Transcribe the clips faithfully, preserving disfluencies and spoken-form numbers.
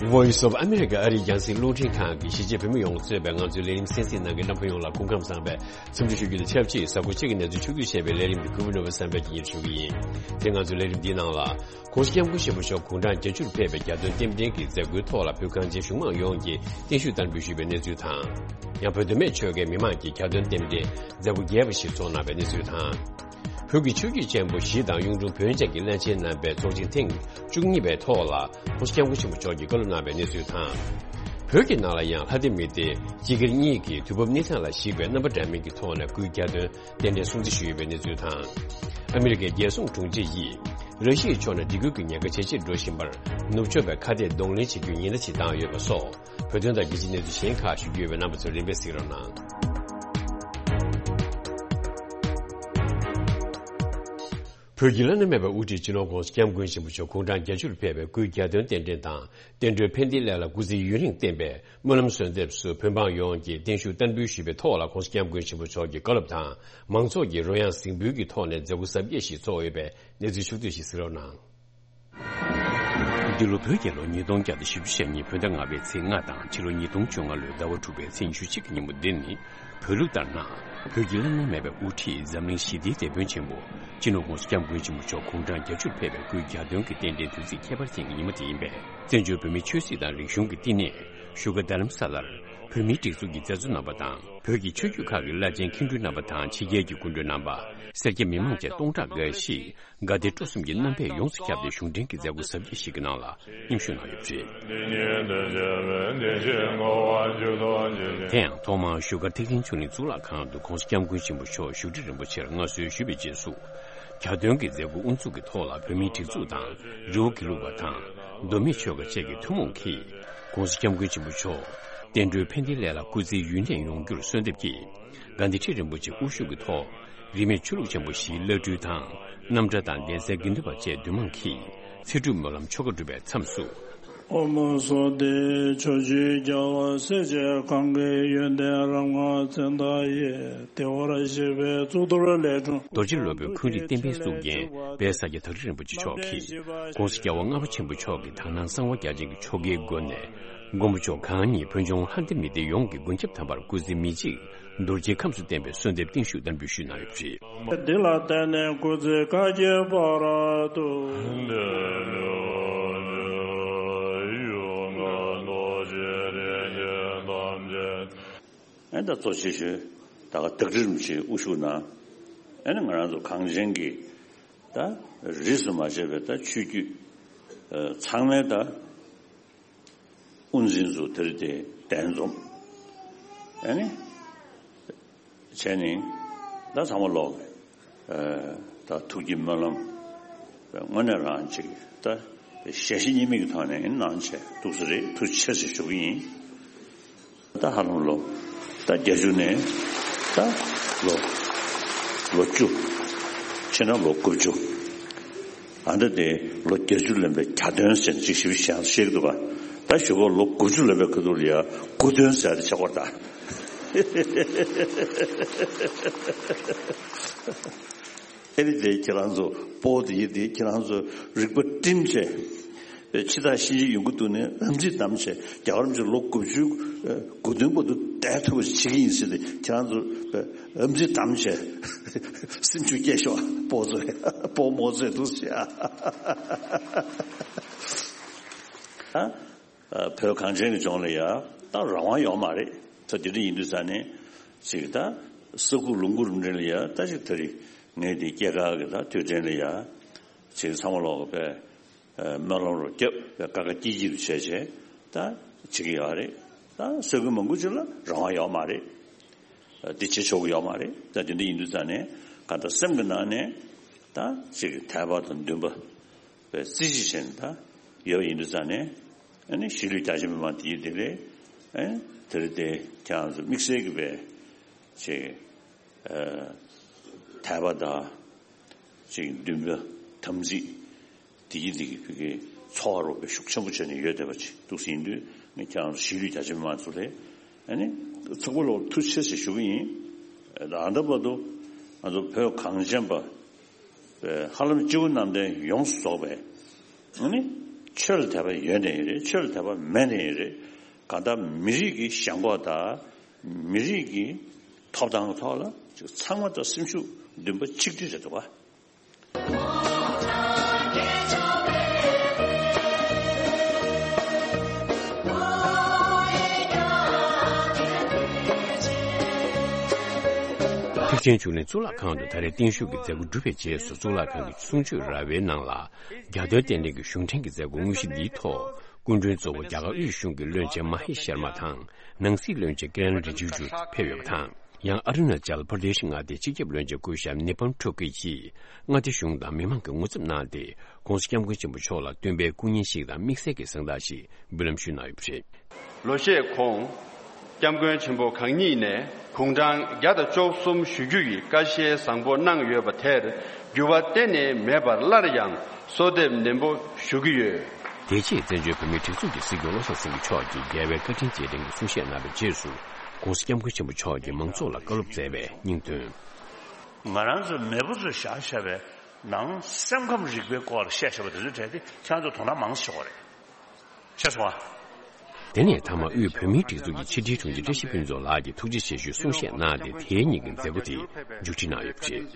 Voice of America ཨ་རིའི་རྒྱང་སྲིང་རླུང་འཕྲིན་ཁང་གིས་གཞིས་བྱེས་བོད་མི་ཡོངས་གཙོས་པའི་ང་ཚོའི་ལས་རིམ་གསན་གཟིགས་གནང་མཁན་རྣམ་པ་ཡོངས་ལ་སྐུ་ཁམས་བཟང་བའི་འཚམས་འདྲི་ཞུ་རྒྱུ་དང་ཆབས་ཅིག་གཟའ་འཁོར་གཅིག་གི་གནས་ཚུལ་ཕྱོགས་བསྡུས་བྱས་པའི་ལས་རིམ་འདི་གུས་པ་ནོར་བུ་བསམ་འཕེལ་གྱིས་སྙན་ཞུ་གི་ཡིན། དེ་ང་ཚོའི་ལས་རིམ་འདིའི་ནང་ལ། ༸གོང་ས་༸སྐྱབས་མགོན་ཆེན་པོ་མཆོག་དགུང་གྲངས་བརྒྱད་ཅུར་ཕེབས་པའི་གྱ་སྟོན་རྟེན་འབྲེལ་གྱི་མཛད་སྒོའི་ཐོག་ལ་བོད་གངས་ཅན་གཞུང་མང་ཡོངས་ཀྱིས་བརྟན་བཞུགས་བསྟར་འབུལ་ཞུས་པའི་གནས་ཚུལ་དང་། ཡང་བོད་མདོ་སྨད་ཆོལ་ཁའི་མི་མང་གིས་གྱ་སྟོན་རྟེན་འབྲེལ་མཛད་སྒོ་རྒྱས་པ་ཞིག་ཚོགས་གནང་བའི་གནས་ཚུལ་དང་། བོད་ཀྱི་ཆོས་བརྒྱུད་ཆེན་པོ་བཞི་དང་གཡུང་དྲུང་བོན་ཆེན་གྱི་བླ་ཆེན་རྣམ་པའི་ཚོགས་ཆེན་ཐེངས་བཅུ་གཉིས་པའི་ཐོག་ལ་༸གོང་ས་༸སྐྱབས་མགོན་ཆེན་པོ་མཆོག་གིས་བཀའ་སློབ་གནང་བའི་གནས་ཚུལ་དང་། བོད་ཀྱི་ནང་ལ་ཡང་ལྷ་སྡེ་མི་སྡེ་སྤྱི་སྒེར་གཉིས་ཀྱིས་དུས་བབ་གནས་སྟངས་ལ་གཞིགས་པའི་རྣམ་པ་འདྲ་མིན་གྱི་ཐོག་ནས་སྐུའི་གྱ་སྟོན་རྟེན་འབྲེལ་སྲུང་བརྩི་ཞུས་ཡོད་པའི་གནས་ཚུལ་དང་། ཨ་མི་རི་ཀའི་རྒྱལ་སྲུང་དྲུང་ཆེ་ཡིས་ར་ཤི་ཡའི་ཕྱོགས་ནས་སྒྲིག་བཀོད་ཀྱི་ཉེན་ཁ་ཇེ་ཆེར་འགྲོ་བཞིན་པར་ནུབ་ཕྱོགས་པའི་ཁ་གཏད་གདོང་ལེན་བྱེད་རྒྱུའི་ཉེན་བརྡ་ཞིག་བཏང་ཡོད་པ་སོགས་བོད་དོན་དང་རྒྱལ་སྤྱིའི་གནས་ཚུལ་གཞན་ཁག་ཞུ་རྒྱུ་ཡོད་པས་རྣམ་པ་ཚོས་རིམ་པས་གཟིགས་རོགས་གནང་། བོད་ཀྱི་བླ་ན་མེད་པའི་དབུ་ཁྲིད་སྤྱི་ནོར་༸གོང་ས་༸སྐྱབས་མགོན་ཆེན་པོ་མཆོག་དགུང་གྲངས་བརྒྱད་ཅུར་ཕེབས་པའི་སྐུའི་གྱ་སྟོན་རྟེན་འབྲེལ་དང་བསྟན་འགྲོའི་ཕན་བདེའི་སླད་ལ་སྐུ་ཚེ་ཡུན་རིང་བརྟན་པའི་སྨོན་ལམ་གསོལ་འདེབས་སུ་བོད་འབངས་ཡོངས་ཀྱིས་བརྟན་བཞུགས་བསྟར་འབུལ་ཞུས་པའི་ཐོག་ལ་༸གོང་ས་༸སྐྱབས་མགོན་ཆེན་པོ་མཆོག་གི་བཀའ་སློབ་དང་མང་ཚོགས་ཀྱི་རོལ་དབྱངས་གཟིགས་འབུལ་གྱི་ཐོག་ནས་མཛད་སྒོ་གཟབ་རྒྱས་ཤིག་ཚོགས་ཡོད་པའི་གནས་ཚུལ་ཕྱོགས་བསྡུས་ཤིག་གཟིགས་རོགས་གནང་། འདི་ལོ་བོད་རྒྱལ་ལོ་ཉིས་སྟོང་བརྒྱ་དང་བཞི་བཅུ་ཞེ་གཉིས་བོད་ཟླ་ལྔ་པའི་ཚེས་ལྔ་དང་ཕྱི་ལོ་ཉིས་སྟོང་བཅོ་ལྔ་ལོའི་ཟླ་བ་དྲུག་པའི་ཚེས་ཉི་ཤུ་གཅིག་གི་ཉིན་མོ་འདི་ནི་བོད་ལུགས་ལྟར་ན་བོད་ཀྱི་བླ་ན་མེད་པའི་དབུ་ཁྲིད་འཛམ་གླིང་ཞི་བདེའི་དེད་དཔོན་ཆེན་པོ་སྤྱི་ནོར་༸གོང་ས་༸སྐྱབས་མགོན་ཆེན་པོ་མཆོག་དགུང་གྲངས་བརྒྱད་ཅུར་ཕེབས་པའི་སྐུའི་གྱ་སྟོན་གྱི་རྟེན་འབྲེལ་དུས་ཚིགས་ཁྱད་པར་ཅན་གྱི་ཉིན་མོ་དེ་ཡིན་པས། བཙན་བྱོལ་བོད་མིའི་ཆོས་སྲིད་དང་རིག་གཞུང་གི་བསྟི་གནས་བཞུགས་སྒར་རྡ་རམ་ས་ལར་བོད་མིའི་སྒྲིག་འཛུགས་ཀྱི་མཛད་གཙོ་རྣམ་པ་དང་བོད་ཀྱི་ཆོས་བརྒྱུད་ཁག་གི་བླ་ཆེན་མཁན་སྤྲུལ་རྣམ་པ་དང་ཕྱི་རྒྱལ་གྱི་སྐུ་མགྲོན་རྣམ་པ། སེར་སྐྱ་མི་མང་བཅས་སྟོང་ཕྲག་འགའ་ཞིག་དགའ་བདེ་སྤྲོ་གསུམ་གྱི་རྣམ་པས་ཡོངས་སུ་ཁྱབ་སྟེ་གཞུང་འབྲེལ་གྱི་མཛད་སྒོ་གཟབ་རྒྱས་ཤིག་གི་ནང་ལ་མཉམ་ཞུགས་གནང་ཡོད་པ་རེད། དེ་ཡང་ཐོག་མར་བཞུགས་སྒར་ཐེག་ཆེན་ཆོས་གླིང་གཙུག་ལག་ཁང་དུ་༸གོང་ས་༸སྐྱབས་མགོན་ཆེན་པོ་མཆོག་བཞུགས་ཁྲི་རིན་པོ་ཆེར་མངའ་གསོལ་ཞུས་པའི་རྗེས་སུ། གྱ་སྟོན་གྱི་མཛད་སྒོ་དབུ་འཛུགས་ཀྱི་ཐོག་ལ་བོད་མིའི་སྒྲིག་འཛུགས་དང་རི་བོ་དགེ་ལུགས་པ་དང་མདོ་སྨད་ཆོལ་ཁ་བཅས་ཀྱི་ཐུན་མོང་གིས་༸གོང་ས་༸སྐྱབས་མགོན་ཆེན་པོ་མཆོག་བསྟན་འགྲོའི་ཕན་བདེའི་སླད་ལ་སྐུ་ཚེ་ཡུན་གནས་ཡོང་རྒྱུར་གསོལ་འདེབས་ཀྱིས། དགའ་ལྡན་ཁྲི་རིན་པོ་ཆེ་དབུ་བཞུགས་ཀྱི་ཐོག་རིས་མེད་ཆོས་ལུགས་ཆེན་པོ་བཞིའི་བླ་སྤྲུལ་དང་རྣམ་གྲྭ་དང་གདན་སའི་དགེ་འདུན་པ་བཅས་འདུས་མང་གིས་ཚེ་སྒྲུབ་སྨོན་ལམ་ཆོ་ག་སྒྲུབ་པའི་མཚམས་སུ། ཨོཾ་སྭ་སྟི། ཕྱོགས་བཅུའི་རྒྱལ་བ་སྲས་བཅས་གང་གི་ཡོན་ཏན་རབ་མངའ་མཚན་རྟགས་ཡིས། བདེ་བར་གཤེགས་པའི་གཙུག་ཏོར་ལས་འཁྲུངས། རྡོ་རྗེ་སློབ་དཔོན་ཁུན་རིག་བསྟན་པའི་གཙུག་རྒྱན་དཔལ་ས་སྐྱ་ཐག་རིང་རིན་པོ་ཆེ་མཆོག་གིས་༸གོང་ས་༸རྒྱལ་བ་ལྔ་པ་ཆེན་པོ་མཆོག་གི་དག་སྣང་གསང་བ་རྒྱ་ཅན་གྱི་ཆོ་གའི་སྒོ་ནས། མགོན་པོ་མཆོག་གང་ཉིད་བོད་ལྗོངས་ལྷ་སྡེ་མི་སྡེ་ཡོངས་ཀྱི་མགོན་སྐྱབས་དམ་པར་སྐུ་ཚེ་མི་འཇིག་རྡོ་རྗེའི་ཁམས་སུ་བརྟན་པའི་གསོལ་འདེབས་བརྟན་བཞུགས་བསྟར་འབུལ་ཞུས་གནང་ཡོད་པ་རེད། འདི་ལ་བརྟེན་ནས་སྐུ་ཚེ་བསྐལ་བརྒྱའི་བར་དུ། ཨེ་ད་གཙོ་ཆེ་ཤོས་ད་ག་ཐག་རིང་རིན་པོ་ཆེ་དབུ་བཞུགས་གནང་། ཨེ་ནི་ང་རང་ཚོ་གངས་ཅན་གྱི་ད་རིས་སུ་མ་ཆད་པའི་ད་ཆོས་བརྒྱུད་ཚང་མའི་ད། དབུ་འཛིན་ཚོ་དེར་དེ་གདན་འཛོམས། ཨ་ནི། བྱས་ནས་ད་ཚང་མ་ལོག་ཨ་ད་ཐུགས་ཀྱི་སྨོན་ལམ་དངོས་གནས་རང་ཅིག་ད་ཞལ་བཞེས་གཉིས་མེད་ཀྱི་ཐོག་ནས་གནང་བྱས་འདུག་ས་རེད། ཐུགས་རྗེ་ཆེ་ཞེས་ཞུ་གི་ཡིན། ད་ཧ་ལམ་ལོ་ད་བརྒྱད་ཅུ་ནས་ད་ལོ་ལོ་བཅུ། ཕྱི་ནང་ལོ་དགུ་བཅུ། ཨ་ད་དེ་ལོ་བརྒྱད་ཅུ་ལོན་པའི་གྱ་སྟོན་ཟེར་ཅིག་ཞིབ་ཞིབ་བཤད་ཀྱི་འདུག་ག་ད་ཞུ་གོ་ལོ་དགུ་བཅུ་ལོན་པའི་ཁ་ཐུག་ལ་ཡ་དགུ་སྟོན་ཟེར་ཏེ་ཆགས་པར་ད། ཨེ་རི་དེ་ཁྱེད་རང་ཚོ་སྤོ་དེ་ཡི་དེ་ཁྱེད་རང་ཚོ་རིག་པ་བསྒྲིམས་བྱས། ཕྱི་ཐག་ཤིང་ཆེན་ཡོང་གི་འདུག་ནས་ཨམ་ཙི་བསྡམས་བྱས་རྒྱལ་བ་རིན་པོ་ཆེ་ལོ་དགུ་བཅུ་དགུ་སྟོན་བར་དུ་བསྡད་ཐུབ་པ་ཞིག་བྱེད་ཀྱི་ཡིན་ཟེར་ཏེ་ཁྱེད་རང་ཚོ་ཨམ་ཙི་བསྡམས་བྱས་སེམས་ཤུགས་སྐྱེད་ཤོག་སྤོ་ཚོས་སྤོ་རྨོ་ཚོས་འདུག་ཟེར། ཨ་བོད་གངས་ཅན་གྱི་ལྗོངས་ལ་ཡ་ད་རང་དབང་ཡོད་མ་རེད། ད་དེ་འདྲ་ཡིན་དུས་ཙང་ནས་ཅིག་ད་ས་ཁུག་ལུང་ཁུག་རུ་འདྲེན་ལ་ཡ་ད་ཅིག་ད་རེས་ངས་དེ་སྐྱེས་སྐར་གྱི་ད་དུས་དྲན་ལ་ཡ་ཅིག་ཚང་མ་ལོག་གི་པས། སྨོན་ལམ་རུ་རྒྱབ་པའི་ཀ་ཀ་ཀྱི་ཀྱི་རུ་བྱས་བྱས་ད་བྱེད་ཀྱི་ཡོད་རེད། ད་སོ་གི་མང་པོ་ཅིག་ལ་རང་དབང་ཡོད་མ་རེད། འདི་བྱེད་ཆོག་གི་ཡོད་མ་རེད། ད་དེ་འདྲ་ཡིན་དུས་ཙང་ནས་ག་ད་སེམས་ཀྱི་ནང་ནས་ད་ཅིག་དད་པ་དང་འདུན་པ་བའི་རྩིས་གཞི་བྱས་ནས་ད་ཡོད་ཡིན་དུས་ཙང་ནས་ཨ་ནི་གཞིས་ལུས་རྒྱ་ཆེ་མི་མང་དེ་ཡི་དེ་རེད། ཨ་ནི་དེ་རེད་དེ་ཁྱེད་རང་ཚོ་དམིགས་བསལ་གྱི་བའི་ཅིག་དད་པ་དང་། ཅིག་འདུན་པ་དམ་ཚིག་དེ་ཡི་དེ་གི་བོད་ཀྱི་ཚོར་བ་རོགས་པའི་ཤུགས་ཆེན་པོ་བྱས་ནས་ཡོད་བསྡད་པ་ཅིག་འདུག་ཟིན་དུས་ངས་ཁྱེད་རང་ཚོ་གཞིས་ལུས་རྒྱ་ཆེ་མི་མང་ཚོ་ལས་ཨ་ནི་ཚོགས་པ་ལོག་ཐུགས་རྗེ་ཆེ་ཞེས་ཞུ་གི་ཡིན། ད་ལྟ་བར་དུ་ང་ཚོ་བོད་གངས་ཅན་པ་ཧ་ལམ་སྤྱི་བོ་གནམ་བསྟན་ཡོངས་སུ་རྫོགས་པའི་ཨ་ནི་ ཆོས་ལ་དད་པ་ཡོད་ནའི་རེད། ཆོས་ལ་དད་པ་མེད་ནའི་རེད། གང་ལྟར་མི་རིགས་ཀྱི་ཞེན་ཁོག་དང་མི་རིགས་ཀྱི་ཐོབ་ཐང་གི་ཐོག་ལ་ཅིག་ཚང་མ་ད་སེམས་ཤུགས་འདུན་པ་གཅིག་སྒྲིལ་རེད་འདུག་པ། ཐེག་ཆེན་ཆོས་གླིང་གཙུག་ལག་ཁང་དུ་ད་རེས་བརྟན་བཞུགས་ཀྱི་མཛད་སྒོ་གྲུབ་པའི་རྗེས་སུ། གཙུག་ལག་ཁང་གི་གསུང་ཆོས་ར་བའི་ནང་ལ། རྒྱ་དོན་རྟེན་འབྲེལ་གྱི་གཞུང་འབྲེལ་གྱི་མཛད་སྒོ་དངོས་གཞི་འདིའི་ཐོག་སྐུ་མགྲོན་གཙོ་བོ་རྒྱ་གར་དབུས་གཞུང་གི་བློན་ཆེན་མ་ཧེ་ཤར་མ་དང་། ནང་སྲིད་བློན་ཆེན་ཀི་རན་རི་ཇི་ཇུ་ཕེབས་ཡོད་པ་དང་། ཡང་ཨ་རུ་ན་ཅལ་པར་དེ་ཤི་མངའ་སྡེའི་སྤྱི་ཁྱབ་བློན་ཆེན་སྐུ་ཞབས་ནི་པམ་ཁྲོ་ཀི་ཡིས་མངའ་སྡེ་གཞུང་དང་མི་མང་གི་ངོ་འཚབ་གནང་སྟེ། ྋགོང་ས་ྋསྐྱབས་མགོན་ཆེན་པོ་མཆོག་ལ་སྟོན་པའི་སྐུ་བརྙན་ཞིག་དང་དམིགས་བསལ་གྱི་གཟེངས་རྟགས་ཤིག་འབུལ་ལམ་ཞུས་གནང་ཡོད་པ་རེད། ལོ་ཤས་གོང་། སྐྱབས་མགོན་ཆེན་པོ་གང་ཉིད་ནས་དགུང་གྲངས་བརྒྱ་དང་བཅུ་གསུམ་བཞུགས་རྒྱུ་ཡི་བཀའ་བཞེས་བཟང་པོ་གནང་ཡོད་པ་དེར་འགྱུར་བ་གཏན་ནས་མེད་པར་སླར་ཡང་གསོལ་འདེབས་ནན་པོ་ཞུ་གི་ཡོད། དེ་རྗེས་བཙན་བྱོལ་བོད་མིའི་སྒྲིག་འཛུགས་ཀྱི་སྲིད་སྐྱོང་བློ་བཟང་སེང་གེ་མཆོག་གིས་རྒྱལ་བའི་བཀའ་དྲིན་རྗེས་དྲན་གྱི་གསུང་བཤད་གནང་བའི་རྗེས་སུ། ྋགོང་ས་ྋསྐྱབས་མགོན་ཆེན་པོ་མཆོག་གིས་མང་ཚོགས་ལ་བཀའ་སློབ་སྩལ་བའི་སྙིང་དོན། ང་རང་ཚོ་མེས་པོ་ཚོས་བཞག་བཞག་པའི་ནང་སེམས་ཁམས་རིག་པའི་སྐོར་ལ་བཤད་བཞག་པ་དེ་ཚོའི་གྲས་དེ་ཁྱེད་རང་ཚོ་དོ་སྣང་མང་ཙམ་བྱེད་དགོས་རེད། ཤེས་སོང་ཨ། དེ་ནས་མཐའ་མ་དབུས་བོད་མིའི་སྒྲིག་འཛུགས་ཀྱི་ཕྱི་དྲིལ་དྲུང་ཆེ་བཀྲ་ཤིས་ཕུན་ཚོགས་ལགས་ཀྱིས་ཐུགས་རྗེ་ཆེ་ཞུའི་གསུང་བཤད་གནང་སྟེ། དེའི་ཉིན་གྱི་མཛད་སྒོ་དེ་མཇུག་སྒྲིལ་གནང་ཡོད་པ་རེད།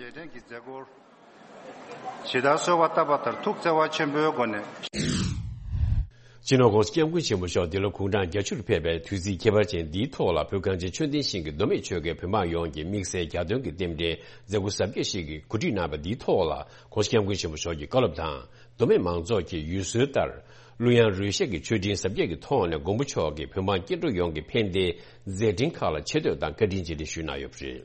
ཇི་ལྟར་གསོལ་བ་བཏབ་པ་ལྟར་ཐུགས་བརྩེ་བ་ཆེན་པོའི་སྒོ་ནས། སྤྱི་ནོར་ྋགོང་ས་ྋསྐྱབས་མགོན་ཆེན་པོ་མཆོག་འདི་ལོ་དགུང་གྲངས་བརྒྱད་ཅུར་ཕེབས་པའི་དུས་ཚིགས་ཁྱད་པར་ཅན་འདིའི་ཐོག་ལ། བོད་གངས་ཅན་ཆོས་ལྡན་ཞིང་གི་མདོ་སྨད་ཆོལ་ཁའི་བོད་འབངས་ཡོངས་ཀྱིས་དམིགས་བསལ་རྒྱ་སྟོན་གྱི་རྟེན་འབྲེལ་མཛད་སྒོ་གཟབ་རྒྱས་ཤིག་གི་གོ་སྒྲིག་གནང་བ་འདིའི་ཐོག་ལ། ྋགོང་ས་ྋསྐྱབས་མགོན་ཆེན་པོ་མཆོག་གི་བཀའ་སློབ་དང་། མདོ་སྨད་མང་ཚོགས་ཀྱི་ཡུལ་སྲོལ་ལྟར། གླུ་དབྱངས་རོལ་གཞས་ཀྱི་མཆོད་སྤྲིན་གཟབ་རྒྱས་ཀྱི་ཐོག་ནས། མགོན་པོ་མཆོག་གི་བོད་འབངས་སྐྱེ་འགྲོ་ཡོངས་ཀྱི་ཕན་བདེའི་མཛད་འཕྲིན་ཁག་ལ་ཆེ་བསྟོད་དང་བཀའ་དྲིན་རྗེས་དྲན་ཞུས་གནང་ཡོད་པ་རེད།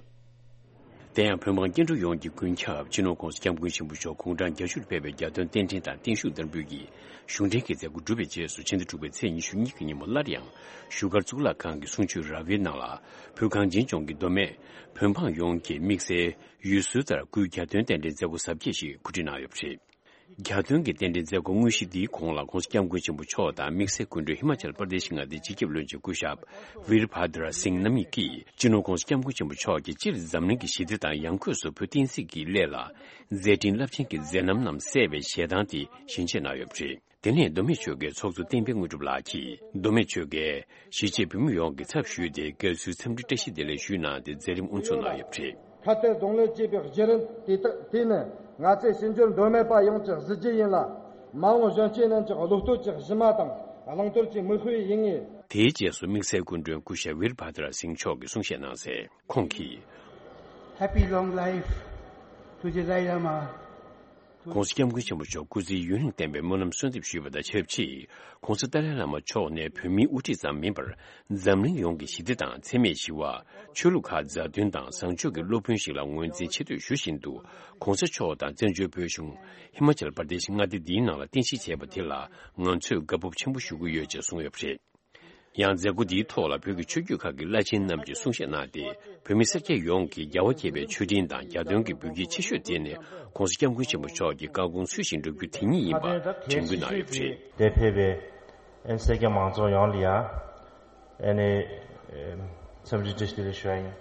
དེ་ཡང་བོད་འབངས་སྐྱེ་འགྲོ་ཡོངས་ཀྱི་ཀུན་ཁྱབ་སྤྱི་ནོར་ྋགོང་ས་ྋསྐྱབས་མགོན་ཆེན་པོ་མཆོག་དགུང་གྲངས་བརྒྱད་ཅུར་ཕེབས་པའི་རྒྱ་སྟོན་རྟེན་འབྲེལ་དང་བརྟན་བཞུགས་བསྟར་འབུལ་གྱི་གཞུང་འབྲེལ་གྱི་མཛད་སྒོ་གྲུབ་པའི་རྗེས་སུ། ཕྱི་ཟླ་དྲུག་པའི་ཚེས་ཉི་ཤུ་གཉིས་ཀྱི་ཉིན་མོ་སླར་ཡང་བཞུགས་སྒར་གཙུག་ལག་ཁང་གི་གསུང་ཆོས་ར་བའི་ནང་ལ། བོད་གངས་ཅན་ལྗོངས་ཀྱི་མདོ་སྨད་བོད་འབངས་ཡོངས་ཀྱིས་དམིགས་བསལ་ཡུལ་སྲོལ་ལྟར་སྐུའི་རྒྱ་སྟོན་རྟེན་འབྲེལ་མཛད་སྒོ་གཟབ་རྒྱས་ཤིག་གོ་སྒྲིག་གནང་ཡོད་པ་རེད། རྒྱ་སྟོན་གྱི་རྟེན་འབྲེལ་མཛད་སྒོ་དངོས་གཞི་འདིའི་གོང་ལ། ྋགོང་ས་ྋསྐྱབས་མགོན་ཆེན་པོ་མཆོག་དང་། དམིགས་བསལ་སྐུ་མགྲོན་ཧི་མ་ཅལ་པར་དེ་ཤི་མངའ་སྡེའི་སྤྱི་ཁྱབ་བློན་ཆེན་སྐུ་ཞབས་ཝིར་བྷ་དྲ་སིང་རྣམ་གཉིས་ཀྱིས། སྤྱི་ནོར་ྋགོང་ས་ྋསྐྱབས་མགོན་ཆེན་པོ་མཆོག་གིས་སྤྱིར་འཛམ་གླིང་གི་ཞི་བདེ་དང་ཡང་སྒོས་སུ་བོད་བསྟན་སྲིད་ཀྱི་སླད་ལ་མཛད་འཕྲིན་རླབས་ཆེན་གྱི་མཛད་རྣམ་རྣམས་གསལ་བའི་ཞལ་ཐང་དེ་ཞལ་འབྱེད་གནང་ཡོད་པ་རེད། དེ་ནས་མདོ་སྨད་ཆོལ་ཁའི་ཚོགས་གཙོ་བསྟན་འཕེལ་དངོས་གྲུབ་ལགས་ཀྱིས། མདོ་སྨད་ཆོལ་ཁའི་གཞིས་བྱེས་བོད་མི་ཡོངས་ཀྱི་ཚབ་ཞུས་ཏེ། དགའ་བསུའི་འཚམས་འདྲི་བཀྲ་ཤིས་བདེ་ལེགས་ཞུས་གནང་སྟེ། མཛད་རིམ་དབུ་འཛུགས་གནང་ཡོད་པ་རེད། ཁ་གཏད་གདོང་ལེན་བྱེད་པའི་བརྒྱུད་རིམ་དེ་དག་དེ་ནི་ང་ཚོའི་ཕྱི་འབྱོར་མདོ་སྨད་པ་ཡོངས་ཀྱི་གཟི་བརྗིད་ཡིན་ལ། མ་འོངས་གཞོན་སྐྱེས་རྣམས་ཀྱི་བློ་གཏོད་ཀྱི་གཞི་མ་དང་བླང་དོར་གྱི་མིག་དཔེ་ཡིན་ངེས། དེའི་རྗེས་སུ་དམིགས་བསལ་སྐུ་མགྲོན་སྐུ་ཞབས་ཝིར་བྷ་དྲ་སིང་མཆོག་གིས་གསུང་བཤད་གནང་སའི་ཁོང་གིས། Happy long life to the Dalai Lama. ྋགོང་ས་ྋསྐྱབས་མགོན་ཆེན་པོ་མཆོག་སྐུ་ཚེ་ཡུན་རིང་བརྟན་པའི་སྨོན་ལམ་གསོལ་འདེབས་ཞུས་པ་དང་ཆབས་ཅིག ྋགོང་ས་ཏཱ་ལའི་བླ་མ་མཆོག་ནས་བོད་མིའི་དབུ་ཁྲིད་ཙམ་མིན་པར། འཛམ་གླིང་ཡོངས་ཀྱི་ཞི་བདེ་དང་འཚེ་མེད་ཞི་བ། ཆོས་ལུགས་ཁག་མཛའ་མཐུན་དང་བཟང་སྤྱོད་ཀྱི་སློབ་དཔོན་ཞིག་ལ་ངོས་འཛིན་ཆེ་བསྟོད་ཞུ་བཞིན་དུ། ྋགོང་ས་མཆོག་དང་བཙན་བྱོལ་བོད་གཞུང་ཧི་མ་ཅལ་པར་དེ་ཤི་མངའ་སྡེ་འདིའི་ནང་ལ་རྟེན་གཞི་བྱས་པ་དེ་ལ་ང་ཚོས་དགའ་སྤོབས་ཆེན་པོ་ཞུ་གི་ཡོད་ཅེས་གསུངས་ཡོད་པ་རེད། ཡང་མཛད་སྒོ་འདིའི་ཐོག་ལ་བོད་ཀྱི་ཆོས་བརྒྱུད་ཁག་གི་བླ་ཆེན་རྣམས་ཀྱིས་གསུང་བཤད་གནང་སྟེ། བོད་མི་སེར་སྐྱ་ཡོངས་ཀྱིས་རྒྱལ་བ་དགྱེས་པའི་མཆོད་སྤྲིན་དང་རྒྱ་སྟོན་གྱི་འབུལ་སྐྱེལ་ཆེ་ཤོས་དེ་ནི་ྋགོང་ས་ྋསྐྱབས་མགོན་ཆེན་པོ་མཆོག་གི་བཀའ་དགོངས་ཚུལ་བཞིན་སྒྲུབ་རྒྱུ་དེ་ཉིད་ཡིན་པ་དྲན་སྐུལ་གནང་ཡོད་པ་རེད། དེ་ཕེབས་པའི་ཨན་སེར་སྐྱ་མང་ཚོགས་ཡོངས་ལ་ཡང་ཨ་ནི་འཚམས་འདྲི་བཀྲ་ཤིས་བདེ་ལེགས་ཞུ་ཡ་ཡིན།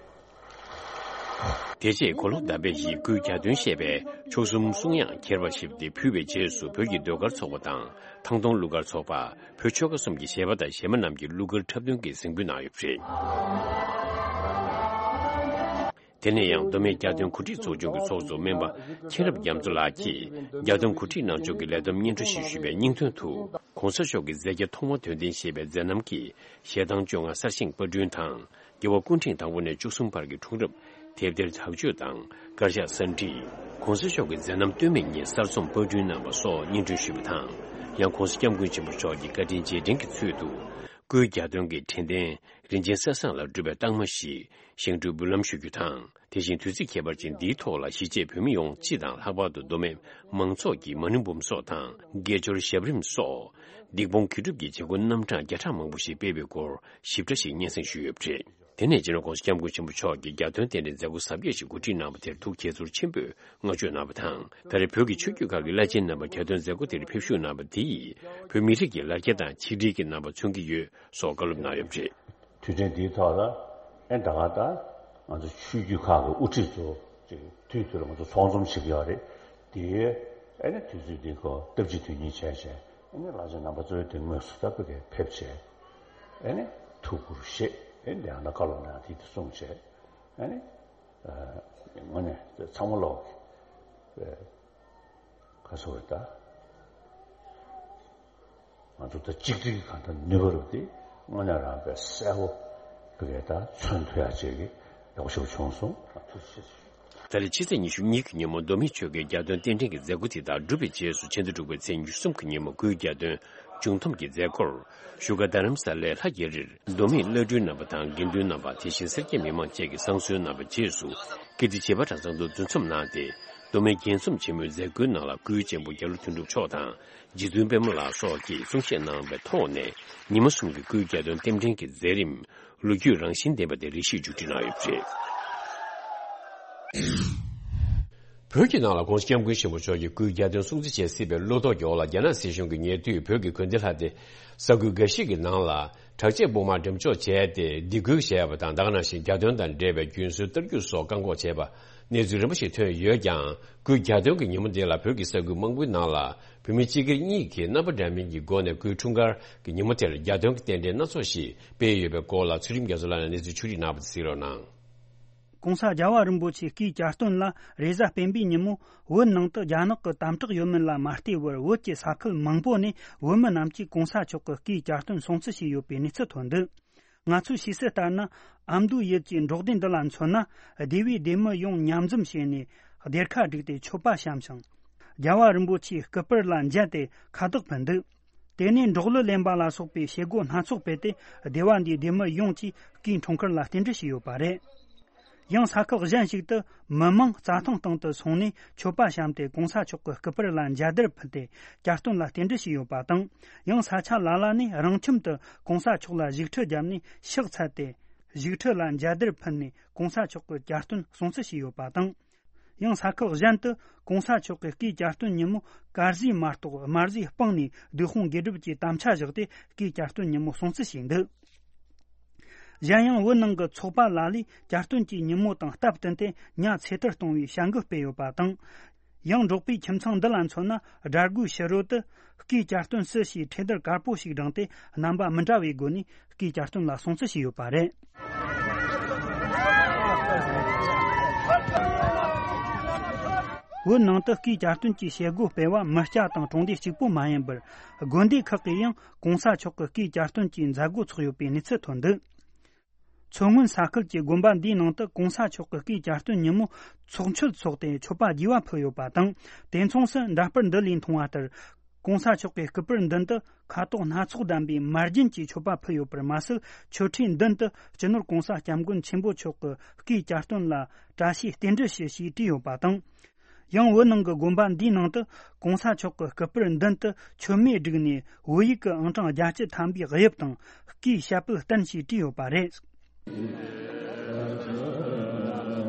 དེ་རྗེས་གོ་ལོ་དཱ་བེ་ཡིས་སྐུའི་རྒྱ་སྟོན་བཤད་པའི་མཆོག་གསུམ་གསུང་དབྱངས་ཁྱེར་བ་ཞིག་དེ་ཕུལ་བའི་རྗེས་སུ། བོད་ཀྱི་ཟློས་གར་ཚོགས་པ་དང་ཐང་སྟོང་གླུ་གར་ཚོགས་པ། བོད་ཆོལ་ཁ་གསུམ་གྱི་གཞས་པ་དང་གཞས་མ་རྣམས་ཀྱིས་གླུ་གར་འཁྲབ་སྟོན་གྱི་གཟིགས་འབུལ་གནང་ཡོད་པ་རེད། དེ་ནས་ཡང་མདོ་སྨད་རྒྱ་སྟོན་གོ་སྒྲིག་ཚོགས་ཆུང་གི་ཚོགས་གཙོ་སྨན་པ་མཁྱེན་རབ་རྒྱ་མཚོ་ལགས་ཀྱིས་རྒྱ་སྟོན་གོ་སྒྲིག་གནང་ཕྱོགས་ཀྱི་ལས་བསྡོམས་སྙན་སྒྲོན་ཞིག་ཞུས་པའི་སྙིང་དོན་དུ། ྋགོང་ས་མཆོག་གི་མཛད་རྗེས་ཐོག་མར་དོན་ལྡན་ཞེས་པའི་མཛད་རྣམ་གྱི་ཞལ་ཐང་བཅོ་ལྔ་གསར་བཞེངས་པར་སྐྲུན་དང་། རྒྱལ་བ་སྐུ་ཕྲེང་དང་པོ་ནས་བཅུ་གསུམ་བར་གྱི་འཁྲུངས་རབས་དེབ་ཐེར་དག་བཅོས་དང་དཀར་ཆག་གསར་བྲིས། ྋགོང་ས་མཆོག་གི་མཛད་རྣམ་སྟོད་སྨད་གཉིས་གསར་རྩོམ་པར་སྐྲུན་གནང་བ་སོགས་སྙན་སྒྲོན་ཞུས་པ་དང་། ཡང་ྋགོང་ས་ྋསྐྱབས་མགོན་ཆེན་པོ་མཆོག་གི་བཀའ་དྲིན་རྗེས་དྲན་གྱི་ཚུལ་དུ། སྐུའི་རྒྱ་སྟོན་གྱི་དྲན་རྟེན་རིན་ཆེན་གསེར་ཟངས་ལ་སྒྲུབ་པའི་རྟགས་མ་ཞིག་བཞེངས་སྐྲུན་འབུལ་ལམ་ཞུ་རྒྱུ་དང་། དེ་བཞིན་དུས་ཚིགས་ཁྱད་པར་ཅན་འདིའི་ཐོག་ལ་གཞིས་བྱེས་བོད་མི་ཡོངས་སྤྱི་དང་ལྷག་པར་དུ་མདོ་སྨད་མང་ཚོགས་ཀྱིས་མ་ཎི་འབུམ་སོགས་དང་དགེ་སྦྱོར་ཞབས་རིམ་སོགས་སྡིག་སྤོང་དགེ་སྒྲུབ་ཀྱི་བྱེད་སྒོ་རྣམ་གྲངས་བརྒྱ་ཕྲག་མང་པོ་ཞིག་སྤེལ་བའི་སྐོར་ཞིབ་ཕྲ་ཞིག་སྙན་སེང་ཞུས་ཡོད་པ་རེད། དེ་ནས་སྤྱི་ནོར་ྋགོང་ས་ྋསྐྱབས་མགོན་ཆེན་པོ་མཆོག་གིས་རྒྱ་སྟོན་རྟེན་འབྲེལ་མཛད་སྒོ་གཟབ་རྒྱས་ཤིག་གོ་སྒྲིག་གནང་བ་དེར་ཐུགས་དགྱེས་ཚོར་ཆེན་པོས་བསྔགས་བརྗོད་གནང་བ་དང་། ད་རེས་བོད་ཀྱི་ཆོས་བརྒྱུད་ཁག་གི་བླ་ཆེན་རྣམ་པ་རྒྱ་སྟོན་མཛད་སྒོ་དེར་ཕེབས་ཞུགས་གནང་བ་དེ་ཡིས་བོད་མི་རིགས་ཀྱི་ལ་རྒྱ་དང་ཆིག་སྒྲིལ་གྱི་རྣམ་པ་མཚོན་གྱི་ཡོད། སོགས་བཀའ་སློབ་གནང་ཡོད་པ་རེད། དུས་དྲན་འདིའི་ཐོག་ལ་ཨེ་ད་ག་ད་ང་ཚོ་ཆོས་བརྒྱུད་ཁག་གི་དབུ་ཁྲིད་ཚོ་ཅིག་དུས་དུས་ལ་ང་ཚོ་ཚོགས་འཛོམས་བྱེད་ཀྱི་ཡོད་རེད། དེའི་ཨེ་ནི་དུས་ཚོད་འདི་ཁོ་སྟབས་ཀྱིས་དོན་གཉེར་བྱས་བྱས་ ཨ་ནི་བླ་ཆེན་རྣམ་པ་ཚོའི་དེ་དངོས་སུ་ད་བོད་སྐད་ཕེབས་བྱས། ཨ་ནི་ཐུགས་ཁུར་བཞེས། ཨ་ནི་དེ་ཡང་ན་བཀའ་སློབ་གནང་དེ་དེ་གསུངས་བྱས། ཨ་ནི་དངོས་གནས་ཚང་མ་ལོག་གི་ག་སོ་རེད་ད། ང་ཚོ་ད་གཅིག་སྒྲིལ་གང་ལྟར་ནུས་པ་རུ་དེ་དངོས་གནས་རང་དཔེ་གསལ་པོ་བོད་སྐད་ད་མཚོན་ཐུབ་ཡག་ཅིག་གི་ཡག་ཤོས་བྱུང་སོང་། ཐུགས་རྗེ་ཆེ། ད་རེས་ཕྱི་ཚེས་ཉི་ཤུ་གཉིས་ཀྱི་ཉིན་མོ་མདོ་སྨད་ཆོལ་ཁའི་རྒྱ་སྟོན་རྟེན་འབྲེལ་གྱི་མཛད་སྒོ་དེ་དག་གྲུབ་པའི་རྗེས་སུ་ཕྱི་ཟླ་དྲུག་པའི་ཚེས་ཉི་ཤུ་གསུམ་གྱི་ཉིན་མོ་སྐུའི་རྒྱ་སྟོན་བྱུང་འཐོམ་གྱི་མཛད་སྒོར་བཞུགས་སྒར་རྡ་རམ་ས་ལའི་ལྷ་རྒྱ་རིར་མདོ་སྨད་བླ་སྤྲུལ་རྣམ་པ་དང་དགེ་འདུན་རྣམ་པ། དེ་བཞིན་སེར་སྐྱ་མི་མང་བཅས་ཀྱིས་བསང་གསོལ་གནང་བའི་རྗེས་སུ་ཀིརྟི་བྱེས་པ་གྲྭ་ཚང་དུ་འདུ་འཛོམས་གནང་སྟེ། མདོ་སྨད་རྒྱལ་འཛོམས་ཆེན་མོའི་མཛད་སྒོའི་ནང་ལ་སྐུའི་གཅེན་པོ་རྒྱ་ལོ་དོན་གྲུབ་མཆོག་དང་རྗེ་བཙུན་པད་མ་ལགས་སོགས་ཀྱིས་གསུང་བཤད་གནང་བའི་ཐོག་ནས། ཉི་མ་གསུམ་གྱི་སྐུའི་རྒྱ་སྟོན་རྟེན་འབྲེལ་གྱི་མཛད་རིམ་ལོ་རྒྱུས་རང་བཞིན་ལྡན་པ་དེ་རེ་ཞིག་མཇུག་སྒྲིལ་གནང་ཡོད་པ་རེད། བོད་ཀྱི་ནང་ལ་༸གོང་ས་༸སྐྱབས་མགོན་ཆེན་པོ་མཆོག་གི་སྐུའི་རྒྱ་སྟོན་སྲུང་བརྩི་བྱེད་སྲིད་པའི་བློ་དོགས་ཀྱི་འོག་ལ། རྒྱ་ནག་སྲིད་གཞུང་གིས་ཉེ་དུས་བོད་ཀྱི་དགོན་སྡེ་ལྷ་སྡེ་ས་ཁུལ་འགའ་ཞིག་གི་ནང་ལ་དྲག་ཆས་དཔུང་དམག་འགྲེམས་འཇོག་བྱས་ཏེ་སྡིགས་སྐུལ་བྱས་པ་དང་། ད་ག་ནང་བཞིན་རྒྱ་སྟོན་དང་འབྲེལ་བའི་རྒྱུན་སྲོལ་གཏར་རྒྱུ་སོགས་བཀག་འགོག་བྱས་པ་གནས་ཚུལ་རིམ་པ་ཞིག་ཐོན་ཡོད་ཀྱང་། སྐུའི་རྒྱ་སྟོན་གྱི་ཉིན་མོ་འདི་ལ་བོད་ཀྱི་ས་ཁུལ་མང་པོའི་ནང་ལ་བོད་མི་སྤྱི་སྒེར་གཉིས་ཀྱིས་རྣམ་པ་འདྲ་མིན་གྱི་སྒོ་ནས་སྐུའི་འཁྲུངས་སྐར་གྱི་ཉིན་མོ་དེར་རྒྱ་སྟོན་གྱི་རྟེན་འབྲེལ་སྣ་ཚོགས་ཤིག་སྤེལ་ཡོད་པའི་སྐོར་ལ་ཚུལ་ཁྲིམས་རྒྱ་མཚོ་ལགས་ནས་གནས་ཚུལ་ཕྱོགས་སྒྲིག་གནང་བ་དེ་གཟིགས་རོགས་གནང་། ྋགོང་ས་རྒྱལ་བ་རིན་པོ་ཆེའི་སྐུའི་གྱ་སྟོན་ལ་རེས་གཟའ་སྤེན་པའི་ཉིན་མོ་བོད་ནང་དུ་རྒྱ་ནག་གི་དམ་དྲག་ཡོད་མིན་ལ་མ་ལྟོས་པར། བོད་ཀྱི་ས་ཁུལ་མང་པོ་ནས་བོད་མི་རྣམས་ཀྱིས་ྋགོང་ས་མཆོག་གི་སྐུའི་གྱ་སྟོན་སྲུང་བརྩི་བྱས་ཡོད་པའི་གནས་ཚུལ་ཐོན་འདུག། ང་ཚོས་ཤེས་གསལ་ལྟར་ན། ཨ་མདོའི་ཡུལ་གྱི་འབྲོག་སྡེ་འདི་ལ་མཚོན་ན། སྡེ་བའི་སྡེ་མི་ཡོངས་མཉམ་འཛོམས་བྱས་ནས་སྡེར་ཁ་བསྒྲིགས་ཏེ་མཆོད་པ་བཤམས་ཤིང་། རྒྱལ་བ་རིན་པོ་ཆེའི་སྐུ་པར་ལ་མཇལ་ཏེ་ཁ་བཏགས་ཕུལ་འདུག། དེ་ནས་འབྲོག་གླུ་ལེན་པ་ལ་སོགས་པའི་བྱེད་སྒོ་སྣ་ཚོགས་སྤེལ་ཏེ། སྡེ་བ་འདིའི་སྡེ་མི་ཡོངས་ཀྱིས་སྐུའི་འཁྲུངས་སྐར་ལ་རྟེན་འབྲེལ་ཞུས་ཡོད་པ་རེད། ཡང་ས་ཁུལ་གཞན་ཞིག་ཏུ་མི་མང་རྩྭ་ཐང་སྟེང་དུ་སོང་ནས་མཆོད་པ་བཤམས་ཏེ་ྋགོང་ས་མཆོག་གི་སྐུ་པར་ལ་མཇལ་དར་ཕུལ་ཏེ་གྱ་སྟོན་ལ་རྟེན་འབྲེལ་ཞུས་ཡོད་པ་དང་། ཡང་ས་ཆ་ལ་ལ་ནས་རང་ཁྱིམ་དུ་ྋགོང་ས་མཆོག་ལ་བཞུགས་ཁྲི་བརྒྱབ་ནས་ཕྱག་འཚལ་ཏེ། བཞུགས་ཁྲི་ལ་མཇལ་དར་ཕུལ་ནས་ྋགོང་ས་མཆོག་གི་གྱ་སྟོན་སྲུང་བརྩི་ཞུས་ཡོད་པ་དང་། ཡང་ས་ཁུལ་གཞན་དུ་ྋགོང་ས་མཆོག་གི་སྐུའི་གྱ་སྟོན་ཉིན་མོ་དཀར་ཟས་མ་གཏོགས་དམར་ཟས་སྤངས་ནས་བདུད་དཔུང་དགེ་སྒྲུབ་ཀྱི་དམ་བཅའ་བཞག་སྟེ་སྐུའི་གྱ་སྟོན་ཉིན་མོ་སྲུང་བརྩི་བྱས་འདུག། གཞན་ཡང་བོད་ནང་གི་ཚོགས་པ་ལ་ལས་གྱ་སྟོན་གྱི་ཉིན་མོ་དང་སྟབས་བསྟུན་ཏེ་ཉ་ཚེ་ཐར་གཏོང་བའི་བྱ་འགུལ་སྤེལ་ཡོད་པ་དང་། ཡང་འབྲོག་པའི་ཁྱིམ་ཚང་འདི་ལ་མཚོན་ན། དགྲ་རྒོའི་ཕྱི་རོལ་དུ་སྐུའི་གྱ་སྟོན་སྲིད་ཞེས་འཕྲེད་དར་དཀར་པོ་ཞིག་བསྒྲེངས་ཏེ། རྣམ་པ་མི་འདྲ་བའི་སྒོ་ནས་སྐུའི་གྱ་སྟོན་ལ་སྲུང་བརྩི་བྱས་ཡོད་པ་རེད། བོད་ནང་དུ་སྐུའི་གྱ་སྟོན་གྱི་བྱེད་སྒོ་སྤེལ་བ་མི་སྐྱ་དང་གྲོང་སྡེ་གཅིག་པུ་མ་ཡིན་པར། དགོན་སྡེ་ཁག་གིས་ཡང་ྋགོང་ས་མཆོག་གི་སྐུའི་གྱ་སྟོན་གྱི་མཛད་སྒོ་ཚོགས་ཡོད་པའི་གནས་ཚུལ་ཐོན་འདུག། མཚོ་སྔོན་ས་ཁུལ་གྱི་དགོན་པ་འདིའི་ནང་དུ་ྋགོང་ས་མཆོག་གི་སྐུའི་གྱ་སྟོན་ཉིན་མོ་ཚོགས་མཆོད་འཚོགས་ཏེ་མཆོད་པ་རྒྱས་པ་ཕུལ་ཡོད་པ་དང་། དེ་མཚུངས་སུ་འདྲ་པར་འདི་ལས་མཐོང་བ་ལྟར། ྋགོང་ས་མཆོག་གི་སྐུ་པར་མདུན་དུ་ཁ་དོག་སྣ་ཚོགས་ལྡན་པའི་མར་རྒྱན་གྱི་མཆོད་པ་ཕུལ་ཡོད་པར་མ་ཟད། མཆོད་ཁྲིའི་མདུན་དུ་སྤྱི་ནོར་ྋགོང་ས་ྋསྐྱབས་མགོན་ཆེན་པོ་མཆོག་གི་སྐུའི་གྱ་སྟོན་ལ་བཀྲ་ཤིས་རྟེན་འབྲེལ་ཞུ་ཞེས་བྲིས་ཡོད་པ་དང་། ཡང་བོད་ནང་གི་དགོན་པ་འདིའི་ནང་དུ་ྋགོང་ས་མཆོག་གི་སྐུ་པར་མདུན་དུ་མཆོད་མེ་བསྒྲིགས་ནས་བོད་ཡིག་གི་ཨང་གྲངས་བརྒྱད་ཅུ་ཐམ་པའི་དབྱིབས་དང་། སྐུའི་ཞབས་པད་བརྟན་ཞེས་བྲིས་ཡོད་པ་རེད།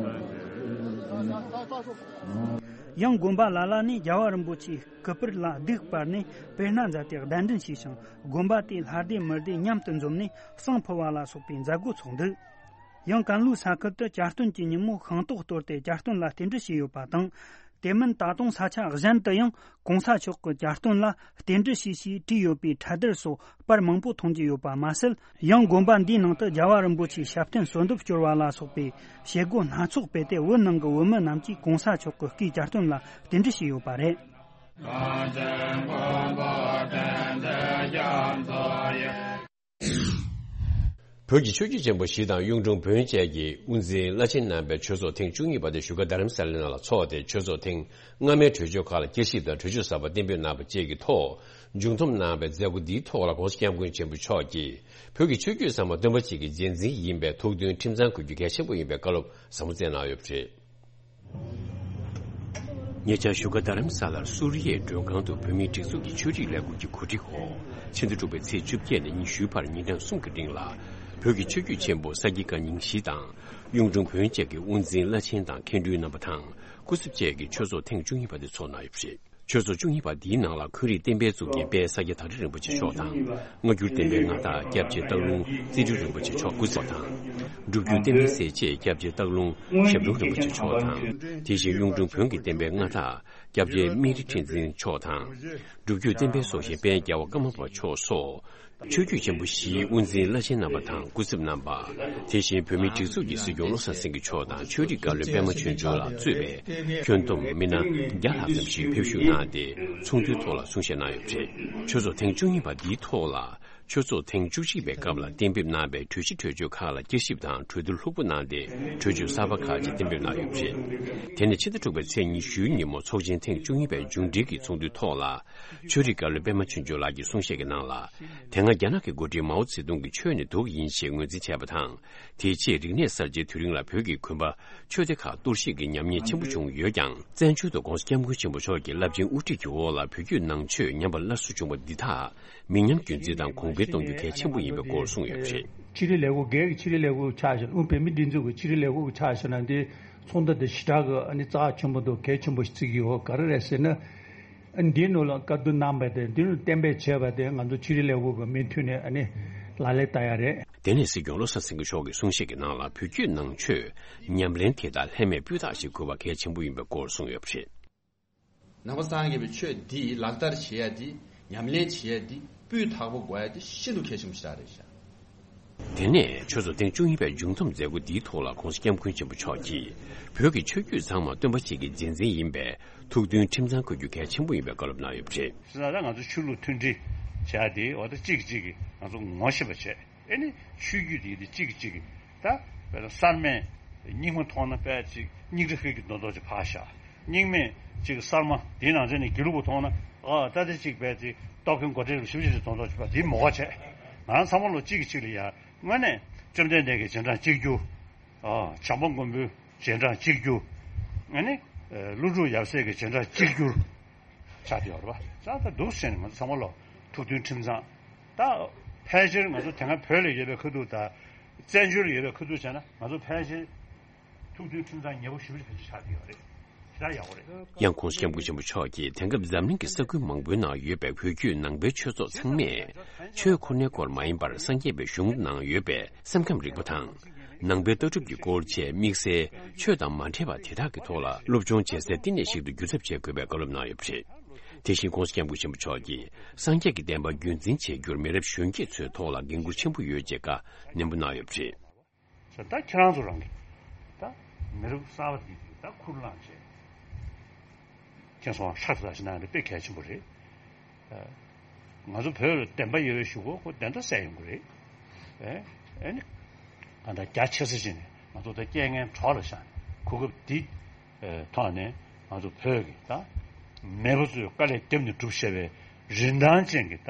ཡང་དགོན་པ་ལ་ལ་ནས་རྒྱལ་བ་རིན་པོ་ཆེའི་སྐུ་པར་ལ་གདུགས་སྤར་ནས་དཔེར་ན་མཛད་དེ་གདན་འདྲེན་བྱས་ཤིང་། དགོན་པ་དེའི་ལྷ་སྡེ་མི་སྡེ་མཉམ་དུ་འཛོམས་ནས་བསང་ཕུལ་བ་ལ་སོགས་པའི་མཛད་སྒོ་ཚོགས་འདུག། ཡང་ཀན་ལྷོའི་ས་ཁུལ་དུ་གྱ་སྟོན་གྱི་ཉིན་མོ་ཤིང་ཏོག་གཏོར་ཏེ་གྱ་སྟོན་ལ་རྟེན་འབྲེལ་ཞུས་ཡོད་པ་དང་། དེ་མིན་ད་དུང་ས་ཆ་གཞན་དུ་ཡང་ྋགོང་ས་མཆོག་གི་གྱ་སྟོན་ལ་རྟེན་འབྲེལ་ཞུས་ཞེས་བྲིས་ཡོད་པའི་ཕྲ་དར་སོགས་པར་མང་པོ་མཐོང་རྒྱུ་ཡོད་པ་མ་ཟད། ཡང་དགོན་པ་འདིའི་ནང་དུ་རྒྱལ་བ་རིན་པོ་ཆེའི་ཞབས་བརྟན་གསོལ་འདེབས་སྐྱོར་བ་ལ་སོགས་པའི་བྱེད་སྒོ་སྣ་ཚོགས་སྤེལ་ཏེ། བོད་ནང་གི་བོད་མི་རྣམས་ཀྱིས་ྋགོང་ས་མཆོག་གི་སྐུའི་གྱ་སྟོན་ལ་རྟེན་འབྲེལ་ཞུས་ཡོད་པ་རེད། བོད་ཀྱི་ཆོས་བརྒྱུད་ཆེན་པོ་བཞི་དང་གཡུང་དྲུང་བོན་བཅས་ཀྱི་དབུ་འཛིན་བླ་ཆེན་རྣམ་པའི་ཆོས་ཚོགས་ཐེངས་བཅུ་གཉིས་པ་དེ་བཞུགས་སྒར་རྡ་རམ་ས་ལའི་ནང་ལ་འཚོགས་ཏེ། ཆོས་ཚོགས་ཐེངས་སྔ་མའི་གྲོས་ཆོད་ཁག་ལ་བསྐྱར་ཞིབ་དང་གྲོས་ཆོད་གསར་པ་གཏན་འབེབས་གནང་བ་བཅས་ཀྱི་ཐོག་མཇུག་བསྡོམས་གནང་བའི་མཛད་སྒོ་འདིའི་ཐོག་ལ་ྋགོང་ས་ྋསྐྱབས་མགོན་ཆེན་པོ་མཆོག་གིས་བོད་ཀྱི་ཆོས་བརྒྱུད་ཚང་མ་སྟོན་པ་གཅིག་གི་རྗེས་འཛིན་ཡིན་པའི་ཐུགས་མཐུན་ཁྲིམས་གཙང་དགོས་རྒྱུ་གལ་ཆེན་པོ་ཡིན་པའི་བཀའ་སློབ་ཟབ་མོ་སྩལ་གནང་ཡོད་པ་རེད། ཉེ་ཆར་བཞུགས་སྒར་རྡ་རམ་ས་ལར་སུ་རི་ཡའི་མགྲོན་ཁང་དུ་བོད་མིའི་སྒྲིག་འཛུགས་ཀྱི་ཆོས་རིག་ལས་ཁུངས་ཀྱི་གོ་སྒྲིག་འོག་ཕྱི་ཟླ་དྲུག་པའི་ཚེས་བཅོ་བརྒྱད་ནས་ཉི་ཤུའི་བར་ཉིན་གྲངས་གསུམ་གྱི་རིང་ལ། བོད་ཀྱི་ཆོས་བརྒྱུད་ཆེན་པོ་ས་དགེ་བཀའ་རྙིང་བཞི་དང་གཡུང་དྲུང་བོན་བཅས་ཀྱི་དབུ་འཛིན་བླ་ཆེན་དང་མཁན་སྤྲུལ་རྣམ་པ་དང་སྐུ་ཚབ་བཅས་ཀྱི་ཆོས་ཚོགས་ཐེངས་བཅུ་གཉིས་པ་དེ་ཚོགས་གནང་ཡོད་པ་རེད། ཆོས་ཚོགས་བཅུ་གཉིས་པ་འདིའི་ནང་ལ་འཁོན་རིགས་བསྟན་པའི་གཙུག་རྒྱན་དཔལ་ས་སྐྱ་ཐང་སྤྲུལ་རིན་པོ་ཆེ་མཆོག་དང་། སྔ་འགྱུར་བསྟན་པའི་མངའ་བདག་སྐྱབས་རྗེ་སྟག་ལུང་རྩེ་སྤྲུལ་རིན་པོ་ཆེ་མཆོག་སྐུ་ཚབ་དང་། སྒྲུབ་བརྒྱུད་བསྟན་པའི་སྲས་བཅས་སྐྱབས་རྗེ་སྟག་ལུང་ཞབས་དྲུང་རིན་པོ་ཆེ་མཆོག་དང་། དེ་བཞིན་གཡུང་དྲུང་བོན་གྱི་བསྟན་པའི་མངའ་བདག་སྐྱབས་རྗེ་སྨན་རི་ཁྲི་འཛིན་མཆོག་དང་། སྒྲུབ་བརྒྱུད་བསྟན་པའི་སྲོག་ཤིང་དཔལ་རྒྱལ་བ་ཀརྨ་པ་མཆོག་སོགས། ཆོས་བརྒྱུད་ཆེན་པོ་བཞིའི་དབུ་འཛིན་བླ་ཆེན་རྣམ་པ་དང་སྐུ་ཚབ་རྣམ་པ། དེ་བཞིན་བོད་མིའི་སྒྲིག་འཛུགས་ཀྱི་སྲིད་སྐྱོང་བློ་བཟང་སེང་གེ་མཆོག་དང་ཆོས་རིག་བཀའ་བློན་པད་མ་ཆོས་འབྱོར་ལགས་གཙོས་པའི་ཁྱོན་བསྡོམས་མི་སྣ་བརྒྱ་ལྷག་ཙམ་ཞིག་ཕེབས་ཞུགས་གནང་སྟེ་ཚོགས་འདུའི་ཐོག་ལ་གསུང་བཤད་གནང་ཡོད་པ་རེད། ཆོས་ཚོགས་ཐེངས་བཅུ་གཉིས་པ་འདིའི་ཐོག་ལ་ཆོས་ཚོགས་ཐེངས་བཅུ་གཅིག་པའི་སྐབས་ལ་གཏན་འབེབས་གནང་བའི་གྲོས་གཞི་གྲོས་ཆོད་ཁག་ལ་བསྐྱར་ཞིབ་དང་གྲོས་བསྡུར་ལྷུག་པོ་གནང་སྟེ་གྲོས་ཆོད་གསར་པ་ཁག་ཅིག་གཏན་འབེབས་གནང་ཡོད་པ་རེད། དེ་ནས་ཕྱི་ཟླ་དྲུག་པའི་ཚེས་ཉི་ཤུའི་ཉིན་མོ་ཚོགས་ཆེན་ཐེངས་བཅུ་གཉིས་པའི་མཇུག་འབྲེལ་གྱི་ཚོགས་འདུའི་ཐོག་ལ། ཆོས་རིག་བཀའ་བློན་པད་མ་ཆོས་འབྱོར་ལགས་ཀྱིས་གསུང་བཤད་ཀྱི་ནང་ལ། དེ་སྔ་རྒྱ་ནག་གི་འགོ་ཁྲིད་མའོ་ཙེ་ཏུང་གིས་ཆོས་ནི་དུག་ཡིན་ཞེས་ངོས་འཛིན་བྱས་པ་དང་། དེའི་རྗེས་རིག་གནས་གསར་བརྗེའི་དུས་རིང་ལ་བོད་ཀྱི་དགོན་པ་ཆོས་སྡེ་ཁག་གཏོར་བཤིག་གི་ཉམས་ཉེས་ཆེན་པོ་བྱུང་ཡོད་ཀྱང་། བཙན་བྱོལ་དུ་༸གོང་ས་༸སྐྱབས་མགོན་ཆེན་པོ་མཆོག་གི་རླབས་ཆེན་དབུ་ཁྲིད་ཀྱི་འོག་ལ་བོད་བརྒྱུད་ནང་ཆོས་ཉམས་པ་སླར་གསོ་བྱུང་བ་འདི་དག་མི་ཉམས་རྒྱུན་འཛིན་དང་གོང་འཕེལ་གཏོང་རྒྱུ་གལ་ཆེན་པོ་ཡིན་པའི་སྐོར་གསུངས་ཡོད་པ་རེད། ཕྱི་དྲིལ་ལས་ཁུངས། སྒེར་གྱི་ཕྱི་དྲིལ་ལས་ཁུངས་ཆགས་ཤིང་། ཨུ། བོད་མིའི་སྒྲིག་འཛུགས་ཀྱི་ཕྱི་དྲིལ་ལས་ཁུངས་ཆགས་ཤིང་ན། འདི་ཚོགས་འདུ་འདི་ཞེ་དྲག་གི་ཨ་ནི་རྩ་ཆེན་པོ་འདུག་གལ་ཆེན་པོ་ཞིག་བརྩི་གི་ཡོད། ག་རེ་རེད་ཟེར་ན། ཨ། འདིའི་ནང་ལ་བཀའ་བསྡུར་གནང་བ་དེ། འདི་ནི་གཏན་འབེབས་བྱས་པ་དེ་ང་ཚོ་ཕྱི་དྲིལ་ལས་ཁུངས་ཀྱི་མུ་མཐུད་ནས་ཨ་ནི་ལག་ལེན་བསྟར་ཡ་རེད། དེ་ནས་སྲིད་སྐྱོང་བློ་བཟང་སེང་གེ་མཆོག་གིས་གསུང་བཤད་ཀྱི་ནང་ལ་བོད་བརྒྱུད་ནང་ཆོས་ཉམས་ལེན་དེ་དག་ལྷད་མེད་སྤུས་དག་ཞིག་དགོས་པ་གལ་ཆེན་པོ་ཡིན་པའི་སྐོར་གསུངས་ཡོད་པ་རེད། ནང་པ་སངས་རྒྱས་པའི་ཆོས་འདི་ལག་བསྟར་བྱེད་ཡ་འདི། ཉམས་ལེན་བྱེད་ཡ་འདི་སྤུས་དག་པོ་དགོས་ཡ་འདི་ཤིན་ཏུ་གལ་ཆེན་པོ་ཞིག་རེད་ཤག་དེ་ནས་ཆོས་ཚོགས་ཐེངས་བཅུ་གཉིས་པའི་མཇུག་བསྡོམས་མཛད་སྒོ་འདིའི་ཐོག་ལ་༸གོང་ས་༸སྐྱབས་མགོན་ཆེན་པོ་མཆོག་གིས། བོད་ཀྱི་ཆོས་བརྒྱུད་ཚང་མ་སྟོན་པ་གཅིག་གི་རྗེས་འཛིན་ཡིན་པས། ཐུགས་མཐུན་ཁྲིམས་གཙང་དགོས་རྒྱུ་གལ་ཆེན་པོ་ཡིན་པའི་བཀའ་སློབ་གནང་ཡོད་པ་རེད། ད་ལྟ་ང་ཚོ་ཆོས་ལུགས་མཐུན་སྒྲིལ་བྱ་དེ། འོ། ད་གཅིག་གིས་གཅིག་གིས་ང་ཚོ་ངོ་ཤེས་པ་བྱས། ཨེ་ནི་ཆོས་བརྒྱུད་དེ་དེ་གཅིག་གིས་གཅིག་གིས། ད་དཔེར་ན་གསར་མས་རྙིང་མ་མཐོང་ན་དཔེ་ཅིག་རྙིང་གྲི་ཧིལ་གྱིས་མདོག་མདོག་ཅིག་ཕར་བཞག་རྙིང་མས་ཅིག་གསར་མ་དེའི་ནང་ཚན་ནས་དགེ་ལུགས་པ་མཐོང་ན། ཨ། ད་དེ་གཅིག་དཔེ་ཅིག་སྟོབས་ཁེངས་མགོ་བྲེགས་ཞིབ་ཞིབ་ཅིག་མདོག་མདོག་ཅིག་ཕར། དེ་མོ་ག་བྱས། ང་རང་ཚང་མ་ལོ་གཅིག་གིས་གཅིག་ལ་ཡ། དངོས་གནས་བཅོམ་ལྡན་འདས་ཀྱི་རྗེས་འབྲང་གཅིག་གྱུར། ཨ། བྱམས་པ་མགོན་པོའི་རྗེས་འབྲང་གཅིག་གྱུར། ཨ་ནི། ཨ། ཀླུ་སྒྲུབ་ཡབ་སྲས་ཀྱི་རྗེས་འབྲང་གཅིག་གྱུར་ཆགས་བསྡད་ཡོད་རེད་པ། ད་ད་འདུག་ཟེར་ནས་ང་ཚོ་ཚང་མ་ལོ་ཐུགས་མཐུན་ཁྲིམས་གཙང་། ད་ཕལ་ཆེར་ང་ཚོ་དེ་སྔ་བོད་ལ་ཡོད་པའི་ཁ་ཐུག་དང་བཙན་བྱོལ་ལ་ཡོད་པའི་ཁ་ཐུག་བྱས་ན། ང་ཚོ་ཕལ་ཆེར་ཐུགས་མཐུན་ཁྲིམས་གཙང་ཉེ་པོ་ཞེ་པོ་ཅིག་ཕལ་ཆེར་ཆགས་བསྡད་ཡོད་རེད། ཞེ་དྲག་ཡག་པོ་རེད། ཡང་༸གོང་ས་༸སྐྱབས་མགོན་ཆེན་པོ་མཆོག་གིས་དེང་སྐབས་འཛམ་གླིང་གི་ས་ཁུལ་མང་པོའི་ནང་ཡོད་པའི་བོད་བརྒྱུད་ནང་པའི་ཆོས་ཚོགས་ཚང་མས། ཆོས་ཁོ་ནའི་སྐོར་མ་ཡིན་པར་སངས་རྒྱས་པའི་གཞུང་ནང་ཡོད་པའི་སེམས་ཁམས་རིག་པ་དང་། ནང་པའི་ལྟ་གྲུབ་ཀྱི་སྐོར་བཅས་དམིགས་བསལ་ཆོས་དང་མ་འབྲེལ་བ་དེ་དག་གི་ཐོག་ལ་སློབ་སྦྱོང་བྱེད་སའི་བསྟི་གནས་ཤིག་ཏུ་འགྱུར་ཐབས་བྱེད་དགོས་པའི་བཀའ་སློབ་གནང་ཡོད་པ་རེད། དེ་བཞིན་༸གོང་ས་༸སྐྱབས་མགོན་ཆེན་པོ་མཆོག་གིས་སངས་རྒྱས་ཀྱི་བསྟན་པ་རྒྱུན་འཛིན་བྱེད་རྒྱུར་མི་རབས་གཞོན་སྐྱེས་ཚོའི་ཐོག་ལ་འགན་འཁུར་ཆེན་པོ་ཡོད་ཅེས་བཀའ་ནན་པོ་གནང་ཡོད་པ་རེད། ད་ཁྱེད་རང་ཚོ་རང་གིས་ད་མི་རབས་གསར་པ་འདི་གིས་ད་ཁུར་བླངས་བྱས། ཁྱེད་ཚོ་ཧྲག་ཏུ་ཞིག་གནང་ཡ་དཔེ་གལ་ཆེན་པོ་རེད། ཨ། ང་ཚོ་བོད་ལ་བདེན་པ་ཡོད་པའི་གཞུག་གུ་ཁོ་བདེན་མཐའ་གསལ་ཡོང་གི་རེད། ཨེ། ཨེ་ནི། གང་ལྟར་རྒྱ་ཆེ་ས་ཞིག་ནས་ང་ཚོ་ད་རྐྱེན་ངན་གྲོགས་ལ་བཞག་ནས་གོ་སྐབས་འདི་ཐོག་ནས་ང་ཚོ་བོད་ཀྱི་ད་མེས་པོ་ཚོས་དཀའ་ལས་བརྒྱབ་ནས་བསྒྲུབས་བཞག་པའི་རིན་ཐང་ཅན་གྱི་ད་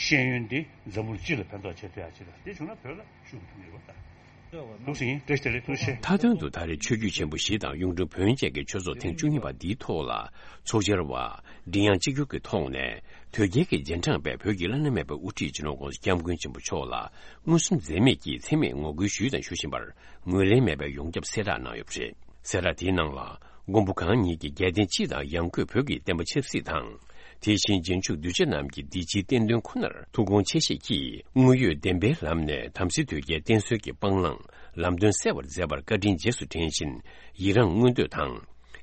ཤེས་ཡོན་འདི་འཛམ་བུ་གླིང་སྤྱི་ལ་ཕན་ཐོགས་བྱེད་ཐུབ་ཡ་ཅིག་དང་། དེ་བྱུང་ན་བོད་ལ་ཤུགས་ཐོན་གྱི་ཡོད་པ་དང་། ལུགས་སྲིད་ཡིན། བཀྲ་ཤིས་བདེ་ལེགས། ཐུགས་རྗེ་ཆེ། མཐའ་དོན་དུ་ད་རེས་ཆོས་བརྒྱུད་ཆེན་པོ་བཞི་དང་གཡུང་དྲུང་བོན་བཅས་ཀྱི་ཆོས་ཚོགས་ཐེངས་བཅུ་གཉིས་པ་འདིའི་ཐོག་ལ་ཚོགས་བཅར་བ་མགྲིན་དབྱངས་གཅིག་གྱུར་གྱི་ཐོག་ནས་དོལ་རྒྱལ་གྱི་རྗེས་འབྲང་པའི་བོད་ཀྱི་བླ་ན་མེད་པའི་དབུ་ཁྲིད་སྤྱི་ནོར་༸གོང་ས་༸སྐྱབས་མགོན་ཆེན་པོ་མཆོག་ལ་མངོན་སུམ་འཛེམས་མེད་ཀྱིས་མཚན་སྨད་ངོ་རྒོལ་ཞུས་དང་ཞུ་བཞིན་པར་ངོས་ལེན་མེད་པའི་ཡོངས་ཁྱབ་གསལ་བསྒྲགས་གནང་ཡོད་པ་རེད། གསལ་བསྒྲགས་དེའི་ནང་ལ། མགོན་པོ་གང་ཉིད་ཀྱིས་རྒྱལ་བསྟན་སྤྱི་དང་ཡང་སྒོས་བོད་ཀྱི་བསྟན་པ་ཆབ་སྲིད་དང་། དེ་བཞིན་རྗེས་འཇུག་གདུལ་བྱ་རྣམས་ཀྱི་བདེ་སྐྱིད་བརྟན་དོན་ཁོ་ནར་ཐུགས་དགོངས་ཆེ་བཞེས་ཀྱིས་དངོས་ཡོད་བདེན་པའི་ལམ་ནས་དམ་སྲི་དོལ་རྒྱལ་བསྟེན་གསོལ་གྱི་སྤང་བླང་ལམ་སྟོན་གསལ་བར་མཛད་པར་བཀའ་དྲིན་རྗེས་སུ་དྲན་བཞིན་ཡི་རངས་བསྔོ་འདོད་དང་།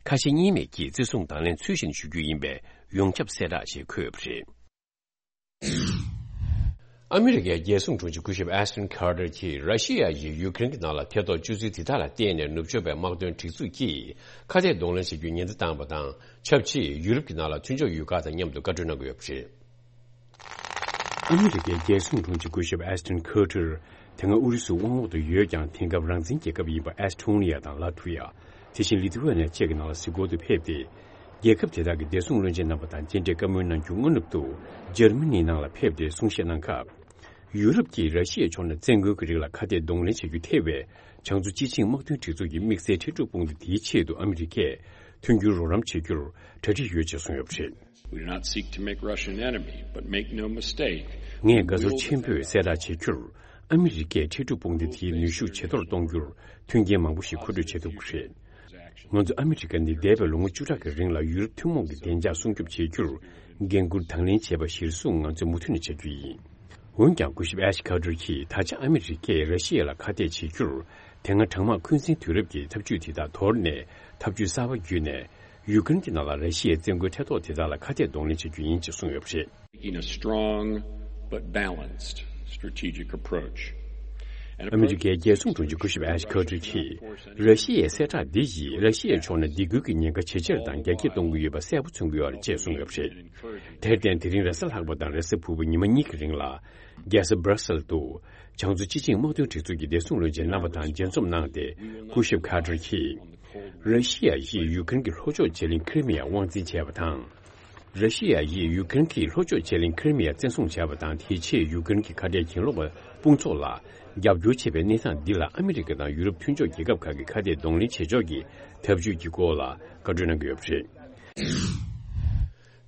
ཁ་ཞེ་གཉིས་མེད་ཀྱིས་བརྩི་སྲུང་དང་ལེན་ཚུལ་བཞིན་ཞུ་རྒྱུ་ཡིན་པའི་ཡོངས་ཁྱབ་གསལ་བསྒྲགས་ཞེས་འཁོད་ཡོད་པ་རེད། ཨ་མི་རི་ཀའི་རྒྱལ་སྲུང་དྲུང་ཆེ་སྐུ་ཞབས་ཨེ་སྟོན་ཁར་ཏར་གྱིས་ར་ཤི་ཡ་ཡིས་ཡུ་ཀེ་རེན་གྱི་ནང་ལ་ཐེ་གཏོགས་སྤྱོད་ཚུལ་དེ་དག་ལ་བརྟེན་ནས་ནུབ་ཕྱོགས་པའི་དམག་དོན་སྒྲིག་འཛུགས་ཀྱིས་ཁ་གཏད་གདོང་ལེན་བྱེད་རྒྱུའི་ཉེན་བརྡ་བཏང་བ་དང་ཆབས་ཅིག་ཡུ་རོབ་ཀྱི་ནང་ལ་མཐུན་ཕྱོགས་ཡུལ་ཁག་དང་མཉམ་དུ་བཀའ་གྲོས་གནང་གི་ཡོད་པ་རེད། ཨ་མི་རི་ཀའི་རྒྱལ་སྲུང་དྲུང་ཆེ་སྐུ་ཞབས་ཨེ་སྟོན་ཁར་ཏར་དེ་སྔ་ཨུ་རུ་སུའི་དབང་འོག་ཏུ་ཡོད་ཀྱང་དེང་སྐབས་རང་བཙན་རྒྱལ་ཁབ་ཡིན་པ་ཨེ་སི་ཐོ་ནི་ཡ་དང་ལ་ཐུ་ཡ། དེ་བཞིན་ལི་ཐུ་ཝེ་ནི་ཡ་བཅས་ཀྱི་ནང་ལ་གཟིགས་སྐོར་དུ་ཕེབས་ཏེ། རྒྱལ་ཁབ་དེ་དག་གི་བདེ་སྲུང་བློན་ཆེན་རྣམ་པ་དང་མཇལ་འཕྲད་བཀའ་མོལ་གནང་རྒྱུ་སྔ་ནུབ་ཏུ་འཇར་མ་ནིའི་ནང་ལ་ཕེབས་ཏེ་གསུང་བཤད་གནང་སྐབས། ཡུ་རོབ་ཀྱིས་ར་ཤི་ཡའི་ཕྱོགས་ནས་བཙན་རྒོལ་གྱི་རིགས་ལ་ཁ་གཏད་གདོང་ལེན་བྱ་རྒྱུ་ཐེ་བའི་བྱང་མཚོ་སྤྱི་ཆིངས་དམག་དོན་སྒྲིག་འཛུགས་ཀྱི་དམིགས་བསལ་འཕྲལ་སྒྲུབ་དཔུང་སྡེ་དེའི་ཆེད་དུ་ཨ་མི་རི་ཀས་མཐུན་འགྱུར་རོགས་རམ་བྱེད་རྒྱུར་གྲ་སྒྲིག་ཡོད་ཅེས་གསུངས་ཡོད་པ་རེད། We do not seek to make Russia an enemy, but make no mistake, ངས་དགའ་ཚོར་ཆེན་པོས་གསལ་བསྒྲགས་བྱེད་རྒྱུར། ཨ་མི་རི་ཀས་འཕྲལ་སྒྲུབ་དཔུང་སྡེ་དེའི་ནུས་ཤུགས་ཇེ་མཐོར་གཏོང་རྒྱུར་མཐུན་རྐྱེན་མང་པོ་ཞིག་མཁོ་སྤྲོད་བྱེད་ཐུབ་ཀྱི་རེད། ང་ཚོ་ཨ་མི་རི་ཀ་ནི་འདས་པའི་ལོ་ངོ་བཅུ་ཕྲག་གི་རིང་ལ་ཡུ་རོབ་ཐུན་མོང་གི་བདེ་འཇགས་སྲུང་སྐྱོབ་བྱེད་རྒྱུར་འགན་འཁུར་དང་ལེན་བྱས་པ་གཞིར་བཟུང་ང་ཚོས་མུ་མཐུད་ནས་བྱ་རྒྱུ་ཡིན། འོན་ཀྱང་སྐུ་ཞབས་ཨེ་ཤ་ཁ་ཏར་གྱིས་ད་ཆ་ཨ་མི་རི་ཀས་ར་ཤི་ཡ་ལ་ཁ་གཏད་བྱེད་རྒྱུར་དེ་སྔ་གྲང་དམག་འཁོན་འཛིན་དུས་རབས་ཀྱི་ཐབས་ཇུས་དེ་དག་དོར་ནས་ཐབས་ཇུས་གསར་པ་བརྒྱུད་ནས་ཡུ་ཀེ་རེན་གྱི་ནང་ལ་ར་ཤི་ཡའི་བཙན་རྒོལ་ཐེ་གཏོགས་དེ་དག་ལ་ཁ་གཏད་གདོང་ལེན་བྱ་རྒྱུ་ཡིན་ཅེས་གསུངས་ཡོད་པ་རེད། Taking a strong but balanced strategic approach. And ཨ་མི་རི་ཀའི་རྒྱལ་སྲུང་དྲུང་ཆེ་སྐུ་ཞབས་ཨེ་ཤ་ཁ་ཏར་གྱིས་ར་ཤི་ཡའི་གསལ་བསྒྲགས་འདི་ཡིས་ར་ཤི་ཡའི་ཕྱོགས་ནས་སྡིགས་སྐུལ་གྱི་ཉེན་ཁ་ཇེ་ཆེར་དང་རྒྱ་སྐྱེད་གཏོང་གི་ཡོད་པ་གསལ་པོ་མཚོན་གྱི་ཡོད་རེད་ཅེས་གསུངས་ཡོད་པ་རེད། དེར་བརྟེན་དེ་རིང་རེས་གཟའ་ལྷག་པ་དང་རེས་གཟའ་ཕུར་བུ་ཉི་མ་གཉིས་ཀྱི་རིང་ལ་རྒྱལ་ས་Brussels་དུ་བྱང་མཚོ་སྤྱི་ཆིངས་དམག་དོན་སྒྲིག་འཛུགས་ཀྱི་བདེ་སྲུང་བློན་ཆེན་རྣམ་པ་དང་མཇལ་འཛོམས་གནང་སྟེ་སྐུ་ཞབས་ཁ་ཏར་གྱིས་ར་ཤི་ཡ་ཡིས་ཡུ་ཀེ་རེན་གྱི་ལྷོ་ཕྱོགས་བྱེ་གླིང་ཁི་རི་མི་ཡ་དབང་འཛིན་བྱས་པ་དང་། ར་ཤི་ཡ་ཡིས་ཡུ་ཀེ་རེན་གྱི་ལྷོ་ཕྱོགས་བྱེ་གླིང་ཁི་རི་མི་ཡ་བཙན་བཟུང་བྱས་པ་དང་། དེའི་ཆེད་ཡུ་ཀེ་རེན་གྱི་ཁ་བྲལ་གྱེན་ལོག་པ་དཔུང་ཚོགས་ལ་རྒྱབ་སྐྱོར་བྱས་པའི་གནས་སྟངས་འདི་ལ་ཨ་མི་རི་ཀ་དང་ཡུ་རོབ་མཐུན་ཕྱོགས་རྒྱལ་ཁབ་ཁག་གིས་ཁ་གཏད་གདོང་ལེན་བྱེད་ཕྱོགས་ཀྱི་འཐབ་ཇུས་ཀྱི་སྐོར་ལ་བཀའ་འཁྲོལ་གནང་གི་ཡོད་པ་རེད།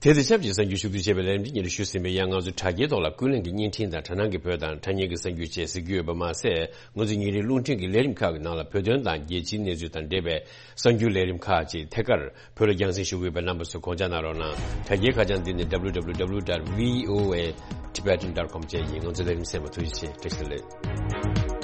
དེ་དང་ཆབས་ཅིག་གསར་འགྱུར་ཕྱོགས་བསྡུས་བྱས་པའི་ལས་རིམ་འདི་སྙན་སྒྲོན་ཞུས་ཟིན་པའི་ཡང་། ང་ཚོ་དྲ་རྒྱའི་ཐོག་ལ་ཀུན་གླེང་གི་བརྙན་འཕྲིན་དང་དྲ་སྣང་གི་བོད་དང་དྲ་བརྙན་གྱི་གསར་འགྱུར་བཅས་གཟིགས་རྒྱུ་ཡོད་པ་མ་ཟད། ང་ཚོ་ཉིན་རེའི་རླུང་འཕྲིན་གྱི་ལས་རིམ་ཁག་གི་ནང་ལ་བོད་དོན་དང་རྒྱལ་སྤྱིའི་གནས་ཚུལ་དང་འབྲེལ་བའི་གསར་འགྱུར་ལས་རིམ་ཁག་ཅིག་ཐད་ཀར་བོད་ལ་རྒྱང་སྲིང་ཞུ་གི་ཡོད་པའི་རྣམ་པ་ཚོས་གོ་བརྡ་གནང་རོགས་གནང་། དྲ་རྒྱའི་ཁ་བྱང་འདི་ནི་www.voatibetan.com བཅས་ཡིན། ང་ཚོའི་ལས་རིམ་གསན་པར་ཐུགས་རྗེ་ཆེ། བཀྲ་ཤིས་བདེ་ལེགས།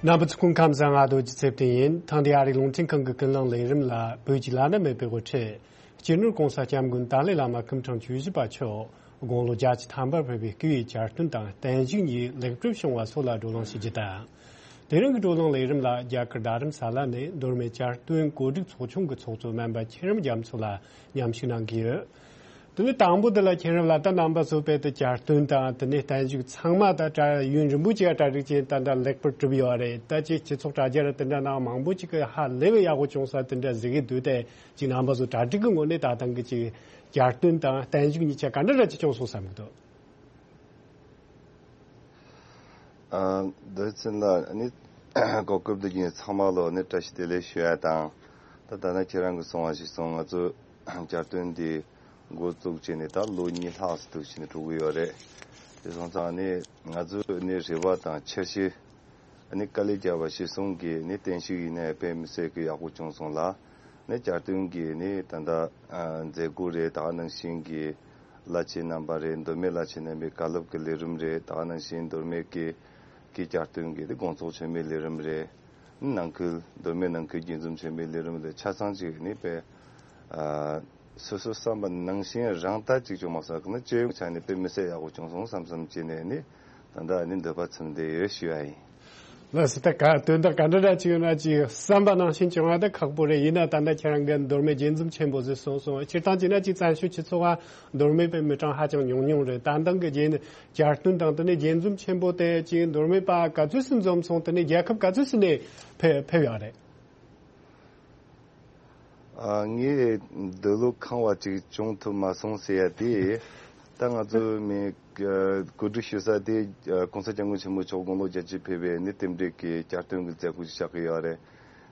རྣམ་པ་ཚོ་སྐུ་ཁམས་བཟང་། ང་རྡོ་རྗེ་ཚེ་བརྟན་ཡིན། ཐེངས་འདིའི་ཨ་རིའི་རླུང་འཕྲིན་ཁང་གི་ཀུན་གླེང་ལས་རིམ་ལ་བོད་ཀྱི་བླ་ན་མེད་པའི་དབུ་ཁྲིད་སྤྱི་ནོར་༸གོང་ས་༸སྐྱབས་མགོན་ཏཱ་ལའི་བླ་མ་སྐུ་ཕྲེང་བཅུ་བཞི་པ་མཆོག་དགུང་ལོ་བརྒྱད་ཅུ་ཐམ་པར་ཕེབས་པའི་སྐུའི་གྱ་སྟོན་དང་བརྟན་བཞུགས་གཉིས་ལེགས་གྲུབ་བྱུང་བ་སོགས་ལ་བགྲོ་གླེང་ཞུ་རྒྱུ་དང་། དེ་རིང་གི་བགྲོ་གླེང་ལས་རིམ་ལ་རྒྱ་གར་རྡ་རམ་ས་ལ་ནས་མདོ་སྨད་གྱ་སྟོན་གོ་སྒྲིག་ཚོགས་ཆུང་གི་ཚོགས་གཙོ་སྨན་པ་ཁྱེད་རང་རྒྱ་མཚོ་ལགས་མཉམ་ཞུགས་གནང་གི་ཡོད། དེ་ནས་དང་པོ་དེ་ལ་ཁྱེད་རང་ལ་ད་རྣམ་པ་ཚོ་དཔེ་དེ་གྱ་སྟོན་དང་དེ་ནས་བརྟན་བཞུགས་ཚང་མ་ད་གྲ་ཡུན་རིང་པོ་ཅིག་གྲ་སྒྲིག་བྱས་ད་ད་ལེགས་པར་གྲུབ་ཡོད་རེད། ད་ཅིག་སྤྱི་ཚོགས་དྲ་རྒྱ་ར་དེ་འདྲ་ནང་མང་པོ་ཅིག་གི་ཧ་ལས་པའི་ཡག་པོ་བྱུང་ས་དེ་འདྲ་གཟིགས་ཀྱི་འདུག་སྟེ་ཅིག་རྣམ་པ་ཚོ་གྲ་སྒྲིག་གི་ངོས་ནས་ད་ཐེངས་ཀྱི་ཅིག་གྱ་སྟོན་དང་བརྟན་བཞུགས་གཉིས་ཆ་ག་འདྲ་འདྲ་ཅིག་བྱུང་སོང་བསམ་གྱི་འདུག། ཨ། བདེ་ཆེན་ལགས་ནི་གོ་སྐབས་འདི་བརྒྱུད་ཚང་མ་ལོ་ནི་བཀྲ་ཤིས་བདེ་ལེགས་ཞུ་ཡ་དང་། ད་ད་ནི་ཁྱེད་རང་གིས་གསུངས་པ་ཞིག་སོང་། ང་ཚོ་གྱ་སྟོན་འདི་འགོ་བཙུགས་བྱས་ནས་ད་ལོ་གཉིས་ལྷག་ཙམ་འདུག་བྱས་ནས་འགྲོ་གི་ཡོད་རེད། དེ་སོང་ཙང་ནི་ང་ཚོ་ནི་རེ་བ་དང་འཆར་གཞི་ནི་དཀའ་ལས་བརྒྱབ་པ་གཞིར་བཟུང་གིས་ནི་བརྟན་བཞུགས་ཡིན་ནའི་དཔེ་མི་སྲིད་ཀྱི་ཡག་པོ་བྱུང་སོང་ལ། ནི་གྱ་སྟོན་གྱི་ནི་ད་ལྟ་ཨ་མཛད་སྒོ་རེད། ད་ག་ནང་བཞིན་གྱི་བླ་ཆེན་རྣམ་པ་རེད། མདོ་སྨད་བླ་ཆེན་རྣམ་པའི་བཀའ་སློབ་ཀྱི་ལས་རིམ་རེད། ད་ག་ནང་བཞིན་མདོ་སྨད་ཀྱི་གི་གྱ་སྟོན་གྱི་དེ་དགོང་ཚོགས་ཆེན་མོའི་ལས་རིམ་རེད། ནང་ཁུལ་མདོ་སྨད་ནང་ཁུལ་དགྱེས་འཛོམས་ཆེན་མོའི་ལས་རིམ་ལས་ཆ་ཚང་ཅིག་ནི་དཔེ་ཨ་སོ་སོ་བསམ་པ་ནང་བཞིན་རང་ལྟར་ཅིག་བྱུང་མ་སོང་། ནི་སྤྱི་ཡོངས་ཆ་ནས་དཔེ་མི་སྲིད་ཡག་པོ་བྱུང་སོང་བསམ་བསམ་བྱས་ནས་ནི་ད་ལྟ་ནི་འདོད་པ་ཚིམ་བསྡད་ཡོད་ཞུ་ཡ་ཡིན། ལགས་སོ། ད་ག་དོན་དག་ག་འདྲ་འདྲ་ཅིག་ཡོད་ན་ཅིག་བསམ་པ་ནང་བཞིན་བྱུང་བ་ད་ཁག་པོ་རེད། ཡིན་ན་ད་ལྟ་ཁྱེད་རང་གིས་མདོ་སྨད་དགྱེས་འཛོམས་ཆེན་པོ་ཟེར་གསུངས་སོང་། སྤྱིར་བཏང་བྱས་ན་ཅིག་བཙན་བྱོལ་སྤྱི་ཚོགས་ཨ་མདོ་སྨད་པའི་མི་གྲངས་ཧ་ཅང་ཉུང་ཉུང་རེད། ད་ལྟ་གི་རྗེས་གྱ་སྟོན་དང་དེ་ནས་དགྱེས་འཛོམས་ཆེན་པོ་དེ་ཅིག་མདོ་སྨད་པ་ག་ཚོད་ཙམ་འཛོམས་སོང་། དེ་ནས་རྒྱལ་ཁབ་ག་ཚོད་ཙམ་ནས་ཕེབས་ཕེབས་ཡོད་རེད། ཨ། ངས་འདོད་བློ་ཁེངས་པ་ཅིག་བྱུང་ཐུབ་མ་སོང་ཟེར་ཡ་དེ། ད་ང་ཚོ་མི་གོ་སྒྲིག་ཞུ་ས་དེ་༸གོང་ས་༸སྐྱབས་མགོན་ཆེན་པོ་མཆོག་དགུང་ལོ་བརྒྱད་ཅུ་ཕེབས་པའི་ནི་རྟེན་འབྲེལ་གྱི་གྱ་སྟོན་གྱི་མཛད་སྒོ་ཞིག་ཆགས་ཀྱི་ཡོད་རེད།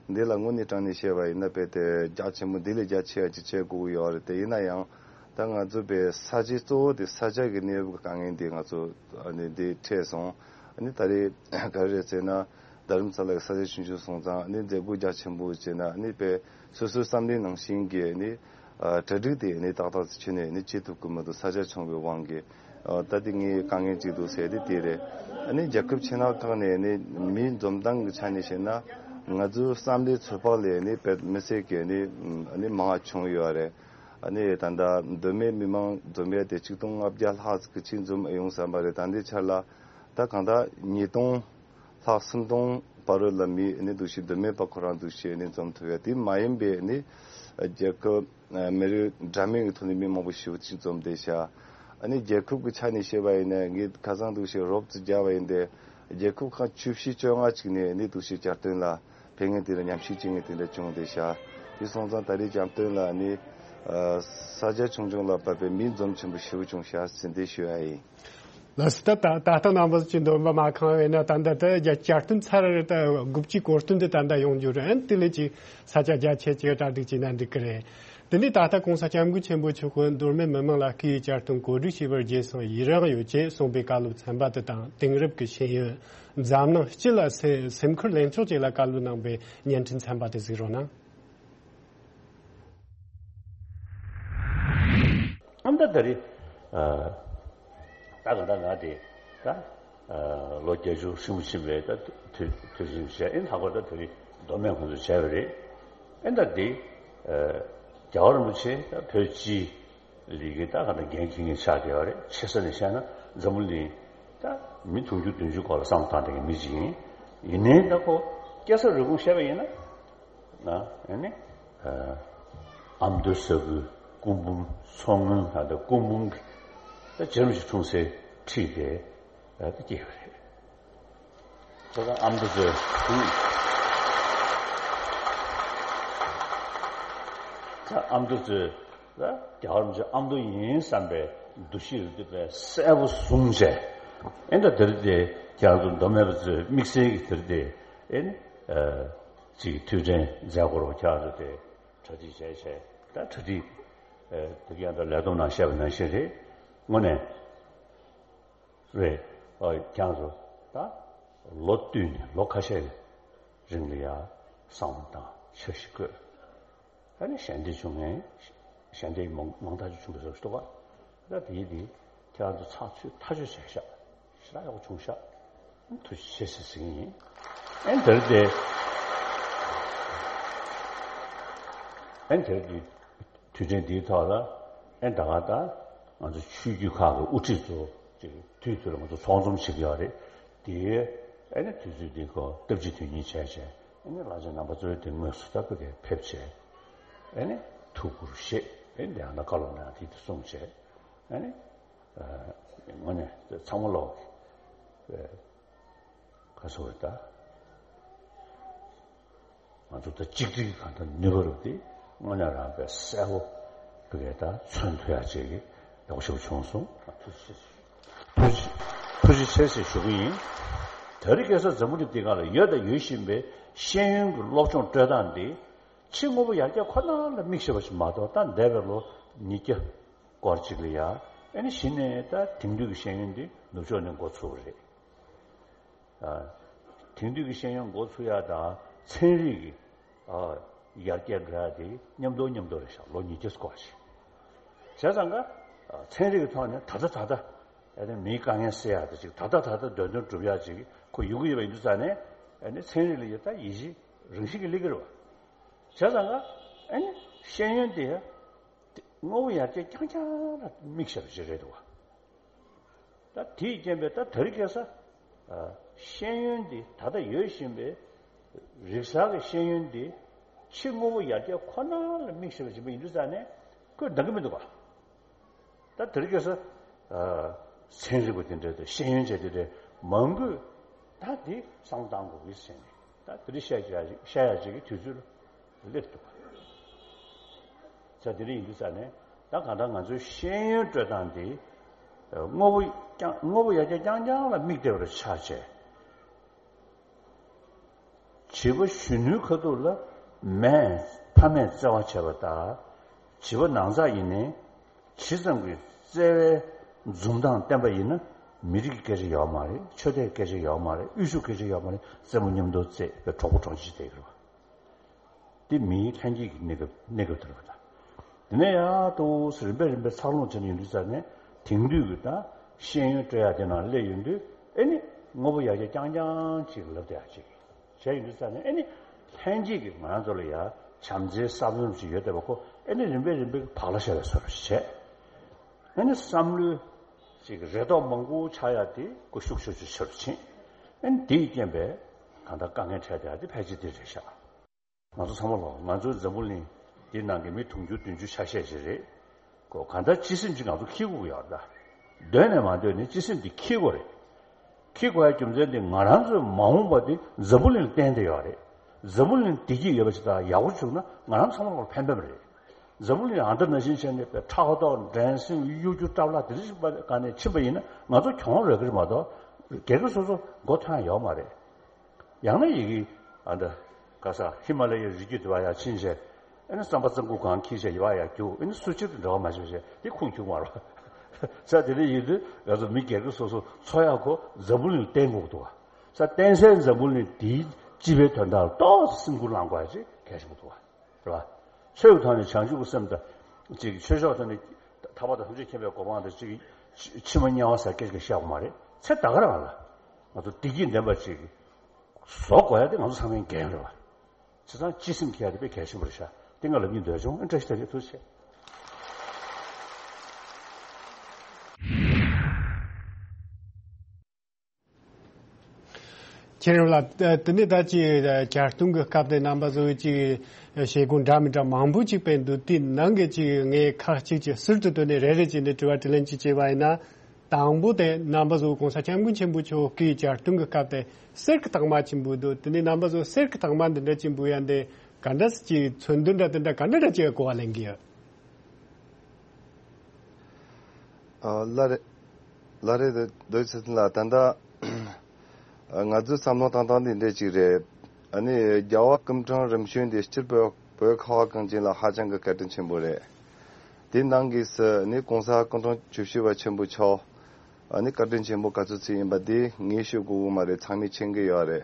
འདི་ལ་དངོས་གནས་དྲང་གནས་བཤད་པ་ཡིན་ན་དཔེ་དེ་རྒྱ་ཆེན་པོ་འདི་ལས་རྒྱ་ཆེ་བ་ཅིག་བྱེད་དགོས་ཀྱི་ཡོད་རེད། དེ་ཡིན་ན་ཡང་ད་ང་ཚོ་དཔེ་ས་ཆའི་གཙོ་བོ་དེ་ས་ཆ་གི་གནས་བབ་ཀྱི་དཀའ་ངལ་འདི་ང་ཚོ་ནི་འདི་འཕྲད་སོང་། ནི་ད་རེས་ག་རེ་རེད་ཟེར་ན། རྡ་རམ་ས་ལ་གི་ས་ཆ་ཆུང་ཆུང་སོང་ཙང་ནི་མཛད་སྒོ་རྒྱ་ཆེན་པོ་བྱས་ན་ནི་དཔེ་སོ་སོའི་བསམ་བློའི་ནང་བཞིན་གྱི་ནི་གྲ་སྒྲིག་དེ་ནི་ཏག་ཏག་ཅིག་ཁྱོན་ནས་ནི་བྱེད་ཐུབ་ཀྱི་མི་འདུག་ས་ཆ་ཆུང་བའི་དབང་གིས། ད་དེ་ངའི་དཀའ་ངལ་ཅིག་འདུག་ཟེར་དེ་དེ་རེད། ནི་རྒྱལ་ཁབ་ཕྱི་ནང་ཁག་ནས་ནི་མིའི་འཛོམས་སྟངས་ཀྱི་ཆ་ནས་བཤད་ན་ང་ཚོའི་བསམ་བློའི་ཚོད་དཔག་ལས་ནི་དཔེ་མི་སྲིད་ཀྱི་ནི་ནི་མང་བ་བྱུང་ཡོད་རེད། ནི་ད་ལྟ་མདོ་སྨད་མི་མང་འཛོམས་ཡས་དེ་ཆིག་སྟོང་ལྔ་བརྒྱ་ལྷག་ཅིག་ཕྱིན་འཛོམས་ཡོང་བསམ་པ་རེད། ད་ལྟའི་ཆར་ལ་ད་གང་ལྟར་ཉིས་སྟོང་ལྷག་སུམ་སྟོང་བར་རོལ་ལ་མི་ནི་འདུག་ཤེས། མདོ་སྨད་པ་ཁོ་རང་འདུག་ཤེས་ནི་འཛོམས་ཐུབ་ཡ་དེ་མ་ཡིན་པའི་ནི་རྒྱལ་ཁབ་མི་རིགས་འདྲ་མིན་གྱི་ཐོག་ནས་མི་མང་པོ་ཞེ་པོ་ཅིག་འཛོམས་བསྡད་ཤག་ཨ་ནི་རྒྱལ་ཁབ་ཀྱི་ཆ་ནས་བཤད་པ་ཡིན་ན་ངས་ཁ་སང་འདུག་ཤེས་རོབ་ཙམ་བརྒྱབ་པ་ཡིན་ཏེ་ རྒྱལ་ཁབ་ཁག་བཅུ་བཞི་བཅོ་ལྔ་ཅིག་ནས་ནི་འདུ་ཤེས་བསྐྱར་དོན་ལ་ཕེབས་མཁན་དེ་འདྲ་ཉམས་ཞིབ་བྱེད་མཁན་དེ་འདྲ་བྱུང་བསྡད་ཤག་དེ་སོང་ཙང་ད་རེས་བསྐྱར་དོན་ལ་ནི་ས་ཆ་ཆུང་ཆུང་ལ་བབས་པའི་མི་འཛོམས་ཆེན་པོ་ཞེ་པོ་བྱུང་ཤག་ཟེར་འདི་ཞུ་ཡ་ཡིན། ལགས་སོ། ད་ད་ད་ལྟ་རྣམ་པ་ཚོས་འདོན་པ་མ་ཁེངས་པས་ན། ད་ལྟ་ད་རྒྱ་བསྐྱར་དོན་ཚར་རེ་ད་དགུ་བཅུའི་གོ་སྟོན་འདི་ད་ལྟ་ཡོང་རྒྱུ་རེད། ཨན་དེ་ལས་ཅིག་ས་ཆ་རྒྱ་ཆེ་ཅིག་གྲ་སྒྲིག་བྱས་ན་འགྲིག་གི་རེད། དེ་ནས་ད་ལྟ་༸གོང་ས་༸སྐྱབས་མགོན་ཆེན་པོ་མཆོག་གིས་མདོ་སྨད་མི་མང་ལ་སྐུའི་བསྐྱར་དོན་གོ་སྒྲིག་བྱས་པར་རྗེས་སུ་ཡི་རང་ཡོད་ཅེས་གསུངས་པའི་བཀའ་སློབ་ཚན་པ་དེ་དང་། དེང་རབས་ཀྱི་ཤེས་ཡོན་འཛམ་གླིང་སྤྱི་ལ་སེམས་སེམས་ཁུར་ལེན་ཕྱོགས་བཅས་ལ་བཀའ་སློབ་གནང་བའི་བརྙན་འཕྲིན་ཚན་པ་དེ་གཟིགས་རོགས་གནང་། ཨ་ད་ད་རེད། ཨ་ད་ག་ད་ང་དེ་ད་ཨ་ལོ་བརྒྱད་ཅུ་ཧྲིལ་པོ་ཕྱིན་པའི་ད་དུས་དུས་ཟིན་བྱས། ཨེ་ལྷག་པར་ད་དེ་རིང་མདོ་སྨད་ཁོང་ཚོས་བྱས་པ་རེད། ཨེ་ད་དེ་ཨ་རྒྱལ་བ་རིན་པོ་ཆེ་ད་བོད་སྤྱིའི་ལས་ཀའི་ད་ག་ད་འགན་འཁྱེར་མཁན་ཆགས་བསྡད་པ་རེད། ཆེ་ས་ནས་བཤད་ན་འཛམ་བུ་གླིང་ད་མི་དུང་ཕྱུར་བདུན་ཅུ་སྐོར་ལ་བསམ་བློ་བཏང་བསྡད་མཁན་མི་ཅིག་ཡིན། ཡིན་ནའི་ད་ཁོ་སྐྱེས་ས་རུས་གོང་བཤད་པ་ཡིན་ན། ན་ཨ་ནི་ཨ་ཨ་མདོ་ས་ཁུལ་སྐུ་འབུམ་མཚོ་སྔོན་ད་ལྟ་སྐུ་འབུམ་གྱི་ད་རྗེ་རིན་པོ་ཆེ་འཁྲུངས་སའི་འཁྲིས་དེ་ད་སྐྱེས་པ་རེད། ད་ལྟ་ཨ་མདོ་ཚོའི་ད་ཨ་མདོ་ཚོའི་ད་རྒྱལ་བ་རིན་པོ་ཆེ་ཨ་མདོ་ཡིན་བསམ་པའི་འདུ་ཤེས་རེ་འདུག་པའི་གསལ་པོ་བཟུང་བྱས། ཨེ་ད་དེ་རིང་དེ་ཁྱེད་རང་ཚོ་མདོ་སྨད་པ་ཚོའི་དམིགས་བསལ་གྱི་དེ་རིང་དེ་ཨེ་ནི་ཨ། ཅིག་ཐུགས་དྲན་མཛད་སྒོར་ཁྱེད་རང་ཚོ་དེ་གྲ་སྒྲིག་བྱས་བྱས། ད་གྲ་སྒྲིག་ཨེ་དེ་ག་ཡང་ད་ལས་བསྡོམས་ནང་བཤད་པ་ནང་བཞིན་རེད། དངོས་གནས་རེད། ཨ་ཁྱེད་རང་ཚོ་ད་ལོ་བསྟུད་ནས་ལོ་ཁ་ཤས་རིང་ལ་ཡ་བསམ་བློ་བཏང་། འཆར་གཞི་བཀོད། ཨ་ནི་ཞལ་འདེབས་བྱུང་ངས་ཞལ་འདེབས་མང་མང་དག་ཅིག་བྱུང་བའི་བཟོ་ཞིག་འདུག་ག་ད་དེ་ཡིན་དེ་ཁྱེད་རང་ཚོ་ཚགས་ཚུད་ཐག་ཆོད་བྱས་ཤག་ཞེ་དྲག་ཡག་པོ་བྱུང་ཤག་ཐུགས་རྗེ་ཆེ་ཟེར་ཟེར་གྱི་ཡིན། ཨན་དེར་དེ་ཨན་དེར་དེ་དུས་དྲན་འདིའི་ཐོག་ལ་ཨན་ད་ག་ད་ང་ཚོ་ཆོས་བརྒྱུད་ཁག་གི་དབུ་ཁྲིད་ཚོ་ཅིག་དུས་དུས་ལ་ང་ཚོ་ཚོགས་འཛོམས་བྱེད་ཀྱི་ཡོད་རེད། དེ་ཨན་དུས་ཚོད་འདི་ཁོ་སྟབས་གཅིག་དོན་གཉིས་བྱས་བྱས་ཨན་བླ་ཆེན་རྣམ་པ་ཚོའི་དེ་དངོས་སུ་ད་བོད་ཀྱི་ཕེབས་བྱས་ཨན་ཐུགས་ཁུར་བཞེས། ཨན་དེ་ཡང་ན་བཀའ་སློབ་གནང་དེ་དེ་གསུངས་བྱས་ཨན། ཨ་དངོས་གནས་ཚང་མ་ལོག་གི་ག་སོ་བའི་ད་ང་ཚོ་ད་གཅིག་སྒྲིལ་གང་ལྟར་ནུས་པ་རུ་དེ་དངོས་གནས་རང་པའི་གསལ་པོ་བི་གའི་ད་མཚོན་ཐུབ་ཡ་ཅིག་གི་ཡག་ཤོས་བྱུང་སོང་། ཐུགས་རྗེ་ཆེ། ཐུགས་རྗེ་ཆེ་ཟེར་ཞུ་གི་ཡིན། དེ་རིང་ཁ་སང་འཛམ་བུ་གླིང་འདི་སྒང་ལ་ཡོད་དང་ཡོད་བཞིན་པའི་ཤེས་ཡོན་གྱི་སློབ་སྦྱོང་སྤྲོད་སྟངས་འདི་ཕྱི་དངོས་པོ་ཡར་རྒྱས་ཁོ་ན་ལ་དམིགས་བྱས་པ་ཞིག་མ་གཏོགས། ད་འདས་པའི་ལོ་ཉིས་བརྒྱ་སྐོར་ཅིག་ལ་ཡ་ཨེ་ནི་གཞི་ནས་ད་དེང་དུས་ཀྱི་ཤེས་ཡོན་འདི་ནུབ་ཕྱོགས་ནས་འགོ་ཚུགས་པ་རེད། ཨ་དེང་དུས་ཀྱི་ཤེས་ཡོན་འགོ་ཚུགས་ཡ་དང་ཚན་རིག་གི་ཨ་ཡར་རྒྱས་འགྲོ་ཡ་དེ་མཉམ་དུ་མཉམ་དུ་རེད་ཤག་ལོ་ཉིས་བརྒྱ་སྐོར་ཞིག་བྱས་ཙང་ཀ་ཨ་ཚན་རིག་གི་ཐོག་ནས་ད་ལྟ་ད་ལྟ་ཨ་ནི་མིའི་དཀའ་ངལ་སེལ་ཡ་དེ་ཅིག་ད་ལྟ་ད་ལྟ་འདོད་འདུན་སྒྲུབ་ཡ་ཅིག་ཁོ་ཡོང་གི་ཡོད་པ་ཡིན་དུས་ཙང་ནས་ཨ་ནི་ཚན་རིག་ལ་ཡ་ད་ཡིད་ཆེས་རང་བཞིན་གྱིས་སླེབས་ཀྱི་རེད་བ། བྱས་ཙང་ཀ་ཨ་ནི་ཤེས་ཡོན་དེ་དངོས་པོ་ཡར་རྒྱས་རྐྱང་རྐྱང་ལ་དམིགས་བྱས་པ་ཞིག་རེད་འདུག་བ། ད་དེའི་རྐྱེན་པས་ད་དེ་རིང་ཁ་སང་ཨ་ཤེས་ཡོན་འདི་ད་ལྟ་ཡོད་བཞིན་པའི་རིག་གསར་གྱི་ཤེས་ཡོན་འདི་ཕྱི་དངོས་པོ་ཡར་རྒྱས་ཁོ་ན་ལ་དམིགས་བྱས་པ་ཞིག་ཡིན་དུས་ཙང་ནས་ཁོས་འདང་གི་མི་འདུག་བ། ད་དེ་རིང་ཁ་སང་ཨ་ཚན་རིག་པ་དེ་འདྲ་དང་ཤེས་ཡོན་ཅན་དེ་འདྲ་མང་པོས་ད་འདི་བསམ་བཏང་དགོས་ཀྱི་ཟེར་ནས་ད་དེ་རིང་བཤད་བཤད་ཡ་ཅིག་གི་དུས་ཚོད་ལ་སླེབས་འདུག་ད་དེ་རིང་ཡིན་དུས་ཙང་ནས་ད་གང་ལྟར་ང་ཚོའི་ཤེས་ཡོན་སྤྲོད་སྟངས་འདི་དངོས་པོ་རྐྱང་དངོས་པོ་ཡར་རྒྱས་རྐྱང་རྐྱང་ལ་དམིགས་བསྡད་པ་ཆགས་བྱས། བྱིས་པ་གཞོན་ནུའི་ཁ་ཐུག་ལ་མས་ཕ་མས་བརྩེ་བ་བྱས་པ་ལྟར། བྱིས་པ་ནང་ཚགས་ཡིན་ནའི་ཇི་ཙམ་གྱི་བརྩེ་བའི་འཛུམ་མདངས་བསྟན་པ་ཡིན་ན། མི་རིགས་ཀྱི་སྐད་ཆ་ཡོད་མ་རེད། ཆོས་དད་སྐད་ཆ་ཡོད་མ་རེད། དབུལ་ཕྱུག་སྐད་ཆ་ཡོད་མ་རེད། རྩེད་མོ་མཉམ་དུ་རྩེད་པའི་གྲོགས་པོ་གྲོགས་མཆེད་བསྡད་ཀྱི་རེད་བ། འདི་མིའི་ལྷན་སྐྱེས་ཀྱི་གནས་སྐབས་གནས་སྐབས་དེ་རེད་བ། ད་དེ་ནས་ཡར་དུ་རིམ་པས་རིམ་པས་འཚར་ལོངས་བྱས་ནས་ཡོང་དུས་ཙང་ནས་དེང་དུས་ཀྱི་ད་ཤེས་ཡོན་སྤྲོད་ཡག་དེ་ནང་སླེབས་ཡོང་དུས་ཨེ་ནི་དངོས་པོ་ཡར་རྒྱས་རྐྱང་རྐྱང་ཅིག་ལབ་བསྡད་ཡག་ཅིག་བྱས་ཡོང་དུས་ཙང་ནས་ཨེ་ནི་ལྷན་སྐྱེས་ཀྱི་ང་རང་ཚོ་ལ་ཡ་བྱམས་བརྩེའི་བསམ་བློ་ཞིག་ཡོད་བསྡད་པ་ཁོ་ཨེ་ནི་རིམ་པས་རིམ་པས་བག་ལ་ཞ་བའི་བཟོ་འདྲ་ཞིག་བྱས། ཨེ་ནི་བསམ་བློའི་ཅིག་རེ་དོགས་མང་པོ་ཆགས་ཡག་དེ་ཁོ་ཤུགས་ཆེ་ཆེ་ཆེ་རུ་ཕྱིན། ཨེ་ནི་དེའི་རྐྱེན་པས་གང་ལྟར་དཀའ་ངལ་འཕྲད་བསྡད་ཡག་དེ་ཕལ་ཆེར་དེ་རེད་ཤག་ང་ཚོ་ཚང་མ་ལོག་ང་ཚོའི་འཛམ་བུ་གླིང་འདི་ནང་གི་མི་དུང་ཕྱུར་བདུན་ཅུ་ཆ་ཤས་ཤིག་རེད། ཁོ་གང་ལྟར་སྤྱི་སེམས་ཅིག་ང་ཚོ་འཁྱེར་དགོས་ཀྱི་ཡོད་རེད་ད། འདོད་ནས་མ་འདོད་ནས་སྤྱི་སེམས་འདི་འཁྱེར་དགོས་རེད། འཁྱེར་དགོས་ཡ་རྒྱུ་མཚན་དེ་ང་རང་ཚོའི་མ་འོངས་པ་དེ་འཛམ་བུ་གླིང་ལ་བརྟེན་བསྡད་ཡོད་རེད། འཛམ་བུ་གླིང་བདེ་སྐྱིད་ཡོད་པ་ཞིག་དང་ཡག་པོ་བྱུང་ན་ང་རང་ཚང་མ་ལ་ཕན་པ་རེད། འཛམ་བུ་གླིང་ཨ་འདྲ་ན་བཞིན་བྱས་ནས་པའི་ཕྲག་དོག་འགྲན་སེམས་གཡོ་སྒྱུ་སྐྲག་ལྷག་དེ་འདྲ་ཞིག་སྒང་ནས་ཕྱིན་པ་ཡིན་ན་ང་ཚོ་གྱོང་རག་གི་རེད་མ་གཏོགས་སྒེར་སྒེར་སོ་སོ་མགོ་ཐོན་ཡ་ཡོད་མ་རེད། ཡང་ན་ཡི་གེ་ཨ་འདྲ་ག་ས་ཧི་མ་ལ་ཡའི་རི་རྒྱུད་དེ་བ་ཡ་ཕྱིན་བྱས། ཨ་ནི་རྩམ་པ་རྩམ་ཁུག་གང་འཁྱེར་བྱས་ཡོད་ཡ་རྒྱུག་ཨ་ནི་སུ་གཅིག་ཏུ་འབྲེལ་བ་མ་བྱས་བྱས་དེ་ཁུངས་འཁྱུག་མ་རོ། ས་དེ་འདྲ་ཡིན་དུས་ང་ཚོ་མི་སྒེར་གྱི་སོ་སོ་འཚོ་ཡག་གོ་འཛམ་བུ་གླིང་བརྟེན་དགོས་འདུག་བ། ས་བརྟེན་སའི་འཛམ་བུ་གླིང་དེའི་སྤྱི་པའི་དོན་དག་ཏོག་ཙམ་སེམས་ཁུར་བླང་དགོས་ཡ་ཅིག་གལ་ཆེན་པོ་འདུག་བ། རེད་བ། ཆོས་ཀྱི་ཐོག་ནས་བྱང་ཆུབ་ཀྱི་སེམས་དང་ཅིག་ཆོས་ཕྱོགས་ཐོག་ནས་ཐར་པ་དང་ཐམས་ཅད་མཁྱེན་པའི་གོ་འཕང་དང་ཅིག་ཕྱི་མ་དམྱལ་བ་ཟེར་སྐད་ཅིག་བཤད་དགོས་མ་རེད། ཚེ་ད་ག་རང་ལ་ང་ཚོ་བདེ་སྐྱིད་ལྡན་པ་ཅིག་བཟོ་དགོས་ཡ་དེ་ང་ཚོ་ཚང་མའི་འགན་རེད་བ། བྱས་ཙང་སྤྱི་སེམས་འཁྱེར་ཡ་དེ་དཔེ་གལ་ཆེན་པོ་རེད་ཤག་དེ་ང་ལབ་སྙིང་འདོད་བྱུང་། ཨ་བཀྲ་ཤིས་བདེ་ལེགས། ཐུགས་རྗེ་ཆེ། ཁྱེད་རང་ལ་དེ་ནས་ད་ཅིག་གྱ་སྟོན་གྱི་སྐབས་དེ་རྣམ་པ་ཚོས་ཅིག་བྱེད་སྒོ་འདྲ་མི་འདྲ་མང་པོ་ཅིག་སྤེལ་འདུག་དེའི་ནང་གི་ཅིག་ངས་ཁག་ཅིག་ཅིག་ཟུར་དུ་བཏོན་ནས་རེ་རེ་བྱས་ནས་དྲི་བ་དྲིས་ལན་ཅིག་བྱས་པ་ཡིན་ན། དང་པོ་དེ་རྣམ་པ་ཚོ་གོང་ས་སྐྱབས་མགོན་ཆེན་པོ་མཆོག་གི་གྱ་སྟོན་གྱི་སྐབས་དེ་གསེར་གྱི་རྟགས་མ་ཆེན་པོ་འདུག་དེ་ནས་རྣམ་པ་ཚོ་གསེར་གྱི་རྟགས་མ་འདི་འདྲ་ཆེན་པོ་ཡང་འདི་ག་འདྲ་ཅིག་མཚོན་དོན་འདྲ་དེ་འདྲ་ག་འདྲ་འདྲ་ཅིག་གོ་བ་ལེན་གི་ཡོད། ཨ་ལ་རེ། ལ་རེ་དེ་རྡོ་རྗེ་ཚེ་བརྟན་ལགས། ད་ལྟ་ང་ཚོའི་བསམ་བློ་བཏང་སྟངས་འདི་འདྲ་ཅིག་རེད། ཨ་ནི་རྒྱལ་བ་སྐུ་ཕྲེང་རིམ་བྱོན་འདི་སྤྱིར་བོད་བོད་ཁ་བ་གངས་ཅན་ལ་ཧ་ཅང་གི་བཀའ་དྲིན་ཆེན་པོ་རེད། དེ་ནང་གི་སུ་ནི་གོང་ས་སྐུ་ཕྲེང་བཅུ་བཞི་པ་ཆེན་པོ་མཆོག་ཨ་ནི་བཀའ་དྲིན་ཆེན་པོ་ག་ཚོད་ཅིག་ཡིན་པ་འདི་ངས་ཤོད་དགོས་ཀྱི་མ་རེད། ཚང་མས་མཁྱེན་གྱི་ཡོད་རེད།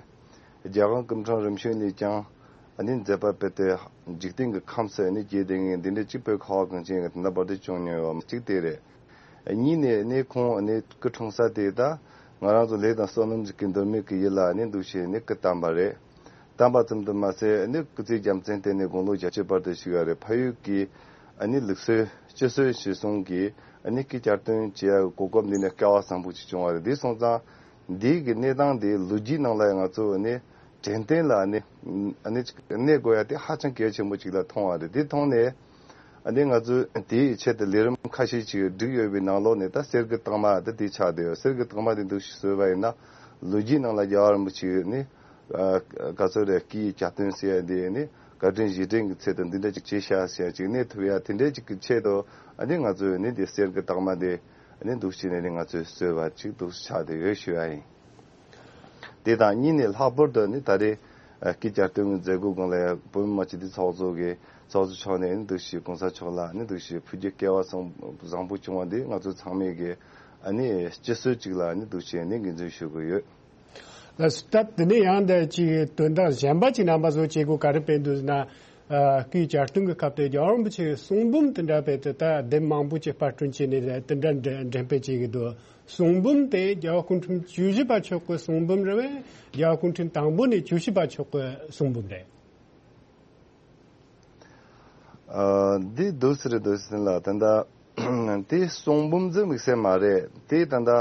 རྒྱལ་དབང་སྐུ་ཕྲེང་རིམ་བྱོན་ལས་ཀྱང་ཨ་ནི་མཛད་པ་སྤེལ་ཏེ་འཇིག་རྟེན་གྱི་ཁམས་སུ་ཨ་ནི་རྒྱས་བསྡད་མཁན་འདི་འདྲ་གཅིག་བོད་ཁ་བ་གངས་ཅན་གྱི་དེ་འདྲ་བར་དུ་བྱུང་མྱོང་ཡོད་མ་གཅིག་དེ་རེད། གཉིས་ནས་ཨ་ནི་ཁོང་ཨ་ནི་སྐུ་འཁྲུངས་ས་དེ་ད་ང་རང་ཚོ་ལས་དང་བསོད་ནམས་ཀྱི་འདོད་མོས་ཀྱི་ཡུལ་ལ་ཨ་ནི་འདུག་བྱས་ནས་སྐུ་བལྟམས་པ་རེད། བལྟམས་པ་ཙམ་དུ་མ་ཟད་ཨ་ནི་སྐུ་ཚེ་རྒྱལ་མཚན་བསྟེན་ནས་དགུང་ལོ་བརྒྱད་ཅུ་བར་དུ་བཞུགས་ཡོད་རེད། ཕ་ཡུལ་གྱི་ཨ་ནི་ལུགས་སྲོལ་སྤྱི་སྲོལ་གཞིར་བཟུང་གིས་ཨ་ནི་སྐུ་གྱ་སྟོན་བྱེད་ཡ་གོ་སྐབས་འདི་ནི་སྐལ་བ་བཟང་པོ་ཅིག་བྱུང་བ་རེད། འདི་སོང་ཙང་འདི་གི་གནས་སྟངས་འདི་ལོ་རྒྱུས་ནང་ལ་ཡང་ང་ཚོ་ཨ་ནི་དྲན་རྟེན་ལ་ཨ་ནི་ཨ་ནི་ཅིག་གནས་དགོས་ཡ་དེ་ཧ་ཅང་གལ་ཆེན་པོ་ཅིག་ལ་མཐོང་བ་རེད། འདི་མཐོང་ནས་ཨ་ནི་ང་ཚོས་དེའི་ཆེད་དུ་ལས་རིམ་ཁ་ཤས་ཅིག་བསྒྲིགས་ཡོད་པའི་ནང་ལོགས་ནས་ད་གསེར་གྱི་རྟགས་མ་ད་འདི་ཆགས་བསྡད་ཡོད། གསེར་གྱི་རྟགས་མ་འདི་འདུག་ཞིག་བཟོས་པ་ཡིན་ན་ལོ་རྒྱུས་ནང་ལ་རྒྱལ་བ་རིན་པོ་ཆེ་ནི། ཨ་ག་ཚོད་རེད། སྐུའི་གྱ་སྟོན་ཟེར་ཡ་འདི་ནི་བཀའ་དྲིན་རྗེས་དྲན་གྱི་ཚད་དུ་འདི་འདྲ་ཅིག་བྱས་ཤག་ཟེར་ཡ་ཅིག་གནས་ཐུབ་ཡ་དེ་འདྲ་ཅིག་གི་ཆེད་དུ་ཨ་ནི་ང་ཚོས་ནི་འདི་གསེར་གྱི་རྟགས་མ་འདི་ཨ་ནི་འདུག་བྱས་ནས་ནི་ང་ཚོས་བཟོས་པ་ཅིག་འདུག་ཆགས་བསྡད་ཡོད་ཞུ་ཡ་ཡིན། དེ་དང་གཉིས་ནས་ལྷག་པར་དུ་ནི་ད་རེས་ཨ་སྐུའི་གྱ་སྟོན་གྱི་མཛད་སྒོ་སྒང་ལ་ཡ་བོད་མི་མང་སྤྱི་འཐུས་ཚོགས་གཙོ་གི་ཚོགས་གཙོ་མཆོག་ནས་ནི་འདུག་བྱས་གོང་ས་མཆོག་ལ་ནི་འདུག་བྱས་ཕུལ་རྒྱུ་སྐལ་བ་བཟང་བཟང་པོ་བྱུང་བ་འདི་ང་ཚོ་ཚང་མས་གི་ཨ་ནི་སྤྱི་སྲོལ་ཅིག་ལ་ནི་འདུག་བྱས་ནི་ངོས་འཛིན་ཞུ་གི་ཡོད། ལགས་སོ། ད་དེ་ནས་ཡང་འདི་ཅིག་དོན་དག་གཞན་པ་ཅིག་རྣམ་པ་ཚོ་བྱེད་སྒོ་ག་རེ་སྤེལ་འདུག་ཟེར་ན། ཨ་སྐུའི་གྱ་སྟོན་གྱི་སྐབས་དེ་རྒྱལ་བ་རིན་པོ་ཆེའི་གསུང་འབུམ་དེ་འདྲ་སྤེལ་ཏེ་ད་དེབ་མང་པོ་ཅིག་དཔར་སྐྲུན་བྱས་ནས་དེ་འདྲ་འགྲེམས་འགྲེམས་སྤེལ་བྱེད་ཀྱི་འདུག་གསུང་འབུམ་དེ་རྒྱལ་བ་སྐུ་ཕྲེང་བཅུ་བཞི་པ་མཆོག་གི་གསུང་འབུམ་རེད་པས། རྒྱལ་བ་སྐུ་ཕྲེང་དང་པོ་ནས་བཅུ་བཞི་པ་མཆོག་གི་གསུང་འབུམ་རེད། ཨ་འདི་འདུག་སེ་རེད། འདུག་སེ་ལ་ད་ལྟ་དེ་གསུང་འབུམ་ཚོ་དམིགས་བསལ་མ་རེད། དེ་ད་ལྟ་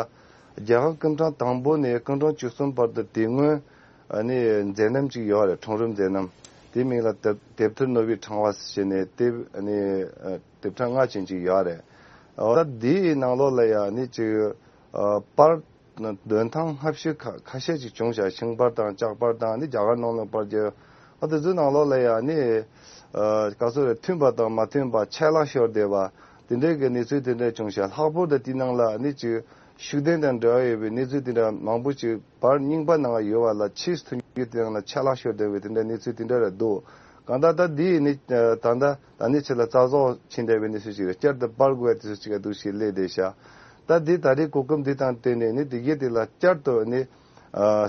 རྒྱལ་བ་སྐུ་ཕྲེང་དང་པོ་ནས་སྐུ་ཕྲེང་བཅུ་གསུམ་བར་དུ་དེ་སྔོན་ཨ་ནི་མཛད་རྣམ་ཅིག་ཡོད་རེད། འཁྲུངས་རབས་མཛད་རྣམ། དེ་མིང་ལ་དེབ་དེབ་ཐེར་ནོར་བུའི་ཕྲེང་བ་ཟེར་ནས་དེབ་ཨ་ནི་ཨ་དེབ་ཕྲེང་ལྔ་ཅན་ཅིག་ཡོད་རེད། འོ་ད་དེའི་ནང་ལོགས་ལ་ཡང་ཨ་ནི་ཅིག་ཨ་པར་འདོན་ཐངས་སྔ་ཕྱི་ཁ་ཁ་ཤས་ཅིག་བྱུང་ཤག་ཤིང་པར་དང་ལྕགས་པར་དང་ནི་རྒྱ་གར་ནང་ལ་པར་རྒྱབ། ཨ་དེ་ཚོའི་ནང་ལོགས་ལ་ཡང་ནི་ཨ་ག་ཚོད་རེད། མཐུན་པ་དང་མ་མཐུན་པ་ཆད་ལྷག་ཤོར་བསྡད་པ་དེ་འདྲའི་གི་གནས་ཚུལ་དེ་འདྲ་བྱུང་ཤག་ལྷག་པར་དུ་དེའི་ནང་ལ་ནི་ཅིག་ཤུགས་ལྡན་དང་འབྲེལ་བ་ཡོད་པའི་གནས་ཚུལ་དེ་འདྲ་མང་པོ་ཅིག་པར་རྙིང་པ་ནང་ཡོད་པ་ལ་ཕྱིས་སུ་ཐོན་རྒྱུ་དེ་ནང་ལ་ཆད་ལྷག་ཤོར་བསྡད་པའི་དེ་འདྲའི་གནས་ཚུལ་དེ་འདྲ་རེད་འདུག་གང་ལྟར་ད་འདི་ནི་ད་ལྟ་ད་ནི་ཆེད་ལ་རྩ་རྫོགས་ཕྱིན་བསྡད་པའི་གནས་ཚུལ་ཅིག་རེད། བསྐྱར་དུ་པར་དགོས་པའི་དུས་ཚོད་ཅིག་འདུག་ཞེས་སླེབས་བསྡད་ཤག་ད་འདི་ད་རེས་གོ་སྐབས་འདི་དང་བསྟུན་ནས་ནི་དེ་གའི་དེ་ལ་བསྐྱར་དུ་ནི་ཨ་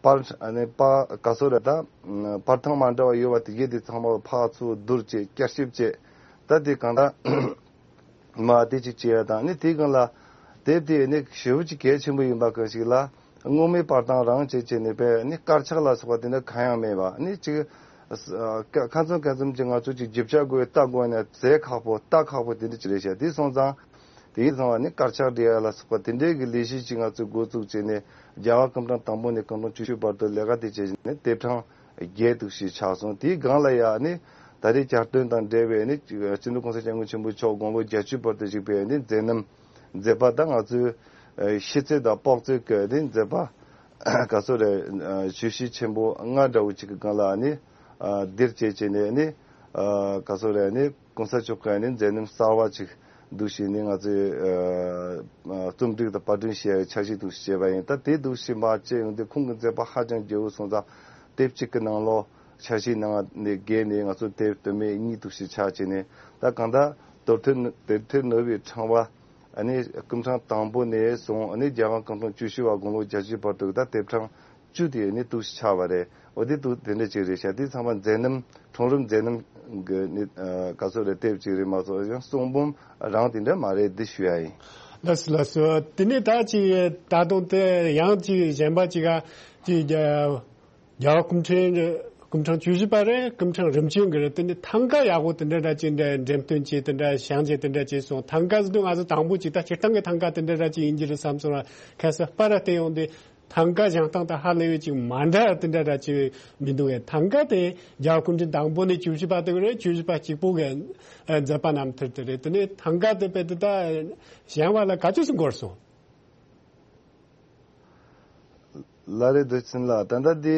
པར་ཨ་ནི་པར་ག་ཚོད་རེད། ད་པར་ཐེངས་མ་འདྲ་བ་ཡོད་པ་དེ་གའི་དེ་ཚང་མ་ཕར་ཚུར་བསྡུར་བྱས་བསྐྱར་ཞིབ་བྱས། ད་དེ་གང་ལྟར་མ་དེ་ཅིག་བྱས་ཡ་དང་ནི་དེའི་སྒང་ལ་དེབ་དེ་ནི་ཞེ་པོ་ཅིག་གལ་ཆེན་པོ་ཡིན་པ་གང་ཞིག་ལ་སྔོན་མའི་པར་སྟངས་རང་བྱས་བྱས་ནས་པས་ནི་དཀར་ཆག་ལ་སོགས་པ་དེ་འདྲ་གང་ཡང་མེད་པ་ནི་ཅིག་ཨ་ཁ་ཁ་ཚོན་ཁ་ཚོན་ཅིག་ང་ཚོ་ཅིག་རྒྱུ་ཆ་དགོས་ལྟ་དགོས་ན་ཟས་ཁག་པོ་ལྟ་ཁག་པོ་དེ་འདྲ་ཅིག་རེད་ཤག་དེ་སོང་ཙང་དེ་ཡིན་ཙང་བ་ནི་དཀར་ཆག་འབྲི་ཡ་ལ་སོགས་པ་དེ་འདྲའི་གི་ལས་གཞི་ཅིག་ང་ཚོས་འགོ་བཙུགས་བྱས་ནས་རྒྱལ་བ་སྐུ་ཕྲེང་དང་པོ་ནས་སྐུ་ཕྲེང་བཅུ་བཞི་བར་དུ་ལས་ཀ་དེ་བྱས་ནས་དེབ་གྲངས་བརྒྱད་འདུག་ཞེས་ཆགས་སོང་། དེའི་སྒང་ལ་ཡང་ནི་ད་རེས་གྱ་སྟོན་དང་འབྲེལ་བའི་ནི་སྤྱི་ནོར་གོང་ས་སྐྱབས་མགོན་ཆེན་པོ་མཆོག་དགུང་ལོ་བརྒྱད་ཅུ་བར་དུ་བཞུགས་པའི་ནི་མཛད་རྣམ་མཛད་པ་དང་ང་ཚོའི་ཤེས་ཚད་དང་དཔོག་ཚད་ཀྱི་ནི་མཛད་པ་ ག་ཚོད་རེད། ཨ་བརྗོད་གཞི་ཆེན་པོ་ལྔ་འདྲ་བོ་ཅིག་གི་སྒང་ལ་ཨ་ནི་ཨ་འདིར་བྱས་བྱས་ནས་ཨ་ནི་ཨ་ག་ཚོད་རེད། ཨ་ནི་གོང་ས་མཆོག་གིས་ཨ་ནི་མཛད་རྣམ་གསར་བ་ཅིག་འདུག་བྱས་ནས་ང་ཚོས་ཨ་ཨ་རྩོམ་སྒྲིག་དང་པར་སྐྲུན་བྱས་འཆར་གཞི་འདུག་བྱས་པ་ཡིན། ད་དེ་འདུག་བྱས་མ་བྱས་ཡོང་དུས་ཁོང་གི་མཛད་པ་ཧ་ཅང་རྒྱས་པོ་སོང་ཙང་དེབ་གཅིག་གི་ནང་ལོགས་འཆར་གཞིའི་ནང་ནས་བརྒལ་ནས་ང་ཚོ་དེབ་དུ་མའི་གཉིས་འདུག་བྱས་ཆགས་བྱས་ནས། ད་གང་ལྟར་དེབ་ཐེར་དེབ་ཐེར་ནོར་བུའི་ཕྲེང་བ་ཨ་ནི་སྐུ་ཕྲེང་དང་པོ་ནས་བཟུང་ཨ་ནི་རྒྱལ་དབང་སྐུ་ཕྲེང་བཅུ་བཞི་པ་དགུང་ལོ་བརྒྱད་ཅུའི་བར་དུ་ད་དེབ་གྲངས་བཅུ་དེ་ནི་འདུག་ཆགས་པ་རེད། འོ་དེ་འདུག་དེ་འདྲ་ཅིག་རེད་ཤག་དེ་ཚང་མ་མཛད་རྣམ་ཁྲོམ་རིམ་མཛད་རྣམ་གི་ནི་ཨ་ག་ཚོད་རེད། དེབ་ཅིག་རེད་མ་གཏོགས་ཡང་གསུང་འབུམ་རང་དེ་འདྲ་མ་རེད་འདི་ཞུ་ཡ་ཡིན། ལགས་སོ་ལགས་སོ། དེ་ནས་ད་ཅིག་ད་དུང་དེ་ཡང་ཅིག་གཞན་པ་ཅིག་ག་ཅིག་རྒྱལ་བ་སྐུ་ཕྲེང་སྐུ་ཕྲེང་བཅུ་བཞི་པ་རེད། སྐུ་ཕྲེང་རིམ་བྱོན་གྱི་རེད། དེ་ནི་ཐང་ག་ཡག་པོ་དེ་འདྲ་འདྲ་ཅིག་འདྲ་འགྲེམས་སྟོན་བྱས་དེ་འདྲ་བཞེངས་བྱས་དེ་འདྲ་བྱས་སོང་། ཐང་ག་ཟེར་དུས་ང་ཚོ་དང་པོ་ཅིག་ད་སྤྱིར་བཏང་གི་ཐང་ག་དེ་འདྲ་འདྲ་ཅིག་ཡིན་གྱི་རེད་བསམ་སོང་། ལ་ཁ་ས་པར་བལྟས་ཡོང་དུས་ཐང་ག་བཞེངས་སྟངས་དང་ཧ་ལས་པའི་ཅིག་མ་འདྲ་དེ་འདྲ་འདྲ་ཅིག་མི་འདུག་གས། ཐང་ག་དེ་རྒྱལ་བ་སྐུ་ཕྲེང་དང་པོ་ནས་བཅུ་བཞི་པ་དེ་གི་རེད། བཅུ་བཞི་པ་གཅིག་པོ་གི་ཨ་མཛད་པ་རྣམ་ཐར་དེ་རེད། དེ་ནས་ཐང་ག་དེ་དཔེ་དེ་ད་བཞེངས་པ་ལ་ག་ཚོད་ཙམ་འགོར་སོང་། ལགས་རེད། འདུག་ཕྱིན་ལ་ད་ལྟ་དེ་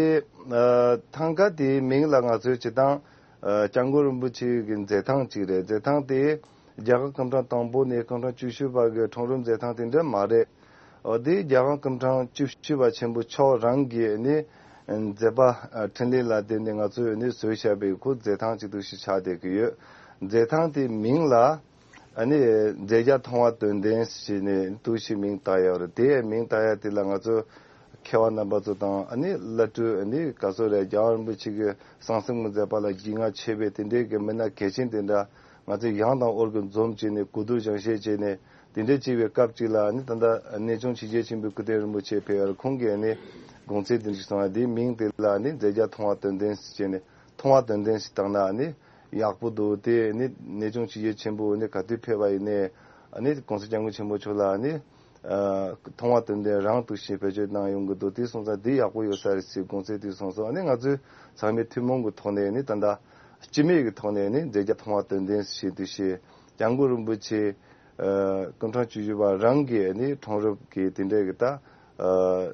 ཨ་ཐང་ག་དེའི་མིང་ལ་ང་ཚོའི་སྤྱིར་བཏང་ཨ་སྐྱབས་མགོན་རིན་པོ་ཆེ་གི་མཛད་ཐང་ཅིག་རེད། མཛད་ཐང་དེ་རྒྱལ་དབང་སྐུ་ཕྲེང་དང་པོ་ནས་སྐུ་ཕྲེང་བཅུ་བཞི་པ་གི་ཁྲོམ་རིམ་མཛད་ཐང་དེ་འདྲ་མ་རེད། འོ་དེ་རྒྱལ་དབང་སྐུ་ཕྲེང་བཅུ་བཞི་པ་ཆེན་པོ་མཆོག་རང་གིས་ནི་མཛད་པ་ཨ་འཕྲིན་ལས་ལ་བརྟེན་ནས་ང་ཚོས་ནི་བཟོས་བཞག་པའི་ཁོ་མཛད་ཐང་ཅིག་འདུག་ཞིག་ཆགས་བསྡད་ཀྱི་ཡོད། མཛད་ཐང་དེའི་མིང་ལ་ཨ་ནི་མཛད་རྒྱ་མཐོང་བ་དོན་ལྡན་ཞེས་ནས་འདུག་ཞིག་མིང་བཏགས་ཡོད་རེད། དེའི་མིང་བཏགས་ཡ་དེ་ལ་ང་ཚོ་མཁས་པ་རྣམ་པ་ཚོ་དང་ཨ་ནི་བླ་སྤྲུལ་ཨ་ནི་ག་ཚོད་རེད། རྒྱལ་བ་རིན་པོ་ཆེ་གི་གསང་གསུམ་གྱི་མཛད་པ་ལ་རྒྱུས་མངའ་ཆེ་བའི་དེ་འདྲའི་གི་མི་སྣ་གལ་ཆེན་དེ་འདྲ་ང་ཚོས་ཡང་དང་འོར་གྱི་འཛོམས་བྱས་ནས་གོ་བསྡུར་སྦྱང་བཤད་བྱས་ནས་དེ་འདྲ་བྱས་པའི་སྐབས་ཅིག་ལ་ཨ་ནི་ད་ལྟ་གནས་ཆུང་ཆོས་རྒྱལ་ཆེན་པོའི་སྐུ་བསྟན་རིན་པོ་ཆེ་ཕེབས་ཡོད་རེད། ཁོང་གིས་ཨ་ནི་དགོངས་ཚུལ་དེ་འདྲ་ཞིག་གསུངས་པ་དེའི་མིང་དེ་ལ་ཨ་ནི་མཛད་རྒྱ་མཐོང་བ་དོན་ལྡན་ཞེས་བྱས་ནས། མཐོང་བ་དོན་ལྡན་ཞིག་བཏང་ན་ཨ་ནི་ཡག་པོ་འདུག་དེ་ནི་གནས་ཆུང་ཆོས་རྒྱལ་ཆེན་པོ་ནི་ག་དུས་ཕེབས་པ་ཡིན་ནའི་ཨ་ནི་༸གོང་ས་༸སྐྱབས་མགོན་ཆེན་པོ་མཆོག་ལ་ཨ་ནི་ཨ་མཐོང་བ་དོན་ལྡན་རང་འདུག་ཞེས་བེད་སྤྱོད་གནང་ཡོང་གི་འདུག་དེ་སོང་ཙང་འདི་ཡག་པོ་ཡོད་ས་རེད་ཟེར་དགོངས་ཚུལ་དེ་གསུངས་སོང་། ཨ་ནི་ང་ཚོའི་ཚང་མའི་ཐུན་མོང་གི་ཐོག་ནས་ནི་ད་ལྟ་སྤྱི་མོས་ཀྱི་ཐོག་ནས་ནི་མཛད་རྒྱ་མཐོང་བ་དོན་ལྡན་ཞེས་འདུག་ཞེས་༸སྐྱབས་མགོན་རིན་པོ་ཆེ་ཨ་སྐུ་ཕྲེང་བཅུ་བཞི་པ་རང་གིས་ནི་ཁྲོམ་རིམ་གྱི་དེ་འདྲའི་གི་ད་ཨ་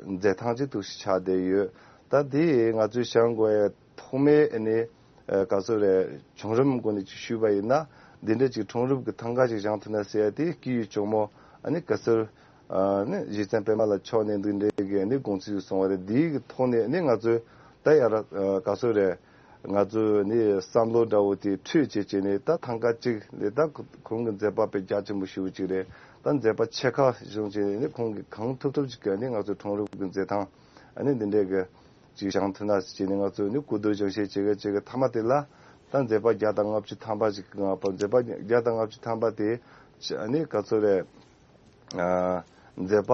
མཛད་ཐང་ཅིག་འདུག་ཞེས་ཆགས་བསྡད་ཡོད། ད་དེ་ང་ཚོའི་བྱ་དགོས་ཡ། ཐོག་མའི་ཨ་ནི་ཨ་ག་ཚོད་རེད། བྱུང་རིམ་སྒོ་ནས་ཅིག་ཞུས་པ་ཡིན་ན། འདི་འདྲ་ཅིག་ཁྲོམ་རིམ་གྱི་ཐང་ག་ཅིག་བཞེངས་ཐུབ་ན་ཟེར་ཡ་དེ་སྐུའི་གཅུང་མོ་ཨ་ནི་ག་ཚོད་ཨ་ནི་རྗེ་བཙུན་པད་མ་ལ་མཆོག་ནས་འདི་འདྲའི་གི་ཨ་ནི་དགོངས་ཚུལ་གསུངས་པ་རེད། འདིའི་གི་ཐོག་ནས་ཨ་ནི་ང་ཚོས་ད་ཡར་ཨ་ག་ཚོད་རེད། ང་ཚོས་ཨ་ནི་བསམ་བློ་འདྲ་བོ་དེ་འཕྲོས་བྱས་བྱས་ནས་ད་ཐང་ག་གཅིག་ལས་ད་ཁོང་གི་མཛད་པ་དཔེ་རྒྱ་ཆེན་པོ་ཞེ་པོ་ཅིག་རེད། ད་མཛད་པ་ཆེ་ཁག་བྱུང་བྱས་ནས་ཨ་ནི་ཁོང་གིས་གང་ཐུབ་ཐུབ་ཅིག་གི་ཨ་ནི་ང་ཚོའི་ཁྲོམ་རིམ་གྱི་མཛད་ཐང་ཨ་ནི་འདི་འདྲའི་གི་ཅིག་བཞེངས་ཐུབ་ན་ཟེར་བྱས་ནས་ང་ཚོས་ནི་གོ་བསྡུར་སྦྱང་བཤད་བྱེད་གི་བྱེད་གི་མཐའ་མ་དེ་ལ་ད་མཛད་པ་བརྒྱ་དང་ལྔ་བཅུ་ཐམ་པ་ཅིག་གི་ང་པ་མཛད་པ་བརྒྱ་དང་ལྔ་བཅུ་ཐམ་པ་དེ་ཨ་ནི་ག་ཚོད་རེད། ཨ་མཛད་པ་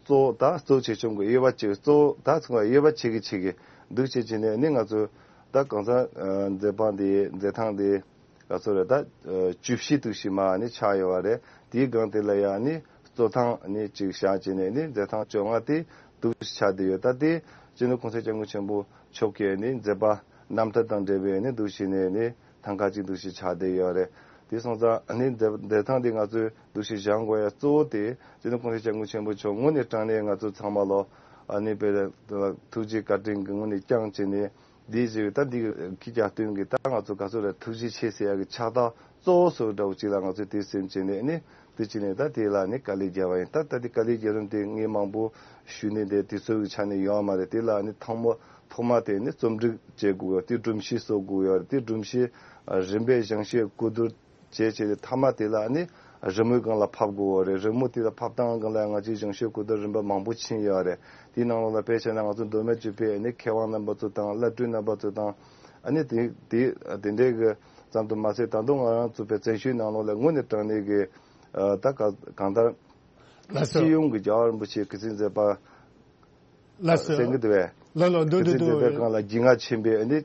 གཙོ་བོ་ད་གཙོ་ཆེ་ཆུང་གི་དབྱེ་བ་ཕྱེ་གི་གཙོ་བོ་ད་ཚང་མ་དབྱེ་བ་ཕྱེ་གི་ཕྱེ་གི་འདུག་བྱས་བྱས་ནས་ཨ་ནི་ང་ཚོས་ད་གང་ཟག་ཨ་མཛད་པ་འདི་མཛད་ཐང་འདི། ག་ཚོད་རེད། ད་ཨ་བཅུ་བཞི་འདུག་ཞིག་མ་ནི་ཆགས་ཡོད་པ་རེད། དེའི་སྒང་དེ་ལ་ཡང་ནི་གཙོ་ཐང་ནི་ཅིག་བཞག་བྱས་ནས་ནི་མཛད་ཐང་བཅོ་ལྔ་དེ་འདུག་ཆགས་བསྡད་ཡོད། ད་དེ་སྤྱི་ནོར་གོང་ས་སྐྱབས་མགོན་ཆེན་པོ་མཆོག་གིས་ནི་མཛད་པ་རྣམ་ཐར་དང་འབྲེལ་བའི་ནི་འདུག་བྱས་ནས་ནི་ཐང་ག་ཅིག་འདུག་ཞིག་ཆགས་བསྡད་ཡོད་རེད། དེ་སོང་ཙང་ནི་མཛད་མཛད་ཐང་དེ་ང་ཚོས་འདུག་ཞིག་བཞེངས་དགོས་ཡ་གཙོ་བོ་དེ་སྤྱི་ནོར་གོང་ས་སྐྱབས་མགོན་ཆེན་པོ་མཆོག་དངོས་གནས་དྲང་གནས་ང་ཚོ་ཚང་མ་ལོ་ཨ་ནི་དཔེ་ཐུགས་རྗེ་བཀའ་དྲིན་གྱི་ངོས་ནས་བསྐྱངས་བྱས་ནས། འདི་ཞིག་ད་འདི་གི་རྒྱ་སྟོན་གི་ད་ང་ཚོ་ག་ཚོད་རེད། ཐུགས་རྗེ་ཆེ་ཟེར་ཡ་གི་ཕྱག་རྟགས་གཙོ་བོ་སོགས་འདྲ་བོ་ཅིག་ལ་ང་ཚོས་དེ་སེམས་བྱས་ནས་ནི་དེ་བྱས་ནས་ད་དེ་ལ་ནི་དཀའ་ལས་བརྒྱབ་པ་ཡིན། ད་ད་དེ་དཀའ་ལས་བརྒྱབ་རིམ་དེ་ངས་མང་པོ་ཞུས་ནས་དེ་དེ་ཚོ་གི་ཆ་ནས་ཡོད་མ་རེད། དེ་ལ་ནི་ཐང་མོ་ཐོག་མ་དེ་ནི་རྩོམ་སྒྲིག་བྱེད་དགོས་ཡོད། དེ་སྒྲོམ་གཞི་བཟོ་དགོས་ཡོད་རེད། དེ་སྒྲོམ་གཞི་རིམ་པས་སྦྱང་བཤད་གོ་བསྡུར་བྱས་བྱས་ཏེ་མཐའ་མ་དེ་ལ་ནི་རི་མོའི་སྒང་ལ་ཕབ་དགོས་པ་རེད། རི་མོ་དེ་ལ་ཕབ་སྟངས་སྒང་ལ་ང་ཚོས་སྦྱང་བཤད་གོ་བསྡུར་རིམ་པ་མང་པོ་ཕྱིན་ཡོད་རེད། དེའི་ནང་ལོགས་ལ་དཔེ་བྱས་ན་ང་ཚོ་མདོ་སྨད་ཆོས་པའི་ནི་མཁས་དབང་རྣམ་པ་ཚོ་དང་བླ་སྤྲུལ་རྣམ་པ་ཚོ་དང་ཨ་ནི་དེ་དེ་དེ་འདྲའི་གི་ཙམ་དུ་མ་ཟད་ད་དུང་ང་རང་ཚོ་བའི་བཙན་བྱོལ་ནང་ལོགས་ལ་དངོས་གནས་དྲང་གནས་ཀྱི་ད་ག་གང་ལྟར་ལགས་སོ། སྤྱི་ཡོངས་ཀྱི་རྒྱལ་བ་རིན་པོ་ཆེའི་སྐུ་ཚེ་མཛད་པ་ལགས་སོ། གསན་གྱི་འདུག་བས། ལགས་ལགས་འདུག་སྐུ་ཚེ་འདུག་མཛད་པའི་འདུག་སྒང་ལ་རྒྱུས་མངའ་ཆེན་པོས་ཨ་ནི།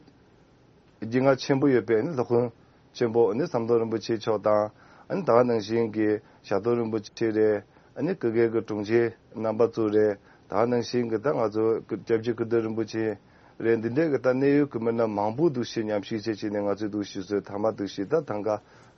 རྒྱུས་མངའ་ཆེན་པོ་ཡོད་པའི་ཨ་ནི་སློབ་དཔོན་ཆེན་པོ་ཨ་ནི་ཟམ་གདོང་རིན་པོ་ཆེ་མཆོག་དང་། ཨ་ནི་ད་ག་ནང་བཞིན་གྱི་ཞབས་དོར་རིན་པོ་ཆེ་རེད། ཨ་ནི་སྐུ་སྒེར་གྱི་དྲུང་ཆེ་རྣམ་པ་ཚོ་རེད། ད་ག་ནང་བཞིན་གྱི་ད་ང་ཚོ་སྐྱབས་རྗེ་ཀིརྟི་རིན་པོ་ཆེ་རེད། འདི་འདྲའི་གི་ད་གནད་ཡོད་ཀྱི་མི་སྣ་མང་པོ་འདུག་ཞེས་མཉམ་ཞུགས་བྱས་བྱས་ནས་ང་ཚོས་འདུག་ཞུ་སྲོལ་མཐའ་མ་འདུག་ཞུ་ད་ཐང་ག་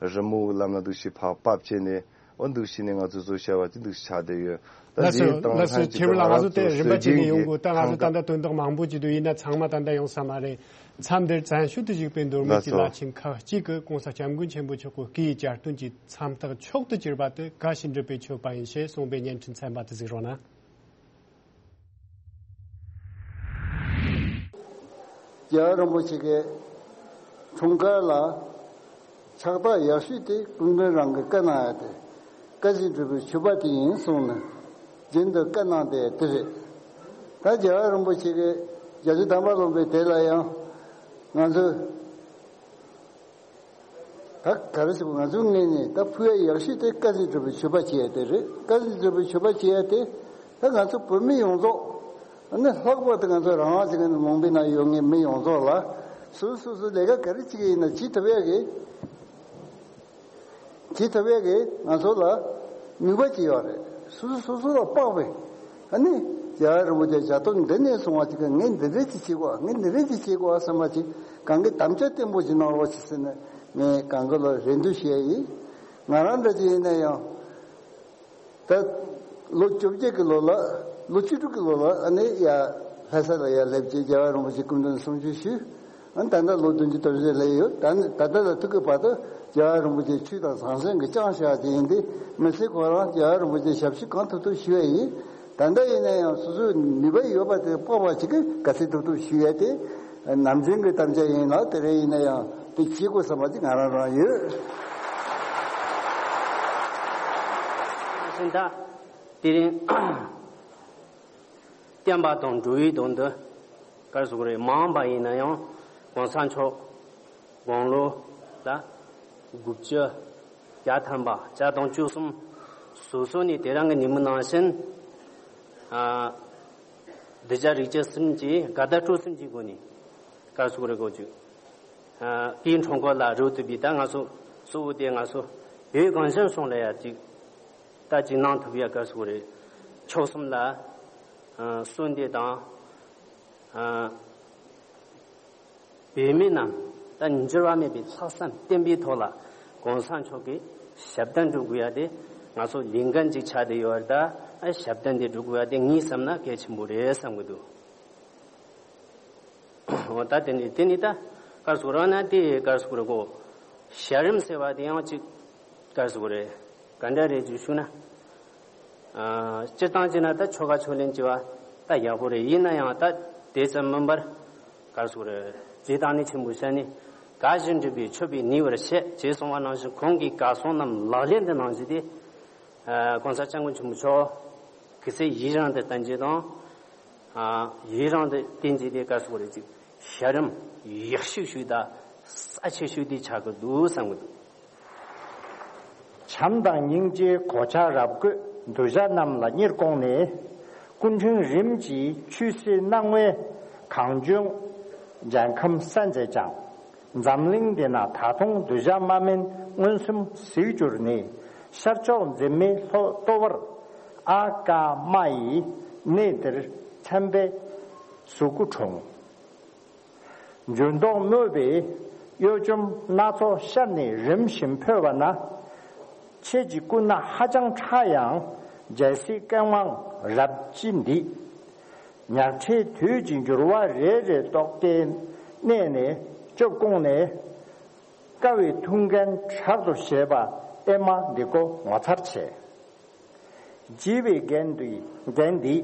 རི་མོ་ལམ་ལ་འདུག་ཞུ་ཕར་ཕབ་བྱས་ནས། འོ་འདུག་བྱས་ནས་ང་ཚོས་བཟོ་བྱ་བ་དེ་འདུག་ཆགས་བསྡད་ཡོད། ད་ལགས་སོ། རྗེས་ལགས་སོ། ཐེ་བོ་ལགས། ང་ཚོ་དེ་རིམ་པ་གཅིག་ནས་ཡོང་དགོས། ད་ང་ཚོ་ད་ལྟ་དོན་དག་མང་པོ་ཅིག་འདུག་ཡིན་ན་ཚང་མ་ད་ལྟ་ཡོང་ས་མ་རེད། མཚམས་འདིར་བཙན་ཤུལ་དུ་བཞུགས་པའི་མདོ་སྨད་ཀྱི་བླ་ཆེན་ཁག་ཅིག་གིས་གོང་ས་སྐྱབས་མགོན་ཆེན་པོ་མཆོག་གི་སྐུའི་གྱ་སྟོན་གྱི་མཚམས་རྟགས་མཆོག་ཏུ་གྱུར་པ་དེ་དགའ་བཞིན་སྒྲུབ་པའི་མཆོད་པ་ཡིན་ཞེས་གསུངས་པའི་བརྙན་འཕྲིན་ཚན་པ་དེ་གཟིགས་རོགས་གནང་། རྒྱལ་བ་རིན་པོ་ཆེ་གི་འཁྲུངས་སྐར་ལ་ཕྱག་རྟགས་ཡག་ཤོས་དེ་སྐུ་མགྲོན་རང་གི་བཀའ་གནང་ཡ་དེ། བཀའ་བཞིན་སྒྲུབ་པའི་མཆོད་པ་དེ་ཡིན་གསུངས་ནས་རྒྱུན་དུ་བཀའ་གནང་བསྡད་དེ་རེད། ད་རྒྱལ་བ་རིན་པོ་ཆེ་གི་བརྒྱད་ཅུ་ཐམ་པ་ལོན་པའི་དེ་ལ་ཡང་ང་ཚོས་ད་ག་རེ་ཟེར་བ། ང་ཚོའི་ངོས་ནས་ད་ཕུལ་ཡ་ཡག་ཤོས་དེ་བཀའ་བཞིན་སྒྲུབ་པའི་མཆོད་པ་བྱེད་ཡ་དེ་རེད། བཀའ་བཞིན་སྒྲུབ་པའི་མཆོད་པ་བྱེད་ཡ་དེ་ད་ང་ཚོ་བོད་མི་ཡོངས་རྫོགས། ཨ་ནི་ལྷག་པར་དུ་ང་ཚོ་རང་དབང་ཅན་གྱི་ལུང་པའི་ནང་ཡོད་མཁན་མི་ཡོངས་རྫོགས་ལ་སོ་སོ་སོ་སོ་ལས་ཀ་ག་རེ་བྱེད་ཀྱི་ཡིན་ན་བྱེད་ཐུབ་ཡ་གི་བྱེད་ཐུབ་ཡ་གི་ང་ཚོ་ལ་ནུས་པ་ཅིག་ཡོད་རེད། སོ་སོ་སོ་སོ་ལ་དཔག་པའི་ཨ་ནི་རྒྱལ་བ་རིན་པོ་ཆེ་ཞབས་ཏོག་འདི་ནས་སོང་བ་ཅིག་གི་ངས་འདི་འདྲས་ཅིག་བྱེད་དགོས། ངས་འདི་འདྲས་ཅིག་བྱེད་དགོས་བསམ་པ་ཅིག་གང་གི་དམ་བཅའ་བརྟན་པོ་ཅིག་གནང་རོགས་ཅིག་ཟེར་ནས་ངས་གང་གི་ལ་རེ་འདུན་ཞུ་ཡ་ཡིན། ང་རང་འདྲ་ཅིག་ཡིན་ན་ཡང་། ད་ལོ་བཅོ་བརྒྱད་ཀྱི་ལོ་ལ། ལོ་བཅུ་དྲུག་གི་ལོ་ལ་ཨ་ནི་ཡ་ལྷ་ས་ལ་ཡ་སླེབས་རྗེས་རྒྱལ་བ་རིན་པོ་ཆེ་སྐུ་མདུན་གསུང་ཆོས་ཞུས། ཨ་ནི་ད་ལྟ་ལོ་བདུན་ཅུ་དོན་བཞི་སླེབས་ཡོད། ད་ནི་ད་ལྟ་ལ་ཐུག་གི་བར་དུ་རྒྱལ་བ་རིན་པོ་ཆེ་ཆོས་དང་ཟང་ཟིང་གི་ཅང་ཤེས་པ་ཅིག་ཡིན་ཏེ། མི་ཚེ་ཁོ་རང་རྒྱལ་བ་རིན་པོ་ཆེ་ཞབས་ཕྱི་གང་ཐུབ་ཐུབ་ཞུ་ཡ་ཡིན། ད་ལྟ་ཡིན་ན་ཡང་སོ་སོའི་ནུས་པ་ཡོད་པ་དེ་དཔག་པ་ཅིག་གིས་ག་ཚོད་ཐུབ་ཐུབ་ཞུ་ཡ་དེ་ནམ་རྒྱུན་གྱི་དམ་བཅའ་ཡིན་ལ། དེ་རིང་ཡིན་ན་ཡང་དེ་བྱེད་དགོས་བསམ་པ་ཅིག་ང་རང་རང་ཡོད། ཤིང་རྟ། དེ་རིང་བསྟན་པ་དང་འགྲོ་བའི་དོན་དུ་ག་རེ་ཟེར་དགོས་རེད། མ་འོངས་པ་ཡིན་ན་ཡང་གོང་ས་མཆོག་དགུང་ལོ་ལ་དགུ་བཅུ་གྱ་ཐམ་པ་བརྒྱ་དང་བཅུ་གསུམ་བཟོ་བཟོ་ནས་དེ་རིང་གི་ཉིན་མོ་ནང་བཞིན། ཨ། གདུལ་བྱ་རིགས་དྲུག་གསུམ་གྱི་དགའ་དད་སྤྲོ་གསུམ་གྱི་སྒོ་ནས་ག་རེ་ཟེར་དགོས་རེད། གོ་ཅིག་ཨ། སྐུའི་འཁྲུངས་སྐར་ལ་རོལ་ཐུབ་པའི། ད་ང་ཚོ་གཙོ་བོ་དེ་ང་ཚོ་བོད་གངས་ཅན་ལྗོངས་ལ་ཡ་ཅིག་ད་ཅིག་གནང་ཐུབ་ཡ་ག་རེ་ཟེར་དགོས་རེད། མཆོག་གསུམ་ལ། ཨ། གསོལ་འདེབས་དང་། ཨ། བོད་མི་རྣམས་ད་འགྱུར་བ་མེད་པའི་ལྷག་བསམ་བརྟན་པོའི་ཐོག་ལ་གོང་ས་མཆོག་གི་ཞབས་བརྟན་སྒྲུབ་དགོས་ཡ་དེ་ང་ཚོ་ལས་འགན་ཅིག་ཆགས་བསྡད་ཡོད་རེད། ད་ཨ་ཞབས་བརྟན་དེ་སྒྲུབ་དགོས་ཡ་དེ་ངས་བསམ་ན་གལ་ཆེན་པོ་རེད་བསམ་གི་འདུག་འོ་ད་དེ་ནི་དེ་ནི་ད་ག་རེ་ཟེར་དགོས་རེད་ན། དེ་ག་རེ་ཟེར་དགོས་རེད་གོ། ཞལ་རིམ་ཟེར་བ་དེ་ཡང་ཅིག་ག་རེ་ཟེར་དགོས་རེད། ག་འདྲ་རེད་ཅེས་ཞུ་ན། ཨ། སྤྱིར་བཏང་བྱས་ན་ད་ཆོ་ག་ཕྱག་ལེན་བྱེད་པ་ད་ཡག་པོ་རེད། ཡིན་ན་ཡང་ད་དེ་ཙམ་མིན་པར་ག་རེ་ཟེར་དགོས་རེད། རྗེ་བདག་ཉིད་ཆེན་པོའི་ཞལ་ནས་དགའ་བཞིན་སྒྲུབ་པའི་མཆོད་པས་ནུས་པར་བྱེད་ཅེས་གསུངས་པ་ནང་བཞིན་ཁོང་གི་བཀའ་གསུང་རྣམས་ལག་ལེན་དུ་གནང་རྒྱུ་དེ། ཨ། གོང་ས་སྐྱབས་མགོན་ཆེན་པོ་མཆོག་གི་སྲས་ཡི་རང་དུ་བསྟེན་རྒྱུ་དང་། ཨ། ཡི་རང་དུ་བསྟེན་རྒྱུ་དེ་ག་རེ་ཟེར་དགོས་རེད། ཅིག་ཞལ་རིམ་ཡག་ཤོས་ཤིག་དང་རྩ་ཆེ་ཤོས་དེ་ཆགས་ཀྱི་འདུག་བསམ་གྱི་འདུག་བྱམས་དང་སྙིང་རྗེའི་གོ་ཆ་རབ་བགོས་གདུལ་བྱ་རྣམས་ལ་གཉེར་དགོངས་ནས། སྐུ་ཕྲེང་རིམ་གྱིས་ཆོས་སྲིད་སྣང་བའི་གངས་ལྗོངས་རྒྱལ་ཁམས་གསལ་མཛད་ཀྱང་། འཛམ་གླིང་འདི་ན་ད་དུང་གདུལ་བྱ་དམག་མིན་མངོན་སུམ་གཟིགས་གྱུར་ནས། ཤར་ཕྱོགས་འཛིན་མའི་ལྟོ་བར་ཨ་ཀ་མ་ཡི་གནས་འདིར་མཚན་པའི་གཟུགས་སྐུ་འཁྲུངས། འགྱུར་ལྡོག་སྨོད་པའི་གཡོ་འཇོམས་སྣ་ཚོགས་ཤར་ནས་རིམ་བཞིན་འཕོས་པ་ན། ཁྱེད་ཀྱི་སྐུ་སྣ་ཧ་ཅང་ཕྲ་ཡང་རྒྱལ་སྲིད་ཀུན་དབང་རབ་ཀྱིས་འདིས། ཉག་ཕྲའི་དུས་ཀྱི་འགྱུར་བ་རེ་རེ་རྟོག་གེའི་གནས་ནས་སྐྱོབ་དགོངས་ནས། དཀའ་བའི་ཐུགས་འགན་དྲག་ཏུ་བཞེས་པ་ཨེ་མ་འདི་ཀོ་ངོ་མཚར་ཆེ། བགྱིས་པའི་འགན་འདི་འགན་འདི་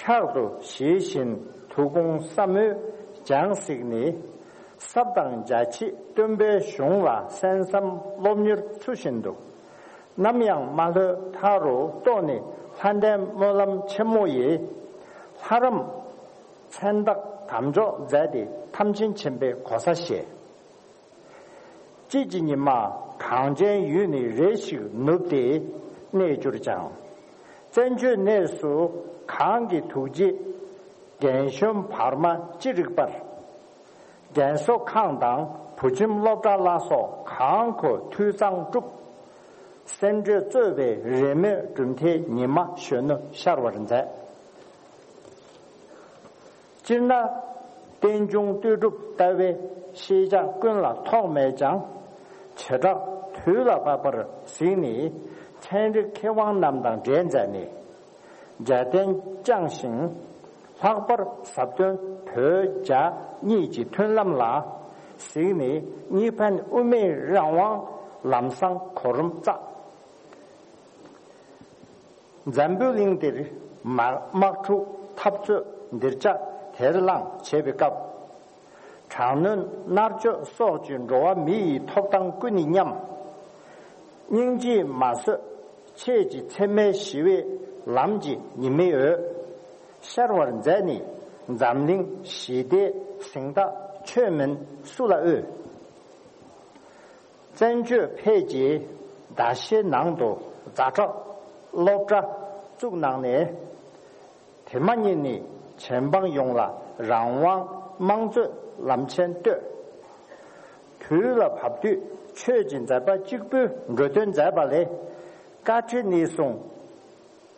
ཕྲག་ཏུ་བཞེས་བཞིན་ཐུགས་དགོངས་བསམ་མོས་སྦྱངས་གཟིགས་ནས། ཟབ་དང་རྒྱ་ཆེའི་སྟོན་པའི་གཞུང་ལ་གསན་བསམ་སློབ་གཉེར་ཚུལ་བཞིན་དུ། ནམ་ཡང་མ་ལྷོད་མཐའ་རུ་རྟོགས་ནས་ལྷ་ལྡན་སྨོན་ལམ་ཆེན་མོ་ཡིས། ལྷ་རམས་མཚན་རྟགས་དམ་འཇོག་མཛད་དེ་ཐམས་ཅད་མཁྱེན་པའི་གོ་ས་བཞེས། དཔྱིད་ཀྱི་ཉི་མ་གངས་ཅན་ཡུལ་ནས་རེ་ཞིག་ནུབ་སྟེ་གནས་གྱུར་ཀྱང་། བཙན་བྱོལ་གནས་སུ་གང་གི་ཐུགས་རྗེས་རྒན་གཞོན་བར་མ་ཅི་རིགས་པར། རྒན་གསོ་ཁང་དང་བུ་ཁྱིམ་སློབ་གྲྭ་ལ་སོགས་གང་མཁོ་འཐུས་གཙང་བསྒྲུབས། སེམས་སྤྲོས་གཙོས་པའི་རེས་མོས་གྲུབ་མཐའི་ཉི་མ་གཞོན་ནུ་ཤར་བར་མཛད། སྤྱིར་ན་རྟེན་འབྱུང་ལྟོས་གྲུབ་ལྟ་བའི་ཤེས་བྱ་ཀུན་ལ་ཐོགས་མེད་ཀྱང་། བྱེ་བྲག་དུས་ལ་བབ་པར་གཟིགས་ནས་ ཚན་རིག་མཁས་དབང་རྣམས་དང་འབྲེལ་མཛད་ནས། རྒྱལ་བསྟན་བསྐྱངས་ཤིང་། ལྷག་པར་ཟབ་དོན་བོད་རྒྱ་གཉིས་ཀྱི་མཐུན་ལམ་ལ་གཟིགས་ནས། གཉིས་ཕན་དབུ་མའི་རང་དབང་ལམ་བཟང་གོ་རིམ་བརྩམས། འཛམ་བུའི་གླིང་འདིར་དམག་དམག་འཁྲུག་འཐབ་རྩོད་འདིར་ཆགས་དེར་ལངས་བྱེད་པའི་སྐབས། དྲག་གནོན་མནར་གཅོད་སོགས་ཀྱི་འགྲོ་བ་མི་ཡི་ཐོབ་ཐང་ཀུན་ནས་ཉམས། སྙིང་རྗེས་མ་བཟོད་ཆོས་ཀྱི་འཚེ་མེད་ཞི་བའི་ལམ་གྱི་ཉི་མའི་འོད་ཤར་བར་མཛད་ནས། འཛམ་གླིང་ཞི་བདེའི་གཟེངས་རྟགས་ཆོས་མིན་སུ་ལ་འོས། བཙན་བྱོལ་བོད་ཀྱི་ཟླ་ཤས་ནང་དུ་ཛ་དྲག་སློབ་གྲྭ་བཙུགས་གནང་ནས། དེ་མ་ཉིད་ནས་གཞན་ཕན་ཡོངས་ལ་རང་དབང་དམངས་གཙོའི་ལམ་ཆེན་བཏོད། དུས་ལ་བབ་དུས་ཆོས་ཀྱི་མཛད་པ་གཅིག་པུས་འགྲོ་དོན་མཛད་པ་ལས། བཀའ་ཁྲི་ནས་བཟུང་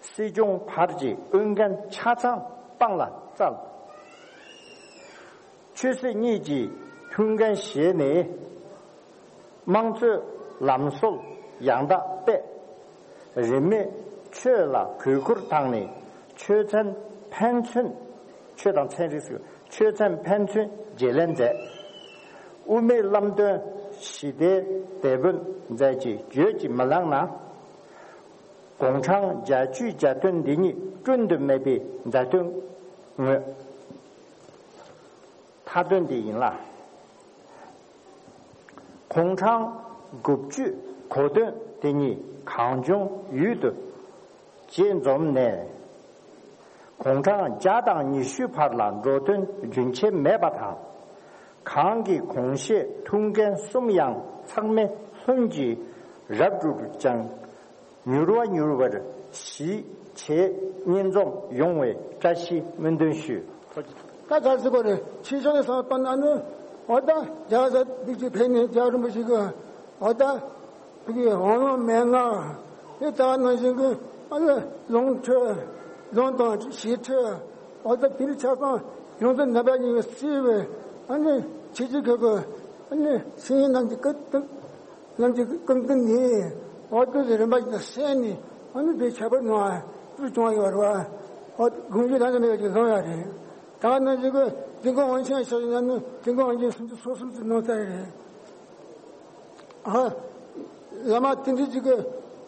སྲིད་སྐྱོང་བར་གྱི་འོས་འགན་ཆ་ཚང་སྤང་ལ་བསྩལ། ཆོས་སྲིད་གཉིས་ཀྱི་མཐུན་རྐྱེན་བཞེས་ནས། དམངས་གཙོའི་ལམ་སྲོལ་ཡང་དག་སྤེལ། རིས་མེད་ཆོས་ལ་གུས་བཀུར་བཏང་ནས། ཆོས་ཚན་ཕན་ཚུན། ཆོས་དང་ཚན་རིག་ཟེར། ཆོས་ཚན་ཕན་ཚུན་བརྗེ་ལེན་མཛད། དབུ་མའི་བླ་དོན་ཞི་བདེའི་དེད་དཔོན་མཛད་ཅེས་བརྗོད་ཀྱིས་མི་ལང་ན། དགུང་གྲངས་བརྒྱད་ཅུའི་གྱ་སྟོན་འདི་ཉིད་བསྐྲུན་དུ་མེད་པའི་མཛད་དོན་དངོས། མཐའ་དོན་དེ་ཡིན་ལ། དགུང་གྲངས་དགུ་བཅུའི་གོ་སྟོན་དེ་ཉིད་གངས་ལྗོངས་ཡུལ་དུ་རྗེས་འཛོམས་ནས། དགུང་གྲངས་བརྒྱ་དང་ཉི་ཤུའི་བར་ལ་འགྲོ་དོན་རྒྱུན་ཆད་མེད་པ་དང་། གང་གི་གོང་བཞེས་ཐུགས་འགན་གསུམ་ཡང་ཚང་མས་ལྷུན་གྱིས་རབ་གྲུབ་ཅིང་། མྱུར་བ་མྱུར་བར་གཞིས་བྱེས་གཉིས་འཛོམས་ཡོང་བའི་བཀྲ་ཤིས་སྨོན་འདུན་ཞུ། ད་ག་ཟེར་དགོས་རེད། ཕྱི་ཕྱོགས་ནས་བསམ་བློ་བཏང་ན་ནི། འོ་ད་རྒྱ་གར་འདི་ཅིག་ཕེབས་ནས་རྒྱལ་བ་རིན་པོ་ཆེ་གི་འོ་ད་དེ་གི་འོང་ལུང་མན་ངག་དེ་ལྟ་བ་ནང་བཞིན་གི་ཨ་ནི་ལུང་ཁྲིད། ལུང་དང་ཞི་ཁྲིད། འོ་ད་དེ་ཆ་ཚང་ཡོངས་སུ་རྣམ་པ་གཉིས་ཀྱིས་གཙོས་པའི་ཨ་ནི་ཆོས་བརྒྱུད་ཁག་གི་ཨ་ནི་སེམས་ཅན་རྣམས་ཀྱི་སྐུ་དང་། རྣམས་ཀྱི་ཀུན་ཀུན་ནས་འོ་དེ་ཚོ་རིམ་པ་བཞིན་དུ་གསན་ནས། འོ་ནི་དེ་ཁྱད་པར་ནང་ཏུ་བྱུང་བ་ཡོད་རེད་བ། འོ་དགོངས་རྒྱུ་ད་ནི་མེད་པ་ཅིག་བཟང་ཡོད་རེད། ད་ནི་ཅིག་གི་དེ་ཀོ་ཝང་ཆེན་ཤོར་ན་ནི་དེ་ཀོ་ཝང་ཆེན་སུམ་ཅུ་སོ་གསུམ་ཙམ་གནང་ཚར་རེད། ཨ། བླ་མ་དེ་འདྲ་ཅིག་གི་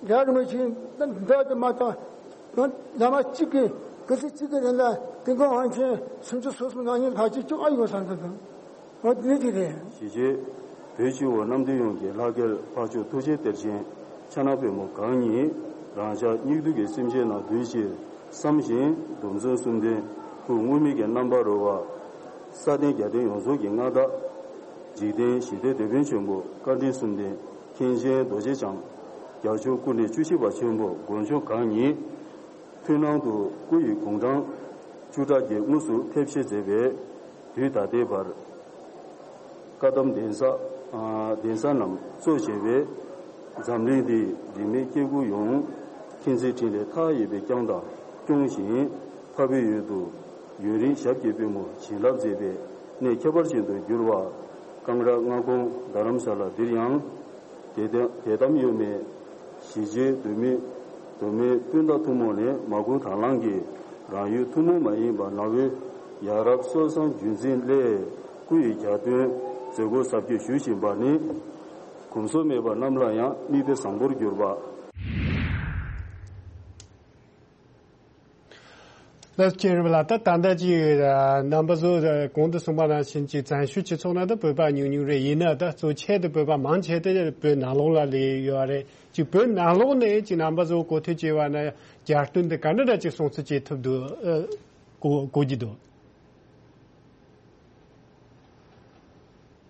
རྒྱ་རིན་པོ་ཆེ་འདི་དུ་མ་གཏོགས། བླ་མ་གཅིག་གི་གི་སི་གཅིག་གི་རིང་ལ་དེ་ཀོ་ཝང་ཆེན་སུམ་ཅུ་སོ་གསུམ་ནང་ཉིད་ཕལ་ཆེར་བཅུ་ལྔ་ཡོད་བསམ་འདུག་འོ་དེ་འདྲ་ཅིག་རེད། གཞིས་བྱེས་བོད་སྤྱི་བོ་གནམ་བསྟན་ཡོངས་ཀྱི་ལྷ་སྐལ་འཕགས་མཆོག་ཐུགས་རྗེའི་གཏེར་ཆེན་ཕྱག་ན་པདྨོ་གང་ཉིད་རང་ཅག་སྙིགས་དུས་ཀྱི་སེམས་ཅན་རྣམས་འདུལ་ཕྱིར་བསམ་བཞིན་སྡོམ་བརྩོན་གསུམ་ལྡན་སྐུ་དངོས་མེད་ཀྱི་རྣམ་པར་རོལ་བ། ས་སྟེང་རྒྱལ་བསྟན་ཡོངས་རྫོགས་ཀྱི་མངའ་བདག་འཇིག་རྟེན་ཞི་བདེའི་དེད་དཔོན་ཆེན་པོ་བཀའ་དྲིན་གསུམ་ལྡན་མཁན་ཆེན་རྡོ་རྗེ་འཆང་རྒྱལ་མཆོག་སྐུ་ཕྲེང་བཅུ་བཞི་པ་ཆེན་པོ་དགོངས་མཆོག་གང་ཉིད། མཐུན་སྣང་དུ་སྐུ་ཡི་དགུང་གྲངས་བཅུ་ཕྲག་བརྒྱད་དངོས་སུ་ཕེབས་བཞེད་མཛད་པའི་དུས་ད་ལྟའི་བར། བཀའ་གདམས་གདན་ས་ཨ་གདན་ས་རྣམས་གཙོ་བྱས་པའི་འཛམ་གླིང་འདིའི་རིས་མེད་སྐྱེ་དགུ་ཡོངས་མཁྱེན་བརྩེ་ཕྲིན་ལས་མཐའ་ཡས་པའི་བསྐྱངས་དང་སྐྱོང་བཞིན། འཕགས་པའི་ཡུལ་དུ་ཡུན་རིང་ཞབས་ཀྱི་པུས་མོ་བྱིན་རླབས་མཛད་པའི་གནས་ཁྱད་པར་ཅན་དུ་གྱུར་པ། ཀང་ར་མངའ་ཁོངས་རྡ་རམ་ས་ལ་འདིར་ཡང་། དད་དམ་དད་དམ་གཡོ་མེད་གཞིས་བྱེས་མདོ་སྨད་མདོ་སྨད་སྤུན་ཟླ་ཐུན་མོང་ནས་མ་བསྐུལ་དང་བླངས་ཀྱིས་རང་ཡུལ་ཐུན་མོང་མ་ཡིན་པ་ནང་པའི་ཡ་རབས་སྲོལ་བཟང་རྒྱུན་འཛིན་སླད་སྐུ་ཡི་གྱ་སྟོན་མཛད་སྒོ་གཟབ་རྒྱས་ཞུ་བཞིན་པ་ནི། གོམས་སྲོལ་མེད་པ་རྣམས་ལ་ཡང་དམིགས་གཏད་བཟང་པོར་གྱུར་པ། ལགས་སོ། རྣམ་པ་ཚོ་གོང་དུ་གསུངས་པ་ནང་བཞིན་གྱི་བཙན་བྱོལ་སྤྱི་ཚོགས་ནང་དུ་བོད་པ་ཉུང་ཉུང་རེད། ཡིན་ན་ད་གཙོ་ཆེ་དུ་བོད་པ་མང་ཆེ་དུ་བོད་ནང་ལོགས་ལ་སླེབས་ཡོད་རེད། ཅིག་བོད་ནང་ལོགས་ནས་ཅིག་རྣམ་པ་ཚོ་གོ་ཐོས་བྱས་པ་ན་གྱ་སྟོན་དེ་ག་འདྲ་འདྲ་ཅིག་སྲུང་བརྩི་བྱེད་ཐུབ་འདུག་གོ་གོ་གི་འདུག་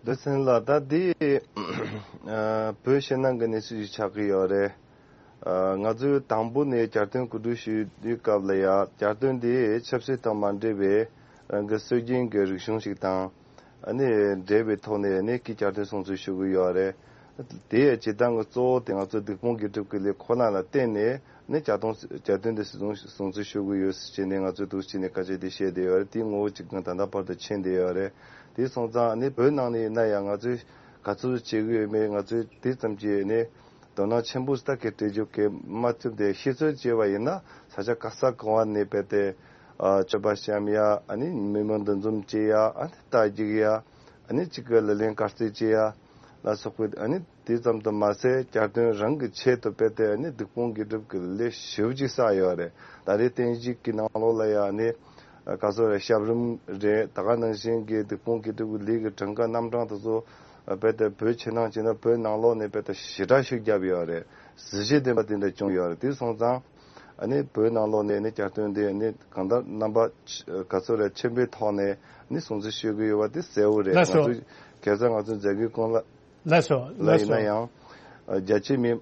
བདེ་ཆེན་ལགས། ད་འདི་བོད་ཕྱི་ནང་གི་གནས་ཚུལ་ཞིག་ཆགས་ཀྱི་ཡོད་རེད། ང་ཚོས་དང་པོ་ནས་གྱ་སྟོན་གོ་སྒྲིག་ཞུ་དུས་སྐབས་ལ་ཡ་གྱ་སྟོན་འདི་ཆབ་སྲིད་དང་མ་འབྲེལ་བའི་རང་གི་སྲོལ་རྒྱུན་གྱི་རིག་གཞུང་ཞིག་དང་ཨ་ནི་འབྲེལ་བའི་ཐོག་ནས་ཨ་ནི་གི་གྱ་སྟོན་སྲུང་བརྩི་ཞུ་གི་ཡོད་རེད། དེ་ཡི་བྱེད་སྟངས་ཀྱི་གཙོ་བོ་དེ་ང་ཚོ་སྡིག་སྤོང་དགེ་སྒྲུབ་ཀྱི་ལས་ཁོ་ན་ལ་བརྟེན་ནས་ནི་གྱ་སྟོན་གྱ་སྟོན་འདི་སྲུང་སྲུང་བརྩི་ཞུ་གི་ཡོད་ཟེར་བྱས་ནས་ང་ཚོས་འདུག་བྱས་ནས་སྐད་ཆ་དེ་བཤད་བསྡད་ཡོད་རེད། དེའི་ངོ་བོ་གཅིག་ཀྱང་ད་ལྟ་བར་དུ་མཁྱེན་བསྡད་ཡོད་རེད། དེ་སོང་ཙང་ནི་བོད་ནང་ནས་ཡིན་ན་ཡང་ང་ཚོས་ག་ཚོད་བྱེད་གི་ཡོད་མེད་ང་ཚོས་དེ་ཙམ་གྱིས་ནི་ དོ་སྣང་ཆེན་པོ་ཞིག་ད་གལ་སྤྲད་རྒྱུ་གལ་མ་ཐུབ་དེ། ཤེས་ཚོད་བྱས་པ་ཡིན་ན་ས་ཆ་ག་ས་གང་བ་ནས་རྦད་དེ་ཨ་མཆོད་པ་བཤམས་ཡ། ཨ་ནི་མི་མང་འདུ་འཛོམས་བྱེད་ཡ། ཨ་ནི་རྟ་རྒྱུག་ཡ། ཨ་ནི་གཅིག་གི་ལག་ལེན་དཀར་རྩེ་བྱེད་ཡ་ལ་སོགས་པའི། ཨ་ནི་དེ་ཙམ་དུ་མ་ཟད་གྱ་སྟོན་རང་གི་ཆེད་དུ་རྦད་དེ་ཨ་ནི་སྡིག་སྤོང་དགེ་སྒྲུབ་ཀྱི་ལས་ཞེ་པོ་ཅིག་བསགས་ཡོད་རེད། ད་རེས་བསྟན་བཅོས་ཀྱི་ནང་ལོགས་ལ་ཡ་ཨ་ནི་ག་ཚོད་རེད། ཞབས་རིམ་རེད། ད་ག་ནང་བཞིན་གྱི་སྡིག་སྤོང་དགེ་སྒྲུབ་ཀྱི་ལས་ཀྱི་གྲངས་ཀ་རྣམ་གྲངས་དེ་ཚོ་རྦད་དེ་བོད་ཕྱི་ནང་བྱས་ན་བོད་ནང་ལོགས་ནས་རྦད་དེ་ཞེ་དྲག་ཤུགས་བརྒྱབ་ཡོད་རེད། གཟི་བརྗིད་ལྡན་པ་དེ་འདྲ་བྱུང་ཡོད་རེད། དེ་སོང་ཙང་ཨ་ནི་བོད་ནང་ལོགས་ནས་ཨ་ནི་གྱ་སྟོན་དེ་ཨ་ནི་གང་ལྟར་རྣམ་པ་ཆ་ག་ཚོད་རེད། ཆེན་པོའི་ཐོག་ནས་ཨ་ནི་སྲུང་བརྩི་ཞུ་གི་ཡོད་པ་དེ་གསལ་བོ་རེད། ལགས་སོ། ང་ཚོ་གེ་སར་ང་ཚོ་མཛད་སྒོའི་སྐོར་ལ་ལགས་སོ། ལ་ལགས་ཡིན་ན་སོ། ཡང་རྒྱ་ཆེ་མི།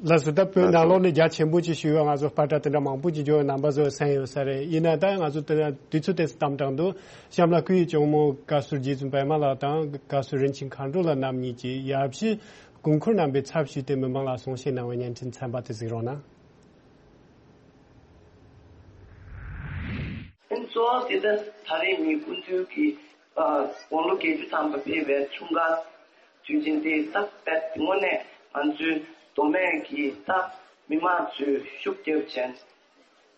ལགས་སོ། ད་བོད་ལགས་ནང་སོ། ལོགས་ནས་རྒྱ་ཆེན་པོ་ཅིག་ཞུས་པ། ང་ཚོ་པར་ཊ་དེ་འདྲ་མང་པོ་ཅིག་འབྱོར། རྣམ་པ་ཚོ་གསན་ཡོད་ས་རེད། ཡིན་ན་ད་ང་ཚོ་དེ་དུས་ཚོད་དེ་གཏམ་དྲང་འདུག་གཤམ་ལ་སྐུའི་གཅུང་མོ་བཀའ་ཟུར་རྗེ་བཙུན་པད་མ་ལགས་དང་བཀའ་ཟུར་རིན་ཆེན་མཁའ་འགྲོ་ལགས་རྣམ་གཉིས་ཀྱིས་ཡབ་གཞིས་དགོངས་འཁོར་རྣམ་པའི་ཚབ་ཞུས་ཏེ་མི་མང་ལ་གསུང་བཤད་གནང་བའི་བརྙན་འཕྲིན་ཚན་པ་དེ་གཟིགས་རོགས་གནང་། ཨ་ནི་གཙོ་བོ་དེ་ད་ད་རེས་མི་སྐུ་མདུན་གྱི་ཨ་དགུང་ལོ་བརྒྱད་ཅུ་ཐམ་པ་ཕེབས་པའི་འཁྲུངས་སྐར་དུས་ཆེན་དེ་ད་དཔེ་དངོས་གནས་ང་ཚོའི་མདོ་སྨད་ཀྱི་ད་མི་མང་ཚོས་ཤུགས་རྒྱབ་བྱས་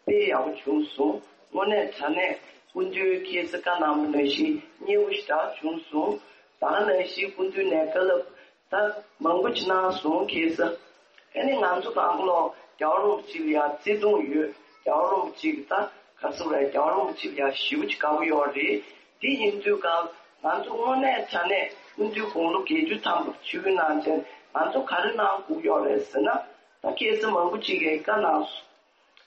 དཔེ་ཡག་པོ་བྱུང་སོང་། དངོས་གནས་དྲང་གནས་སྐུ་མདུན་ཁྱེད་ཚོ་བཀའ་གནང་བ་ནང་བཞིན་མཉེས་པོ་ཞེ་དྲག་བྱུང་སོང་། ད་ག་ནང་བཞིན་སྐུ་མདུན་ནས་བཀའ་སློབ་ད་མང་པོ་ཅིག་གནང་སོང་། ཁྱེད་ཚོ་ཨ་ནི་ང་ཚོ་གང་ག་ལོག་རྒྱལ་བ་རིན་པོ་ཆེ་ལ་ཡ་བརྩེ་དུང་ཡོད། རྒྱལ་བ་རིན་པོ་ཆེ་གི་ད་ག་ཚོད་རེད། རྒྱལ་བ་རིན་པོ་ཆེ་ལ་ཡ་ཞེ་པོ་ཅིག་དགའ་པོ་ཡོད་རེད། དེ་ཡིན་དུས་གང་ང་ཚོ་དངོས་གནས་དྲང་གནས་སྐུ་མདུན་དགུང་ལོ་བརྒྱད་ཅུ་ཐམ་པ་ཆིབས་བསྒྱུར་གནང་བྱས་ང་ཚོ་ག་རེ་གནང་དགོས་ཡོད་རེད་ཟེར་ན། ད་ཁྱེད་ཚོ་མང་པོ་ཅིག་གིས་བཀའ་གནང་སོང་།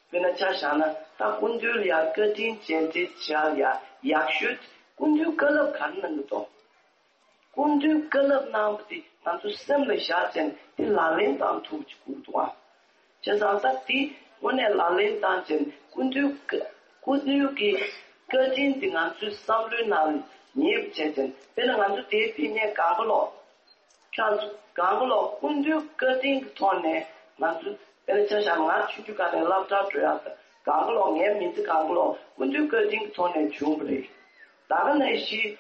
དཔེར་ན་ཆ་བཞག་ན་ད་སྐུ་མདུན་ལ་ཡ་བཀའ་དྲིན་རྗེས་དྲན་བྱ་ཡ་ཡག་ཤོས་སྐུ་མདུན་བཀའ་སློབ་ག་རེ་གནང་གི་འདུག་སྐུ་མདུན་བཀའ་སློབ་གནང་བ་དེ་ང་ཚོ་སེམས་ལ་བཞག་བྱས་དེ་ལག་ལེན་བསྟར་ཐུབ་ཅིག་དགོས་འདུག་ཨ། བྱས་ཙང་ད་དེ་དངོས་གནས་ལག་ལེན་བསྟར་བྱས་སྐུ་མདུན་བཀའ་སྐུ་མདུན་གྱི་བཀའ་དྲིན་དེ་ང་ཚོའི་བསམ་བློའི་ནང་ངེས་པ་བྱས་བྱས་དཔེར་ན་ང་ཚོ་དེའི་ཕན་ཉེ་གང་ག་ལོག་ཁྱེད་ཚོ་གང་ག་ལོག་སྐུ་མདུན་བཀའ་དྲིན་གྱི་ཐོག་ནས་ང་ཚོ་དཔེར་ན་ཆ་བཞག་ང་ཆུང་ཆུང་སྒང་ནས་སློབ་གྲྭར་འགྲོ་ཡག་དང་གང་ག་ལོག་ངའི་མི་ཚེ་གང་ག་ལོག་སྐུ་མདུན་བཀའ་དྲིན་གྱི་ཐོག་ནས་བྱུང་བ་རེད། ད་ག་ནང་བཞིན་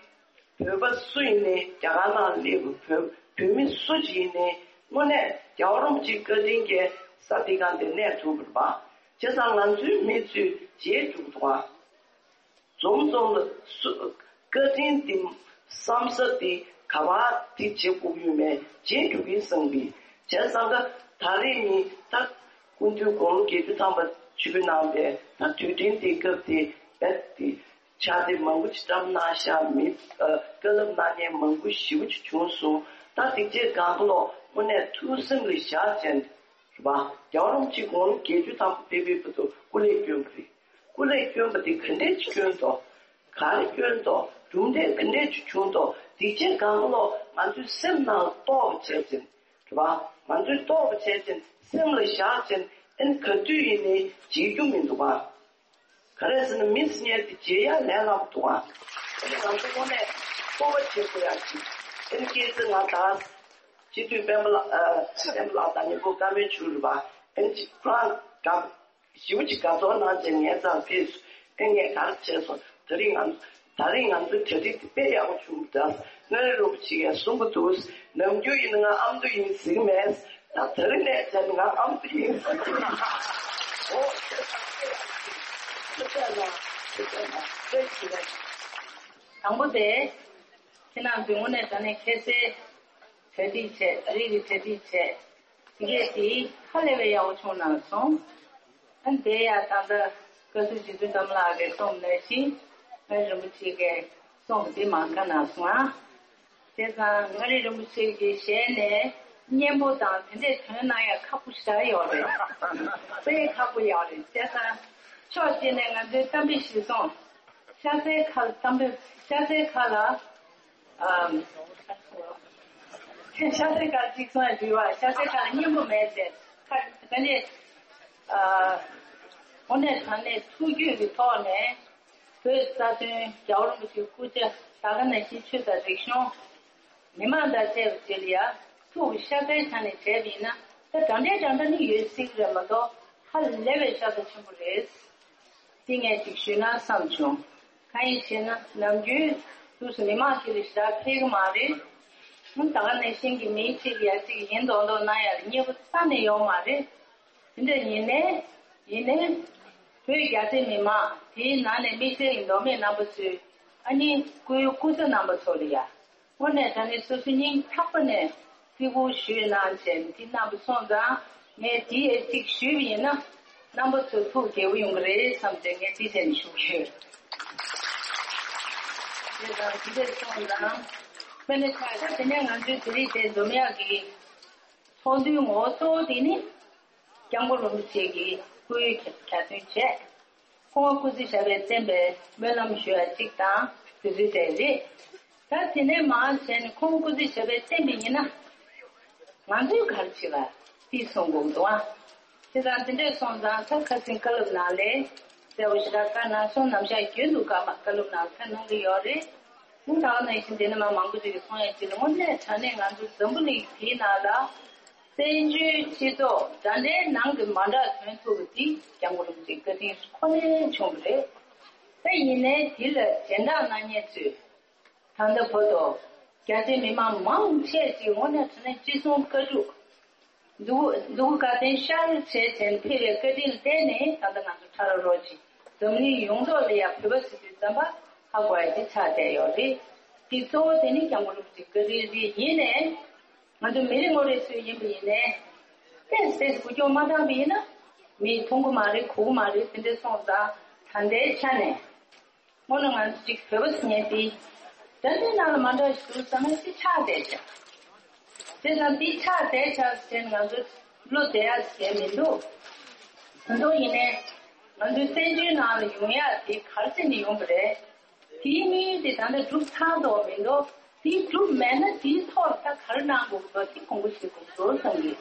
བོད་པ་སུ་ཡིན་ནའི་རྒྱ་གར་ནང་སླེབས་པའི་བོད་བོད་མི་སུ་ཅིག་ཡིན་ནའི་དངོས་གནས་རྒྱལ་བ་རིན་པོ་ཆེའི་བཀའ་དྲིན་གྱིས་ས་འདི་གང་དེ་གནས་ཐུབ་པ་རེད་པ། བྱས་ཙང་ང་ཚོའི་མི་ཚོས་བརྗེད་འགྲོ་གི་འདུག་ཨ། འཛོམས་འཛོམས་ལ་སུ་བཀའ་དྲིན་འདི་བསམ་ས་འདི་ག་པར་འདི་བྱེད་དགོས་ཡོད་མེད་བརྗེད་འགྲོ་གི་བསམ་གི། བྱས་ཙང་ཀ་ད་རེས་ནི་ད་སྐུ་མདུན་དགུང་ལོ་བརྒྱད་ཅུ་ཐམ་པ་ཆིབས་བསྒྱུར་གནང་བའི་ད་དུས་དྲན་དེ་སྐབས་དེ་རྦད་དེ་ཕྱག་དེབ་མང་པོ་ཅིག་བཀྲམ་གནང་ཤག་མི་ཨ་བཀའ་སློབ་གནང་མཁན་མང་པོ་ཞེ་པོ་ཅིག་བྱུང་སོང་། ད་དེ་རྗེས་གང་ག་ལོག་དངོས་གནས་ཐུགས་སེམས་ལ་བཞག་བྱས་རེད་པ། རྒྱལ་བ་རིན་པོ་ཆེ་དགུང་ལོ་བརྒྱད་ཅུ་ཐམ་པ་ཕེབས་པའི་བར་དུ་སྐུ་ལས་བསྐྱོན་པ་རེད། སྐུ་ལས་བསྐྱོན་པ་དེ་ག་འདྲས་ཅིག་བསྐྱོན་ཏོ། ག་རེ་བསྐྱོན་ཏོ། གྲུབ་འབྲས་ག་འདྲས་ཅིག་བྱུང་ཏོ། དེ་རྗེས་གང་ག་ལོག་ང་ཚོའི་སེམས་ནང་ལ་གཏོགས་པ་བྱས་ཙང་། རེད་པ། ང་ཚོས་གཏོགས་པ་བྱས་ཙང་སེམས་ལ་བཞག་ཙང་ཨ་ནི་ག་དུས་ཡིན་ནའི་བརྗེད་རྒྱུ་མི་འདུག་ག་ག་རེ་ཟེར་ན་མི་ཟེར་མཁན་དེ་བརྗེད་ཡ་ལས་སླ་པོ་འདུག་ག་ཨ་ནི་ང་ཚོ་དངོས་གནས་སྤོབས་པ་བྱེད་དགོས་ཡ་ཅིག་ཨ་ནི་སྐྱེས་ཚེ་ང་ད་སྤྱི་འཐུས་སྤེན་པ་ལགས་ཨ་སྤེན་པ་ལགས་དང་མཉམ་པོ་བཀའ་མོལ་བྱུང་རེད་པ། ཨ་ནི་ཅིག་ཁོ་རང་དགའ་ཞེ་པོ་ཅིག་དགའ་ཚོར་གནང་བྱས་ངའི་རྩར་ཕེབས་སོང་། ཨེ་ངས་ག་རེ་བྱས་སོང་། ད་རིང་ང་ད་རིང་ང་ཚོའི་གྲ་སྒྲིག་དེ་དཔེ་ཡག་པོ་བྱུང་འདུག་མངའ་རིས་རིན་པོ་ཆེ་ཡང་གསུང་གི་འདུག་ནམ་རྒྱུན་ཡིན་ན་ང་ཨ་མདོ་ཡིན་ཟེར་གི་མེད། ད་ད་རིང་ནས་བྱས་ན་ང་ཨ་མདོ་ཡིན་ཟེར་གི་ཡིན། འོ་དེ་ཚང་དཔེ་ཡག་པོ་བྱུང་། ཐུགས་རྗེ་གནང་། ཐུགས་རྗེ་གནང་། ཐུགས་རྗེ་གནང་། དང་པོ་དེ། ཁྱེད་རང་ཚོས་དངོས་གནས་དྲང་གནས་ཁ་གསལ་གྲ་སྒྲིག་བྱས། གྲ་སྒྲིག་གི་གྲ་སྒྲིག་བྱས། དེ་གས་དེ་ཧ་ལས་པའི་ཡག་པོ་བྱུང་གནང་སོང་། ཨ་ནི་དེ་ཡང་ད་ལྟ་བཀའ་ཟུར་རྗེ་བཙུན་འཛོམས་ལགས་ཀྱིས་གསུངས་ནང་བཞིན་མངའ་རིས་རིན་པོ་ཆེ་གིས་གསུངས་པ་དེ་མ་བཀའ་གནང་སོང་ཨ། བྱས་ཙང་མངའ་རིས་རིན་པོ་ཆེ་གི་ཞལ་ནས་སྙན་པོ་དང་དེ་འདྲས་ཐོན་གནང་ཡ་ཁག་པོ་ཞེ་དྲག་ཡོད་རེད། དཔེ་ཁག་པོ་ཡོད་རེད། བྱས་ཙང་ཕྱོགས་གཅིག་ནས་ང་ཚོའི་གཏམ་དཔེ་གཞིར་བཟུང་། ཤ་ཚའི་ཁ་ལ་གཏམ་དཔེ། ཤ་ཚའི་ཁ་ལ། ཨམ། ཤ་ཚའི་ཁ་ལ་གཅིག་སོང་ཡ་འདུལ་བ། ཤ་ཚའི་ཁ་ལ་སྙན་པོ་མེད་ཟེར། ཁ་ད་ནི། ཨ། དངོས་གནས་དྲང་གནས་ཐུགས་རྒྱུད་ཀྱི་ཐོག་ནས་བོད་རྩ་དོན། རྒྱལ་བ་རིན་པོ་ཆེའི་སྐུ་ཕྱྭ་ད་ག་ནང་བཞིན་ཆོས་དང་རིག་གཞུང་། མི་མང་དང་བཅས་པ་ཅིག་ལ་ཡ་ཐུགས་ཤ་ཚའི་ཆ་ནས་བྱས་པ་ཡིན་ན་ད་དྲང་འདྲེན་དྲང་འདྲ་ནི་ཡོད་སྲིད་ཀྱི་རེད་མ་གཏོགས་ཧ་ལས་པའི་ཤ་ཚ་ཆེན་པོ་རེད། དེ་ངས་ཅིག་ཞུས་ན་བསམ་བྱུང་། གང་ཡིན་ཞེ་ན་ནམ་རྒྱུན་དུས་སུ་མི་མང་ཁྱེད་རང་ཞེ་དྲག་ཕེབས་ཀྱི་མ་རེད། ད་ག་ནང་བཞིན་གྱི་མི་གཅིག་ཡ་གཅིག་ཡིན་མདོག་མདོག་གནང་ཡ་ལ་མཉེས་པོ་རྩ་ནས་ཡོད་མ་རེད། དེ་འདྲ་ཡིན་ནའི་ཡིན་ནའི་བོད་རྒྱ་ཆེ་མི་མང་དེའི་ནང་ནས་དམིགས་བསལ་གྱི་མདོ་སྨད་རྣམ་པ་ཚོས་ཨ་ནི་སྐུའི་སྐུ་ཚ་རྣམ་པ་ཚོ་ལ་ཡ། དངོས་གནས་དྲང་གནས་སོ་སོའི་སྙིང་ཐག་པ་ནས་བརྩི་བཀུར་ཞུས་གནང་བྱས་ནས་དེ་གནང་བ་སོང་ཙང་ངས་དེ་ཡ་གཅིག་ཞུས་པ་ཡིན་ན་རྣམ་པ་ཚོ་ཐུགས་དགྱེས་པོ་ཡོང་གི་རེད་བསམ་བྱས་ངས་དེ་བྱས་ནས་ཞུ་གི་ཡོད། དེ་དང་དེ་འདྲ་སོང་ཙང་དཔེར་ན་ཆ་བཞག་དེ་ནས་ང་ཚོའི་དེ་རིང་དེ་འཛོམས་ཡག་གི་ཚོགས་འདུའི་ངོ་བོ་གཙོ་བོ་དེ་ནི་སྐྱབས་མགོན་རིན་པོ་ཆེ་གི་སྐུའི་གྱ་སྟོན་བྱས། ཁོང་སྐུ་ཚེ་ཞབས་པད་བརྟན་པའི་སྨོན་ལམ་ཞུ་ཡ་གཅིག་དང་དེ་ཚོའི་གྲས་རེད། ད་དེ་ནས་མར་བྱས་ནས་ཁོང་སྐུ་ཚེ་ཞབས་པད་བརྟན་པ་ཡིན་ན་ང་ཚོས་ག་རེ་བྱེད་ལ་དེ་གསུང་དགོས་འདུག་ཨ། དེ་དང་དེ་འདྲས་སོང་ཙང་ད་ཁ་སང་བཀའ་སློབ་ནང་ལས་གསལ་པོ་ཞེ་དྲག་བཀའ་གནང་སོང་། ནམ་ཞག་རྒྱུན་དུ་བཀའ་མ་བཀའ་སློབ་ནང་ཁ་གནང་གི་ཡོད་རེད། ད་ག་ནང་བཞིན་དེ་ནས་མ་མང་པོ་ཅིག་གིས་གསུང་ཡ་ཅིག་ལ་དངོས་གནས་དྲང་གནས་ང་ཚོ་འཛམ་བུ་གླིང་འདིའི་ནང་ལ། བཙན་བྱོལ་སྤྱི་ཚོགས་འདྲ་འདྲའི་ནང་གི་མ་འདྲ་ཐོན་ཐུབ་པ་དེ་སྐྱབས་མགོན་རིན་པོ་ཆེའི་བཀའ་དྲིན་ཁོ་ནའི་བྱུང་བ་རེད། ད་ཡིན་ནའི་དེ་ལ་སྦྱིན་བདག་གནང་མཁན་ཚོས་ད་ལྟ་བར་དུ་རྒྱ་ཆེ་མི་མང་མང་ཆེ་ཅིག་དངོས་གནས་དྲང་གནས་ཅི་གསུང་བཀའ་སྒྲུབ་འདུག་འདུག་བཀའ་བསྟན་ཤར་བྱས་བྱས་ནས་ཕེབས་པའི་བཀའ་དྲིན་ལ་བརྟེན་ནས་ད་ལྟ་ང་ཚོ་ཁྲ་ར་རོ་ཅིག་འཛམ་གླིང་ཡོངས་རྫོགས་ལ་ཡང་བོད་པ་ཟེར་དུས་ཙམ་པ་ཧ་གོ་ཡ་དེ་ཆགས་བསྡད་ཡོད་རེད། དེ་གཙོ་བོ་དེ་ནི་སྐྱབས་མགོན་རིན་པོ་ཆེའི་བཀའ་དྲིན་རེད། ཡིན་ནའི། ང་ཚོ་མི་རེ་ངོ་རེ་སུ་ཡིན་པ་ཡིན་ནའི། ཏོག་ཙམ་འགུལ་སྐྱོད་མ་བཏང་པ་ཡིན་ན། མིས་མཐོང་གི་མ་རེད། གོ་གི་མ་རེད། དེ་འདྲ་སོང་ཙང་ད་ལྟའི་ཆ་ནས། དངོས་གནས་ང་ཚོ་གཅིག་བོད་པ་ཟེར་མཁན་དེ། ད་ལྟའི་ནང་ལ་མ་འདྲ་ཞིག་འདུག་བསམ་ན་ཅིག་ཆགས་བསྡད་ཤག་དེ་ཙང་དེ་ཆགས་བསྡད་ཤག་ཟེར་ནས་ང་ཚོ་བློ་བདེ་ཡག་ཟེར་མི་འདུག་ད་དུང་ཡིན་ནའི། ང་ཚོའི་བཙན་བྱོལ་ནང་ལ་ཡོང་ཡག་དེ་ག་རེ་བྱས་ནས་ཡོང་གི་རེད། དེའི་དམིགས་ཡུལ་དེ་ད་ལྟ་འགྲུབ་ཚར་དོ་མི་འདུག་དེ་འགྲུབ་མེད་ན་དེའི་ཐོག་ལ་ད་ག་རེ་གནང་དགོས་ཀྱི་འདུག་དེ་དགོངས་པ་བཞེས་དགོས་འདུག་བསམ་གྱི།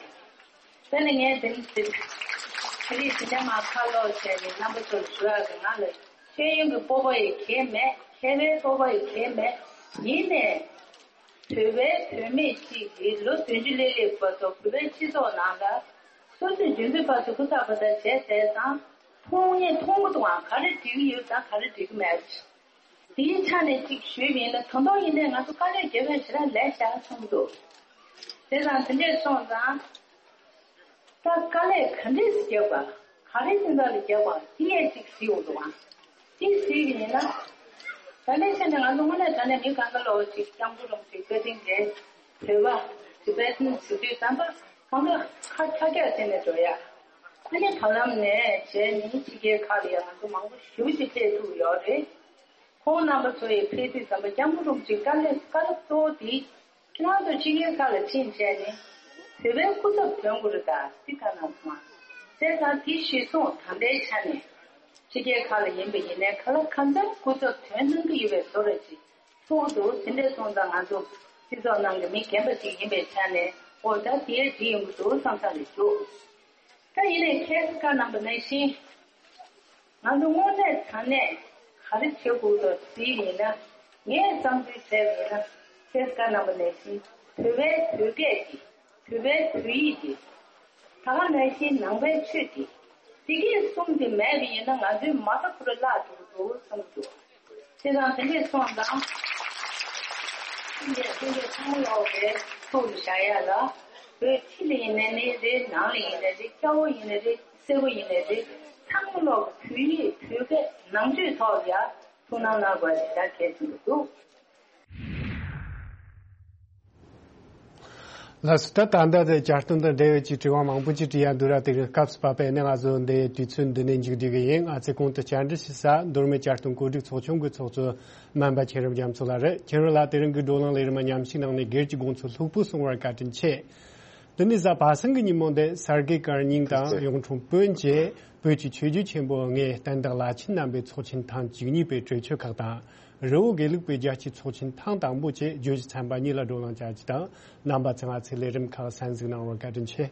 དེ་ནས་ངས་དེ་ནི་དེ་དེ་རིང་དེ་འདྲ་མ་ཁ་ལོག་བྱས་ནས་རྣམ་པ་ཚོར་ཞུ་ཡག་གི་ང་ལ་ཤེས་ཡོན་གྱི་སྤོབས་པ་ཡི་གེ་མེད། མཁས་པའི་སྤོབས་པ་ཡི་གེ་མེད། ཡིན་ནའི། བོད་པའི་བུད་མེད་ཅིག་གིས་ལོ་བདུན་ཅུ་སླེབས་སླེབས་བར་དུ་བོད་པའི་སྤྱི་ཚོགས་ནང་ལ་སོ་སོས་རྒྱུན་དུ་ཕར་ཚུར་ཧུར་ཐག་འབད་ཐག་བྱས་བསྡད་ཙང་མཐོང་ངེས་མཐོང་གི་འདུག་ཨང་། ག་རེ་འགྲིག་གི་ཡོད་དང་ག་རེ་འགྲིག་གི་མེད། དེའི་ཆ་ནས་གཅིག་ཞུས་པ་ཡིན་ན་ད་དུང་ཡིན་ནའི་ང་ཚོ་དཀའ་ལས་རྒྱབ་ཡ་ཞེ་དྲག་ལས་བཞག་ཚང་འདུག་དེ་དང་དེ་འདྲས་སོང་ཙང་། ད་དཀའ་ལས་ག་འདྲས་སེ་རྒྱབ་པ། ག་རེ་སེམས་ཐག་ལ་རྒྱབ་པ་དེ་ཡང་གཅིག་གཟིགས་འོང་འདུག་ཨང་། གཅིག་གཟིགས་པ་ཡིན་ན། ད་ལྟའི་ཆ་ནས་ང་ཚོ་དངོས་གནས་དྲང་གནས་མི་གང་ག་ལོག་ཅིག་སྐྱབས་མགོན་རིན་པོ་ཆེའི་བཀའ་དྲིན་རེད། བོད་པ་ཊི་བེ་ཊན་ཟེར་དུས་ཙམ་པ་གང་ག་ཁ་ཁྲ་རྒྱག་བྱས་ནས་འགྲོ་ཡ། ཨ་ནི་བར་ལམ་ནས་བྱས་ནས་ཕྱི་རྒྱལ་ཁག་ལ་ཡང་ང་ཚོ་མང་པོ་ཞེ་པོ་ཅིག་ཕེབས་ཐུབ་ཡོད་རེད། ཁོང་རྣམ་པ་ཚོ་ཡི་ཕེབས་དུས་ཙམ་པ་སྐྱབས་མགོན་རིན་པོ་ཆེའི་བཀའ་སློབ་བཀའ་སློབ་གཙོ་བོ་དེ། ཁྱེད་རང་ཚོ་ཕྱི་རྒྱལ་ཁག་ལ་ཕྱིན་བྱས་ནས་བོད་པའི་སྐུ་ཚབ་ཐོན་དགོས་རེད་ད་དེ་བཀའ་གནང་སོང་ང་། བྱས་ཙང་དེ་གཞིར་བཟུང་ད་ལྟའི་ཆ་ནས་ཕྱི་རྒྱལ་ཁག་ལ་ཡིན་པ་ཡིན་ནའི་ག་ལ་གང་འཚམ་སྐུ་ཚབ་ཐོན་གནང་གི་ཡོད་པའི་བཟོ་འདྲ་ཅིག་ཚོར་འདུག་དེ་འདྲ་སོང་ཙང་ང་ཚོ་སྤྱི་ཚོགས་ནང་གི་མི་རྒན་པ་ཅིག་ཡིན་པའི་ཆ་ནས་ཨོ་ད་དེ་འགྲིག་ཡོང་གི་འདུག་བསམ་ས་རེད་འདུག་ད་ཡིན་ནའི་ཁྱེད་ཀྱིས་བཀའ་གནང་པ་ནང་བཞིན། ང་ཚོ་དངོས་གནས་དྲང་གནས་ག་རེ་བྱེད་དགོས་འདུག་ཟེར་ཡིན་ན། ངས་བསམ་ཚུལ་བྱས་པ་ཡིན་ན་ཁྱེད་ཀྱིས་བཀའ་གནང་པ་ནང་བཞིན་བོད་པའི་བོད་སྐད་ཀྱི་བོད་པའི་བོད་ཡིག་འདི། ད་ག་ནང་བཞིན་ནང་པའི་ཆོས་འདི། འདི་གས་གསུམ་འདི་མེད་པ་ཡིན་ན་ང་ཚོའི་མ་རྩ་ཁོ་རང་བརླག་འགྲོ་གི་འདུག་བསམ་གྱི་འདུག་དེ་དང་དེ་འདྲས་སོང་ཙང་། ཕྱི་ལ་ཕྱི་ལ་ཚང་ལོག་པའི་ཐུགས་ལ་བཞག་ཡ་ལ། བོད་ཕྱི་ལ་ཡིན་ནའི་རེད། ནང་ལ་ཡིན་ནའི་རེད། སྐྱ་བོ་ཡིན་ནའི་རེད། སེར་པོ་ཡིན་ནའི་རེད། ཚང་མ་ལོག་གི་བོད་ཡིག་བོད་སྐད་ནང་ཆོས་ཐོག་ལ་ཡ་ཐུགས་སྣང་གནང་དགོས་ཞེ་དྲག་གལ་ཆེན་པོ་འདུག་ལགས་སོ། ད་ད་ལྟ་དེ་བསྐྱར་དུ་འདི་འབྲེལ་ཡོད་ཀྱི་དྲི་བ་མང་པོ་ཅིག་དྲི་ཡ་འདུག་ར། དེ་རིང་སྐབས་སུ་བབས་པས་ནི་ང་ཚོ་འདི་དུས་ཚོད་འདི་ནས་མཇུག་སྒྲིལ་གི་ཡིན། ང་ཚོས་གོང་དུ་བཅར་འདྲི་ཞུ་ས་མདོ་སྨད་བསྐྱར་དུ་བཀོད་སྒྲིག་ཚོགས་ཆུང་གི་ཚོགས་གཙོ་སྨན་པ་མཁྱེན་རབ་རྒྱ་མཚོ་ལགས་རེད། མཁྱེན་རབ་ལགས་དེ་རིང་གི་བགྲོ་གླེང་ལས་རིམ་མཉམ་ཞུགས་གནང་ནས་སྒེར་གྱི་དགོངས་ཚུལ་ལྷུག་པོ་གསུང་བར་བཀའ་དྲིན་ཆེ། འདི་ནི་གཟའ་པ་སངས་ཀྱི་ཉིན་མོ་འདི་གསར་འགོད་བཀའ་རྙིང་དང་གཡུང་དྲུང་བོན་བཅས་བོད་ཀྱི་ཆོས་བརྒྱུད་ཆེན་པོ་ལྔའི་བསྟན་བདག་བླ་ཆེན་རྣམ་པའི་ཚོགས་ཆེན་ཐེངས་བཅུ་གཉིས་པའི་གྲོས་ཆོད་ཁག་དང་། རི་བོ་དགེ་ལུགས་པའི་རྒྱལ་སྤྱིའི་ཚོགས་ཆེན་ཐེངས་དང་པོ་བཅས་བརྗོད་གཞི་ཚན་པ་གཉིས་ལ་བགྲོ་གླེང་བྱ་རྒྱུ་དང་། རྣམ་པ་ཚོས་ང་ཚོའི་ལས་རིམ་ཁག་གསན་གཟིགས་གནང་བར་བཀའ་དྲིན་ཆེ།